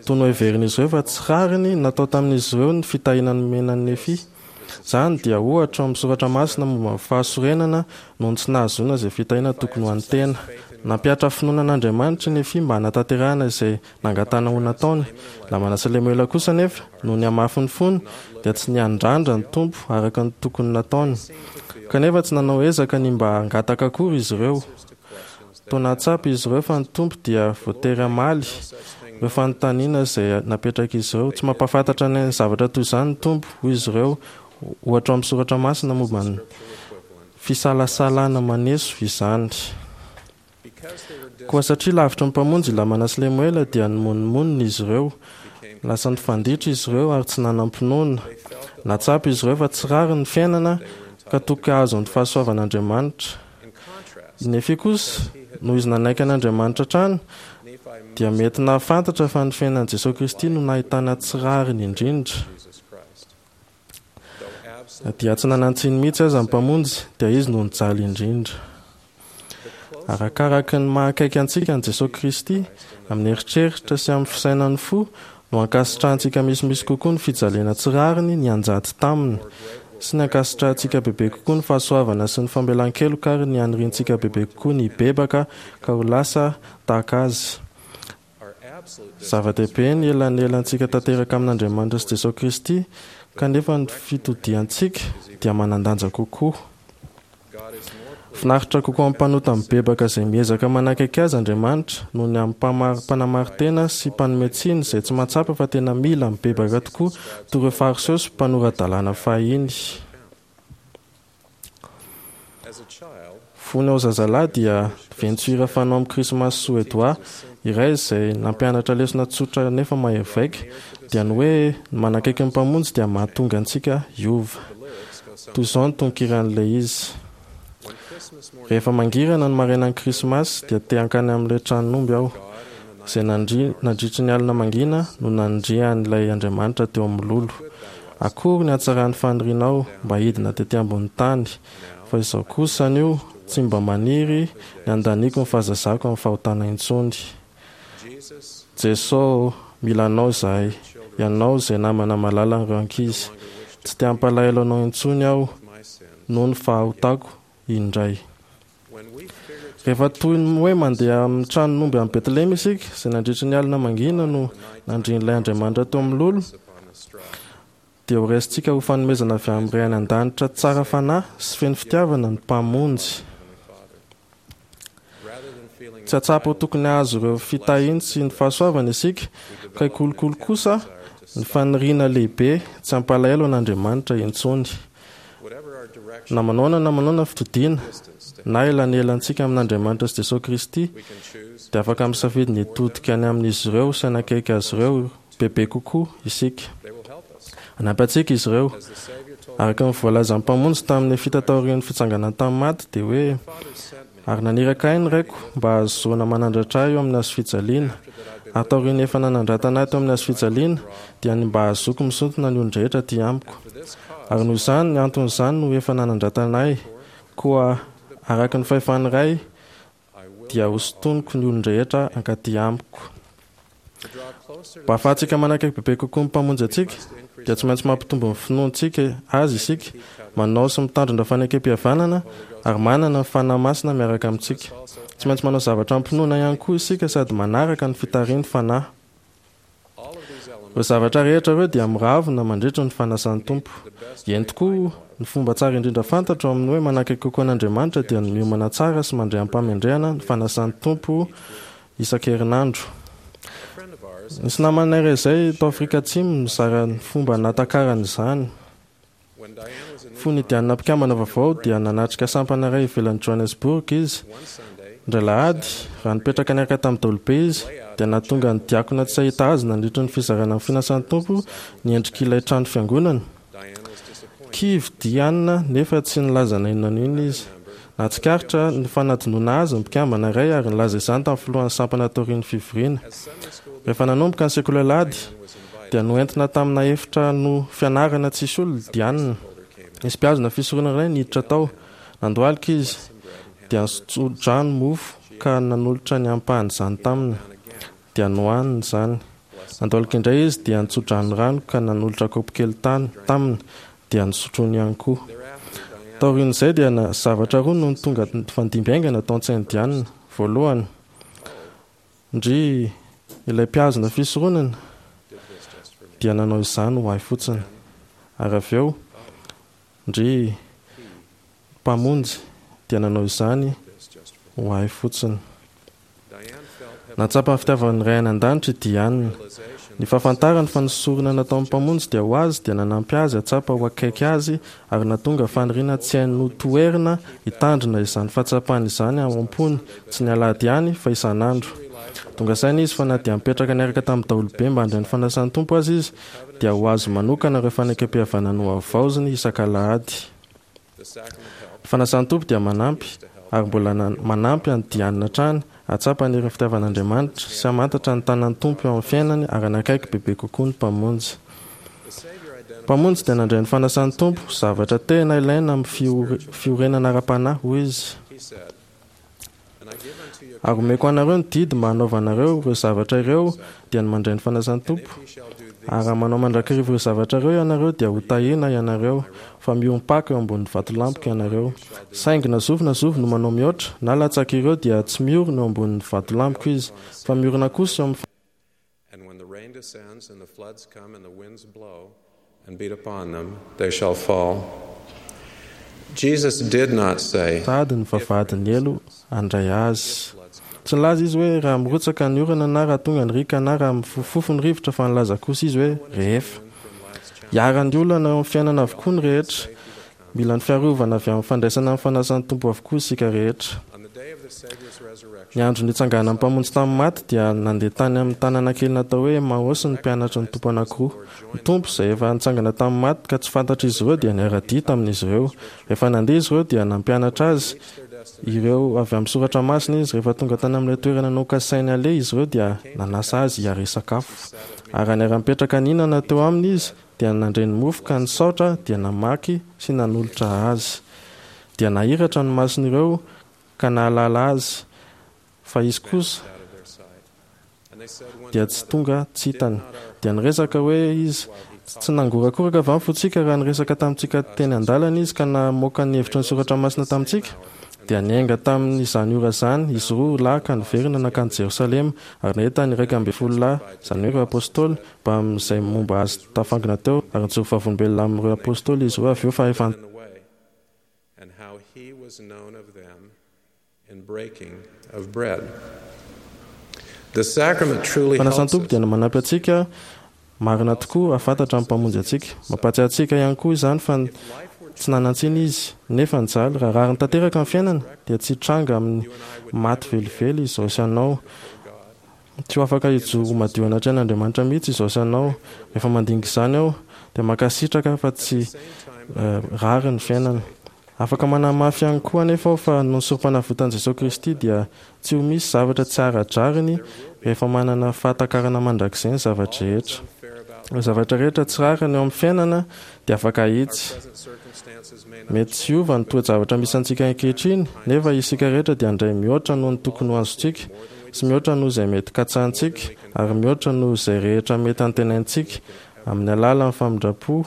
Toa noheverin'izy ireo fa tsy rariny natao tamin'izy ireo ny fitahiana nomena an'i Nefia. Izany dia ohatra ao amin'ny soratra masina momba ny fahasorenana noho ny tsy nahazoana izay fitahiana tokony ho an'ny tena. Nampihatra finoana an'Andriamanitra i Nefia mba hanatanterahana izay nangatahana ho nataony. Lamana sy Lemoela kosa anefa, noho ny hamafin'ny fony, dia tsy niandrandra ny Tompo araka ny tokony nataony. Kanefa tsy nanao ezaka ny mba hangataka akory izy ireo. Toa nahatsapa izy ireo fa ny Tompo dia voatery hamaly ireo fanontaniana izay napetrak'izy ireo. Tsy mampahafantatra anay ny zavatra toy izany ny Tompo, hoy izy ireo, ohatra ao amin'ny soratra masina momba ny fisalasalana maneso izany. Koa satria lavitry ny Mpamonjy i Lamana sy Lemoela dia nimonomonona izy ireo. Lasa nifanditra izy ireo ary tsy nanam-pinoana. Nahatsapa izy ireo fa tsy rariny ny fiainana ka tokony hahazo ny fahasoavan'Andriamanitra. I Nefia kosa, noho izy nanaiky an'Andriamanitra hatrany, dia mety nahafantatra fa ny fiainan'i Jesoa Kristy no nahitana tsy rariny indrindra. Na dia tsy nanan-tsiny mihitsy aza ny Mpamonjy, dia Izy no nijaly indrindra. Arakaraka ny maha akaiky antsika an'i Jesoa Kristy, amin'ny eritreritra sy amin'ny fisainan'ny fo, no ankasitrahantsika misimisy kokoa ny fijaliana tsy rariny nianjady taminy, sy ny ankasitrahantsika bebe kokoa ny fahasoavana sy ny famelan-keloka ary ny haniriantsika bebe kokoa ny hibebaka ka ho lasa tahaka Azy. Zava-dehibe ny elanelantsika tanteraka amin'Andriamanitra sy Jesoa Kristy, kanefa ny fitodiantsika dia manan-danja kokoa. Finaritra kokoa amin'ny mpanota mibebaka izay miezaka manakaiky Azy Andriamanitra noho ny amin'ny mpanamarin-tena sy mpanome tsiny izay tsy mahatsapa fa tena mila mibebaka tokoa toy ireo Fariseo sy mpanora-dalàna fahiny. Fony aho zazalahy dia ventso hira fanao amin'ny Krismasy Soedoà iray izay nampianatra lesona tsotra nefa mahery vaika, dia ny hoe ny manakaiky ny Mpamonjy dia mahatonga antsika hiova. Toy izao ny tononkiran'ilay izy, Rehefa mangirana ny marainan'ny Krismasy dia te hankany amin'ilay tranon'omby aho. Izay nandria nandritry ny alina mangina no nandrian'ilay Andriamanitra teo amin'ny lolo. Akory ny hatsaran'ny fanirianao mba hidina tety ambonin'ny tany, fa izao kosa anio tsy mba maniry ny handaniako ny fahazazako amin'ny fahotana intsony. Jeso ô, mila Anao izahay, Ianao izay namana malalan'ireo ankizy. Tsy te hampalahelo Anao intsony aho noho ny fahotako indray. Rehefa toy ny hoe mandeha amin'ny tranon'omby any Betlehema isika, izay nandritry ny alina mangina no nandrian'ilay Andriamanitra teo amin'ny lolo, dia ho raisintsika ho fanomezana avy amin'ny Ray any An-danitra tsara fanahy sy feno fitiavana ny Mpamonjy. Tsy hahatsapa ho tokony hahazo ireo fitahiany sy ny fahasoavany isika, ka hikolokolo kosa ny faniriana lehibe tsy hampalahelo an'Andriamanitra intsony. Na manaona na manaona fitodiana na elanelantsika amin'Andriamanitra sy Jesoa Kristy, dia afaka misafidy ny hitodika any amin'izy ireo sy hanakaiky azy ireo bebe kokoa isika. Hanampy antsika izy ireo. Araka ny voalazan'ny Mpamonjy tamin'ny Nefita taorian'ny fitsanganany tamin'ny maty, dia hoe, Ary naniraka ahy ny Raiko mba hahazoana manandratra ahy eo amin'ny hazofijaliana, ary taorian'ny efa nanandratana ahy teo amin'ny hazofijaliana, dia ny mba hahazoako misintona ny olon-drehetra aty amiko. Ary noho izany antony izany no efa nanandratana ahy, koa araka ny fahefan'ny Ray dia hosintoniko ny olon-drehetra hankaty amiko. Mba hahafahantsika manakaiky bebe kokoa ny Mpamonjy antsika, dia tsy maintsy mampitombo ny finoantsika Azy isika, manao sy mitandrina fanekempihavanana, ary manana ny Fanahy Masina miaraka amintsika. Tsy maintsy manao zavatra amim-pinoana ihany koa isika sady manaraka ny fitarihan'ny Fanahy. Ireo zavatra rehetra ireo dia miravona mandritra ny fanasan'ny Tompo. Eny tokoa, ny fomba tsara indrindra fantatro amin'ny hoe manakaiky kokoa an'Andriamanitra dia ny miomana tsara sy mandray amim-pahamendrehana ny fanasan'ny Tompo isan-kerinandro. Nisy namanay iray izay tao Afrika Atsimo nizara ny fomba nahatakarany izany. Fony i Diana mpikambana vaovao dia nanatrika sampana iray ivelan'i Johannesburg izy. Indray alahady, raha nipetraka niaraka tamin'ny daholobe izy, dia nahatonga ny diakona tsy hahita azy nandritra ny fizarana ny finasan'ny Tompo ny endrik'ilay trano fiangonana. Kivy Diana nefa tsy nilaza na inona na inona izy. Nahatsikaritra ny fanadinoana azy ny mpikambana iray ary nilaza izany tamin'ny filohan'ny sampana taorian'ny fivoriana. Rehefa nanomboka ny sekoly alahady, dia noentina tamina efitrano fianarana tsisy olona Diana. Nisy mpihazona fisoronana iray niditra tao. Nandohalika izy, dia nitso-drano mofo ka nanolotra ny ampahan'izany taminy. Dia nohaniny izany. Nandohalika indray izy dia nitso-drano rano ka nanolotra kaopy kely tany taminy, dia nosotroiny ihany koa. Taorian'izay dia zavatra roa no tonga nifandimby haingana tao an-tsain'i Diana. Voalohany, ndry ilay mpihazona fisoronana dia nanao izany ho ahy fotsiny. Ary avy eo, ndry Mpamonjy dia nanao izany ho ahy fotsiny. Nahatsapa ny fitiavan'ny Ray any An-danitra i Diane. Ny fahafantarany fa ny sorona nataon'ny Mpamonjy dia ho azy dia nanampy azy hahatsapa ho akaiky Azy ary nahatonga faniriana tsy hainy notoherina hitandrina izany fahatsapana izany ao am-pony, tsy ny alahady ihany fa isan'andro. Tonga saina izy fa na dia nipetraka niaraka tamin'ny daholobe mba handray ny fanasan'ny Tompo aza izy dia ho azy manokana ireo fanekempihavanana nohavaoziny isak'alahady. Ny fanasan'ny Tompo dia manampy, ary mbola manampy an'i Diane hatrany, hahatsapa ny herin'ny fitiavan'Andriamanitra, sy hamantatra ny tanan'ny Tompo eo amin'ny fiainany ary hanakaiky bebe kokoa ny Mpamonjy. Ny Mpamonjy dia nandray ny fanasan'ny Tompo ho zavatra tena ilaina amin'ny fiorenana ara-panahy, hoy izy. Ary omeko anareo ny didy mba hanaovanareo ireo zavatra ireo, dia ny mandray ny fanasan'ny Tompo. Ary raha manao mandrakariva ireo zavatra ireo ianareo, dia hotahiana ianareo, fa miorim-paka eo ambonin'ny vatolampiko ianareo. Saingy na zovy na zovy no manao mihoatra, na latsaka ireo, dia tsy miorina eo ambonin'ny vatolampiko izy, fa miorina kosa eo amin'ny And when the rain descends and the floods come and the winds blow and beat upon them, they shall fall. Jesus did not say, Sady ny vavahadin'ny helo handray azy. Tsy nilaza izy hoe raha mirotsaka ny orana na raha tonga ny riaka na raha mifofofofo ny rivotra fa nilaza kosa izy hoe rehefa. Iharan'ny olana eo amin'ny fiainana avokoa ny rehetra. Mila ny fiarovana avy amin'ny fandraisana ny fanasan'ny Tompo avokoa isika rehetra. Ny andro nitsanganan'ny Mpamonjy tamin'ny maty dia nandeha tany amin'ny tanàna kely natao hoe Emaosy ny mpianatry ny Tompo anankiroa. Ny Tompo, izay efa nitsangana tamin'ny maty ka tsy fantatr'izy ireo dia niara-dia tamin'izy ireo. Rehefa nandeha izy ireo dia nampianatra azy. ireo avy amin'ny Soratra Masina izy. Rehefa tonga tany amin'ilay toerana nokasainy haleha izy ireo dia nanasa azy hiara-hisakafo. Ary raha niara-nipetraka nihinana teo aminy izy dia nandre ny mofo ka nisaotra dia namaky sy nanolotra azy. Dia nahiratra ny mason'ireo ka nahalala azy, fa izy kosa dia tsy tonga tsy hitany. Dia niresaka hoe izy, Tsy nangorakoraka va ny fontsika raha niresaka tamintsika teny an-dalana izy ka namoaka ny hevitry ny Soratra Masina tamintsika? Dia niainga tamin' izany ora izany izy roa lahy ka niverina nankany Jerosalema, ary nahita ny 11 lahy, izany hoe ireo Apostoly, mbamin' izay momba azy tafangona teo, ary nijoro vavolombelona amin' ireo Apostoly izy ireo avy eo fa efa And how he was known of them in breaking of bread. The sacrament truly helps Fanasan'ny Tompo us. dia manampy antsika marina tokoa hahafantatra ny Mpamonjy antsika. Mampahatsiahy antsika ihany koa izany fa tsy nanan-tsiny Izy, nefa nijaly. Raha rariny tanteraka ny fiainana, dia tsy hitranga amin'ny maty velively izao sy anao. Tsy ho afaka hijoro ho madio anatrehan'Andriamanitra mihitsy izao sy anao. Rehefa mandinika izany aho, dia mankasitraka fa tsy rariny ny fiainana. Afaka manamafy ihany koa anefa aho fa noho ny sorompanavotan'i Jesosy Kristy dia tsy ho misy zavatra tsy ara-drariny rehefa manana fahatakarana mandrakizay ny zava-drehetra. Ireo zavatra rehetra tsy rariny eo amin'ny fiainana dia afaka ahitsy. Mety tsy hiova ny toe-javatra misy antsika ankehitriny, nefa isika rehetra dia handray mihoatra noho ny tokony ho azontsika, sy mihoatra noho izay mety katsahintsika, ary mihoatra noho izay rehetra mety antenaintsika, amin'ny alalan'ny famindram-po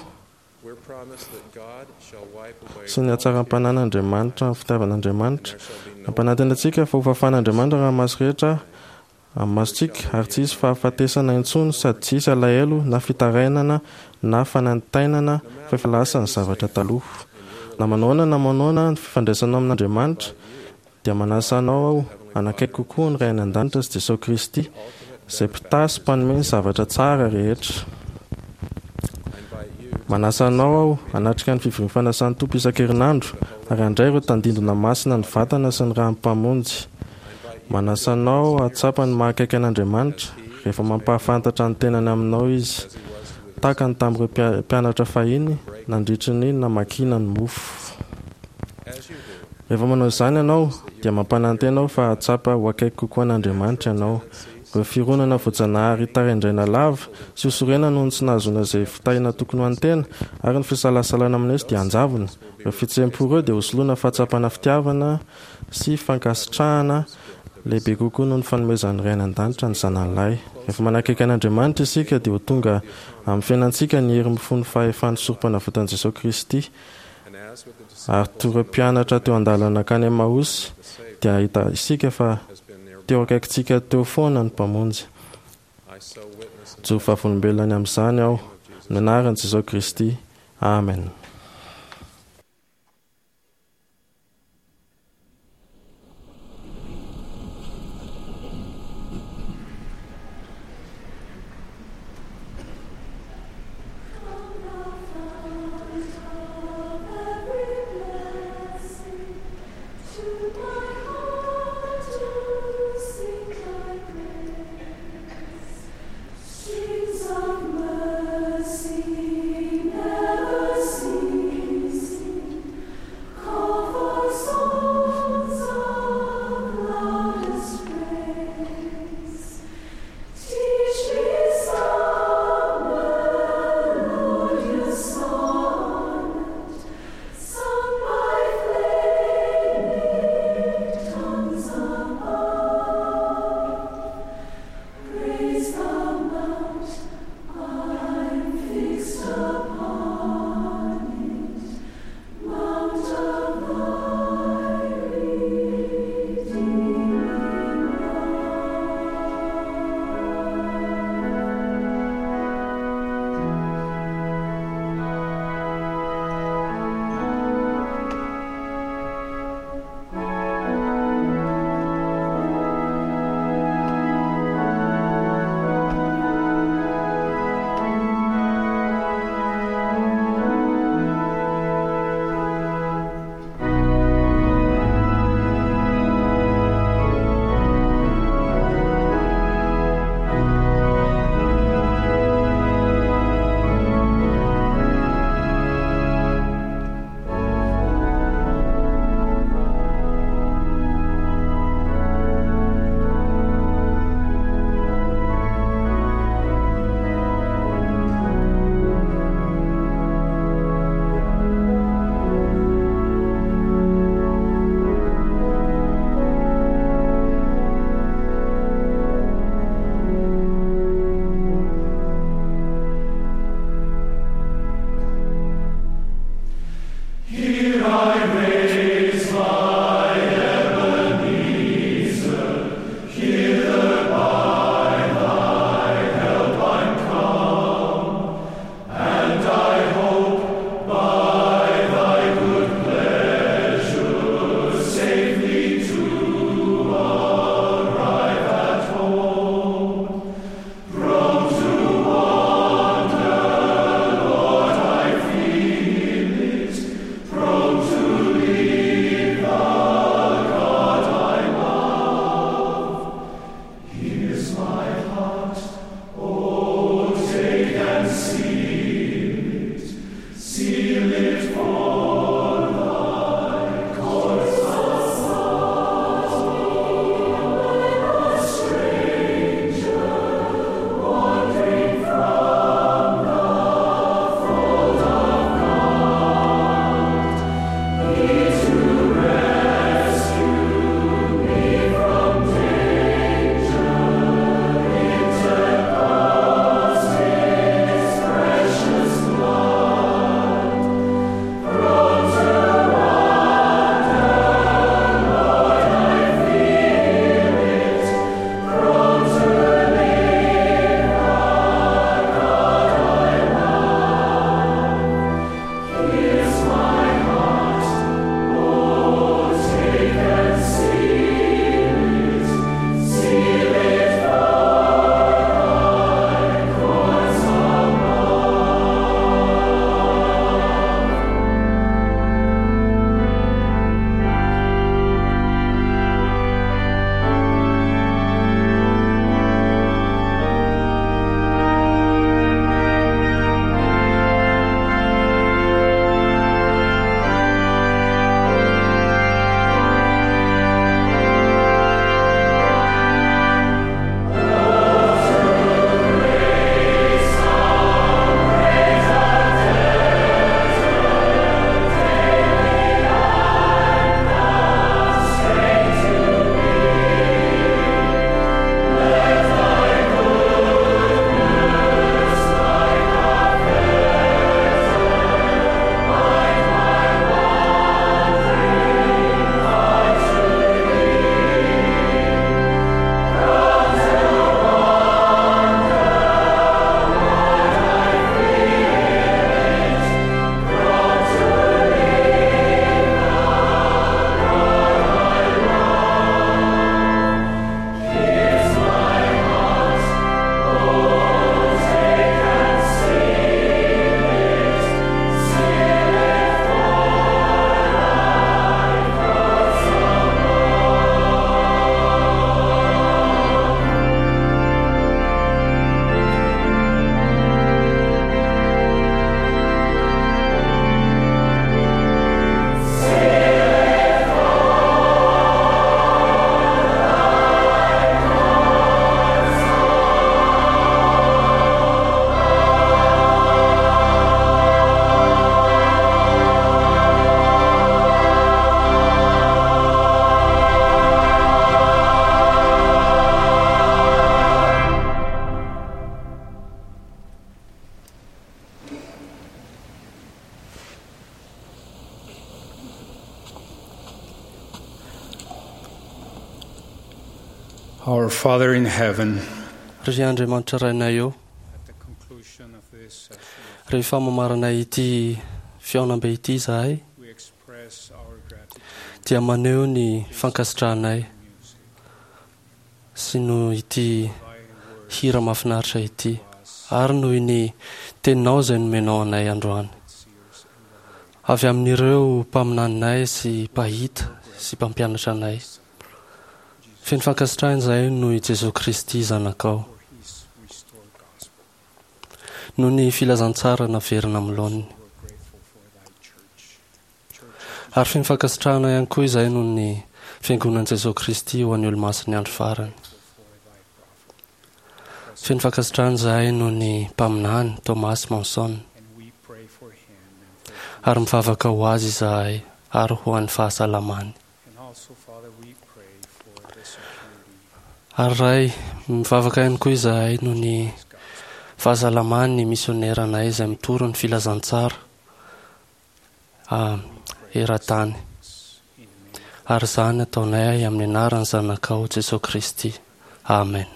sy ny hatsaram-panahin'Andriamanitra, ny fitiavan'Andriamanitra. Nampanantena antsika fa hofafan'Andriamanitra ny ranomaso rehetra amin'ny masontsika, ary tsy hisy fahafatesana intsony, sady tsy hisy alahelo na fitarainana na fanaintainana, fa efa lasa ny zavatra taloha. Na manahoana na manahoana ny fifandraisanao amin'Andriamanitra, dia manasa anao aho hanakaiky kokoa ny Ray any An-danitra sy Jesoa Kristy, izay mpitahy sy mpanome ny zavatra tsara rehetra. Manasa anao aho hanatrika ny fivorian'ny fanasan'ny Tompo isan-kerinandro ary handray ireo tandindona masina ny vatana sy ny ran'ny Mpamonjy. Manasa anao hahatsapa ny maha akaiky an'Andriamanitra rehefa mampahafantatra ny tenany aminao Izy, tahaka ny tamin'ireo mpianatra fahiny nandritry ny namakiana ny mofo. Rehefa manao izany ianao, dia mampanantena aho fa hahatsapa ho akaiky kokoa an'Andriamanitra ianao. Ireo fironana voajanahary taraindraina lava sy ho sorena noho ny tsy nahazoana izay fitahiana tokony ho an'ny tena, ary ny fisalasalana maneso dia hanjavona. Ireo fihetseham-po ireo dia hosoloina fahatsapana fitiavana sy fankasitrahana lehibe kokoa noho ny fanomezan'ny Ray any An-danitra ny Zanany Lahy. Rehefa manakaiky an'Andriamanitra isika dia ho tonga amin'ny fiainantsika ny hery mifono fahefan'ny Sorompanavotan'i Jesoa Kristy. Ary toy ireo mpianatra teo an-dalana nankany Emaosy dia hahita isika fa teo akaikintsika teo foana ny Mpamonjy. Mijoro vavolombelona ny amin'izany aho, amin'ny anaran'i Jesoa Kristy, Amen. Our Father in heaven, Ry Andriamanitra Rainay ô, rehefa mamarana ity fihaonambe ity izahay, dia maneho ny fankasitrahanay sy noho ity hira mahafinaritra ity ary noho ny teninao izay nomenao anay androany. Avy amin'ireo mpaminaninay sy mpahita sy mpampianatra anay. Feno fankasitrahana izahay noho i Jesoa Kristy Zanakao. Noho ny filazantsara naverina amin'ny laoniny. Ary feno fankasitrahana ihany koa izahay noho ny Fiangonan'i Jesoa Kristy ho an'ny Olomasin'ny Andro Farany. Feno fankasitrahana izahay noho ny mpaminany Thomas Monson. Ary mivavaka ho azy izahay ary ho an'ny fahasalamany. Ary Ray, mivavaka ihany koa izahay noho ny fahasalaman'ny misioneranay izay mitory ny filazantsara eran-tany. Ary izany ataonay amin'ny anaran'ny Zanakao Jesoa Kristy. Amen.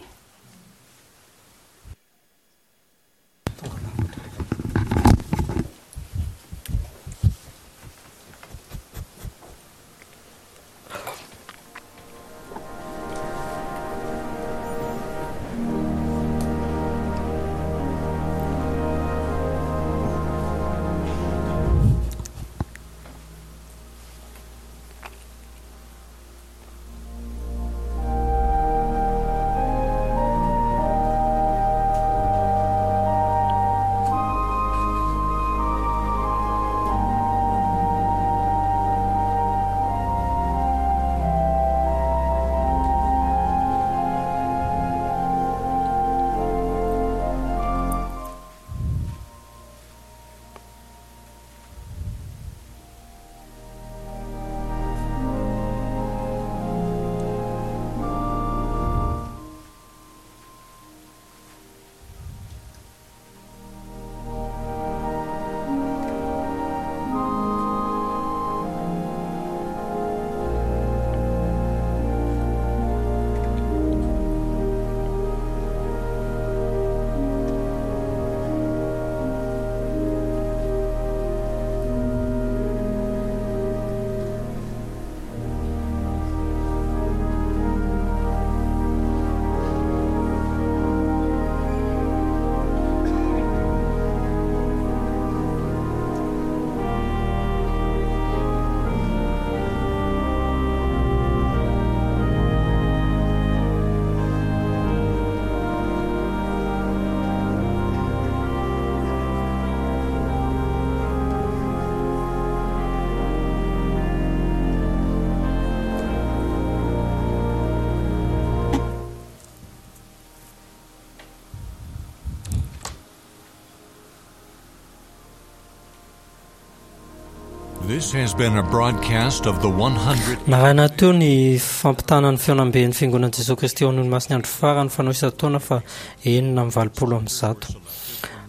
This has been a broadcast of the 100. Narahina teo ny fampitana ny fihaonamben'ny Fiangonan'i Jesoa Kristy ao Anonimasin'ny Andro Farany fanao isan-taona fa 186.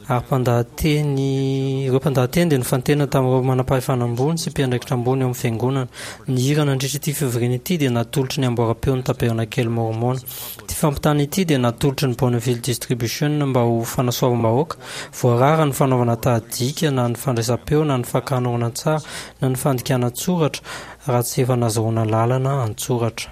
Ary mpandahateny, ireo mpandahateny dia nifantena tamin'ireo manampahefana ambony sy mpiandraikitra ambony ao amin'ny Fiangonana. Ny hira nandritra ity fivoriana ity dia natolotry ny amboaram-peon'ny Tabernakely Môrmôna. Ity fampitana ity dia natolotry ny Bonneville Distribution mba ho fanasoavam-bahoaka. Voarara ny fanaovana tahadika na ny fandraisam-peo na ny fakana horonantsary na ny fandikana an-tsoratra raha tsy efa nazahoana lalana an-tsoratra.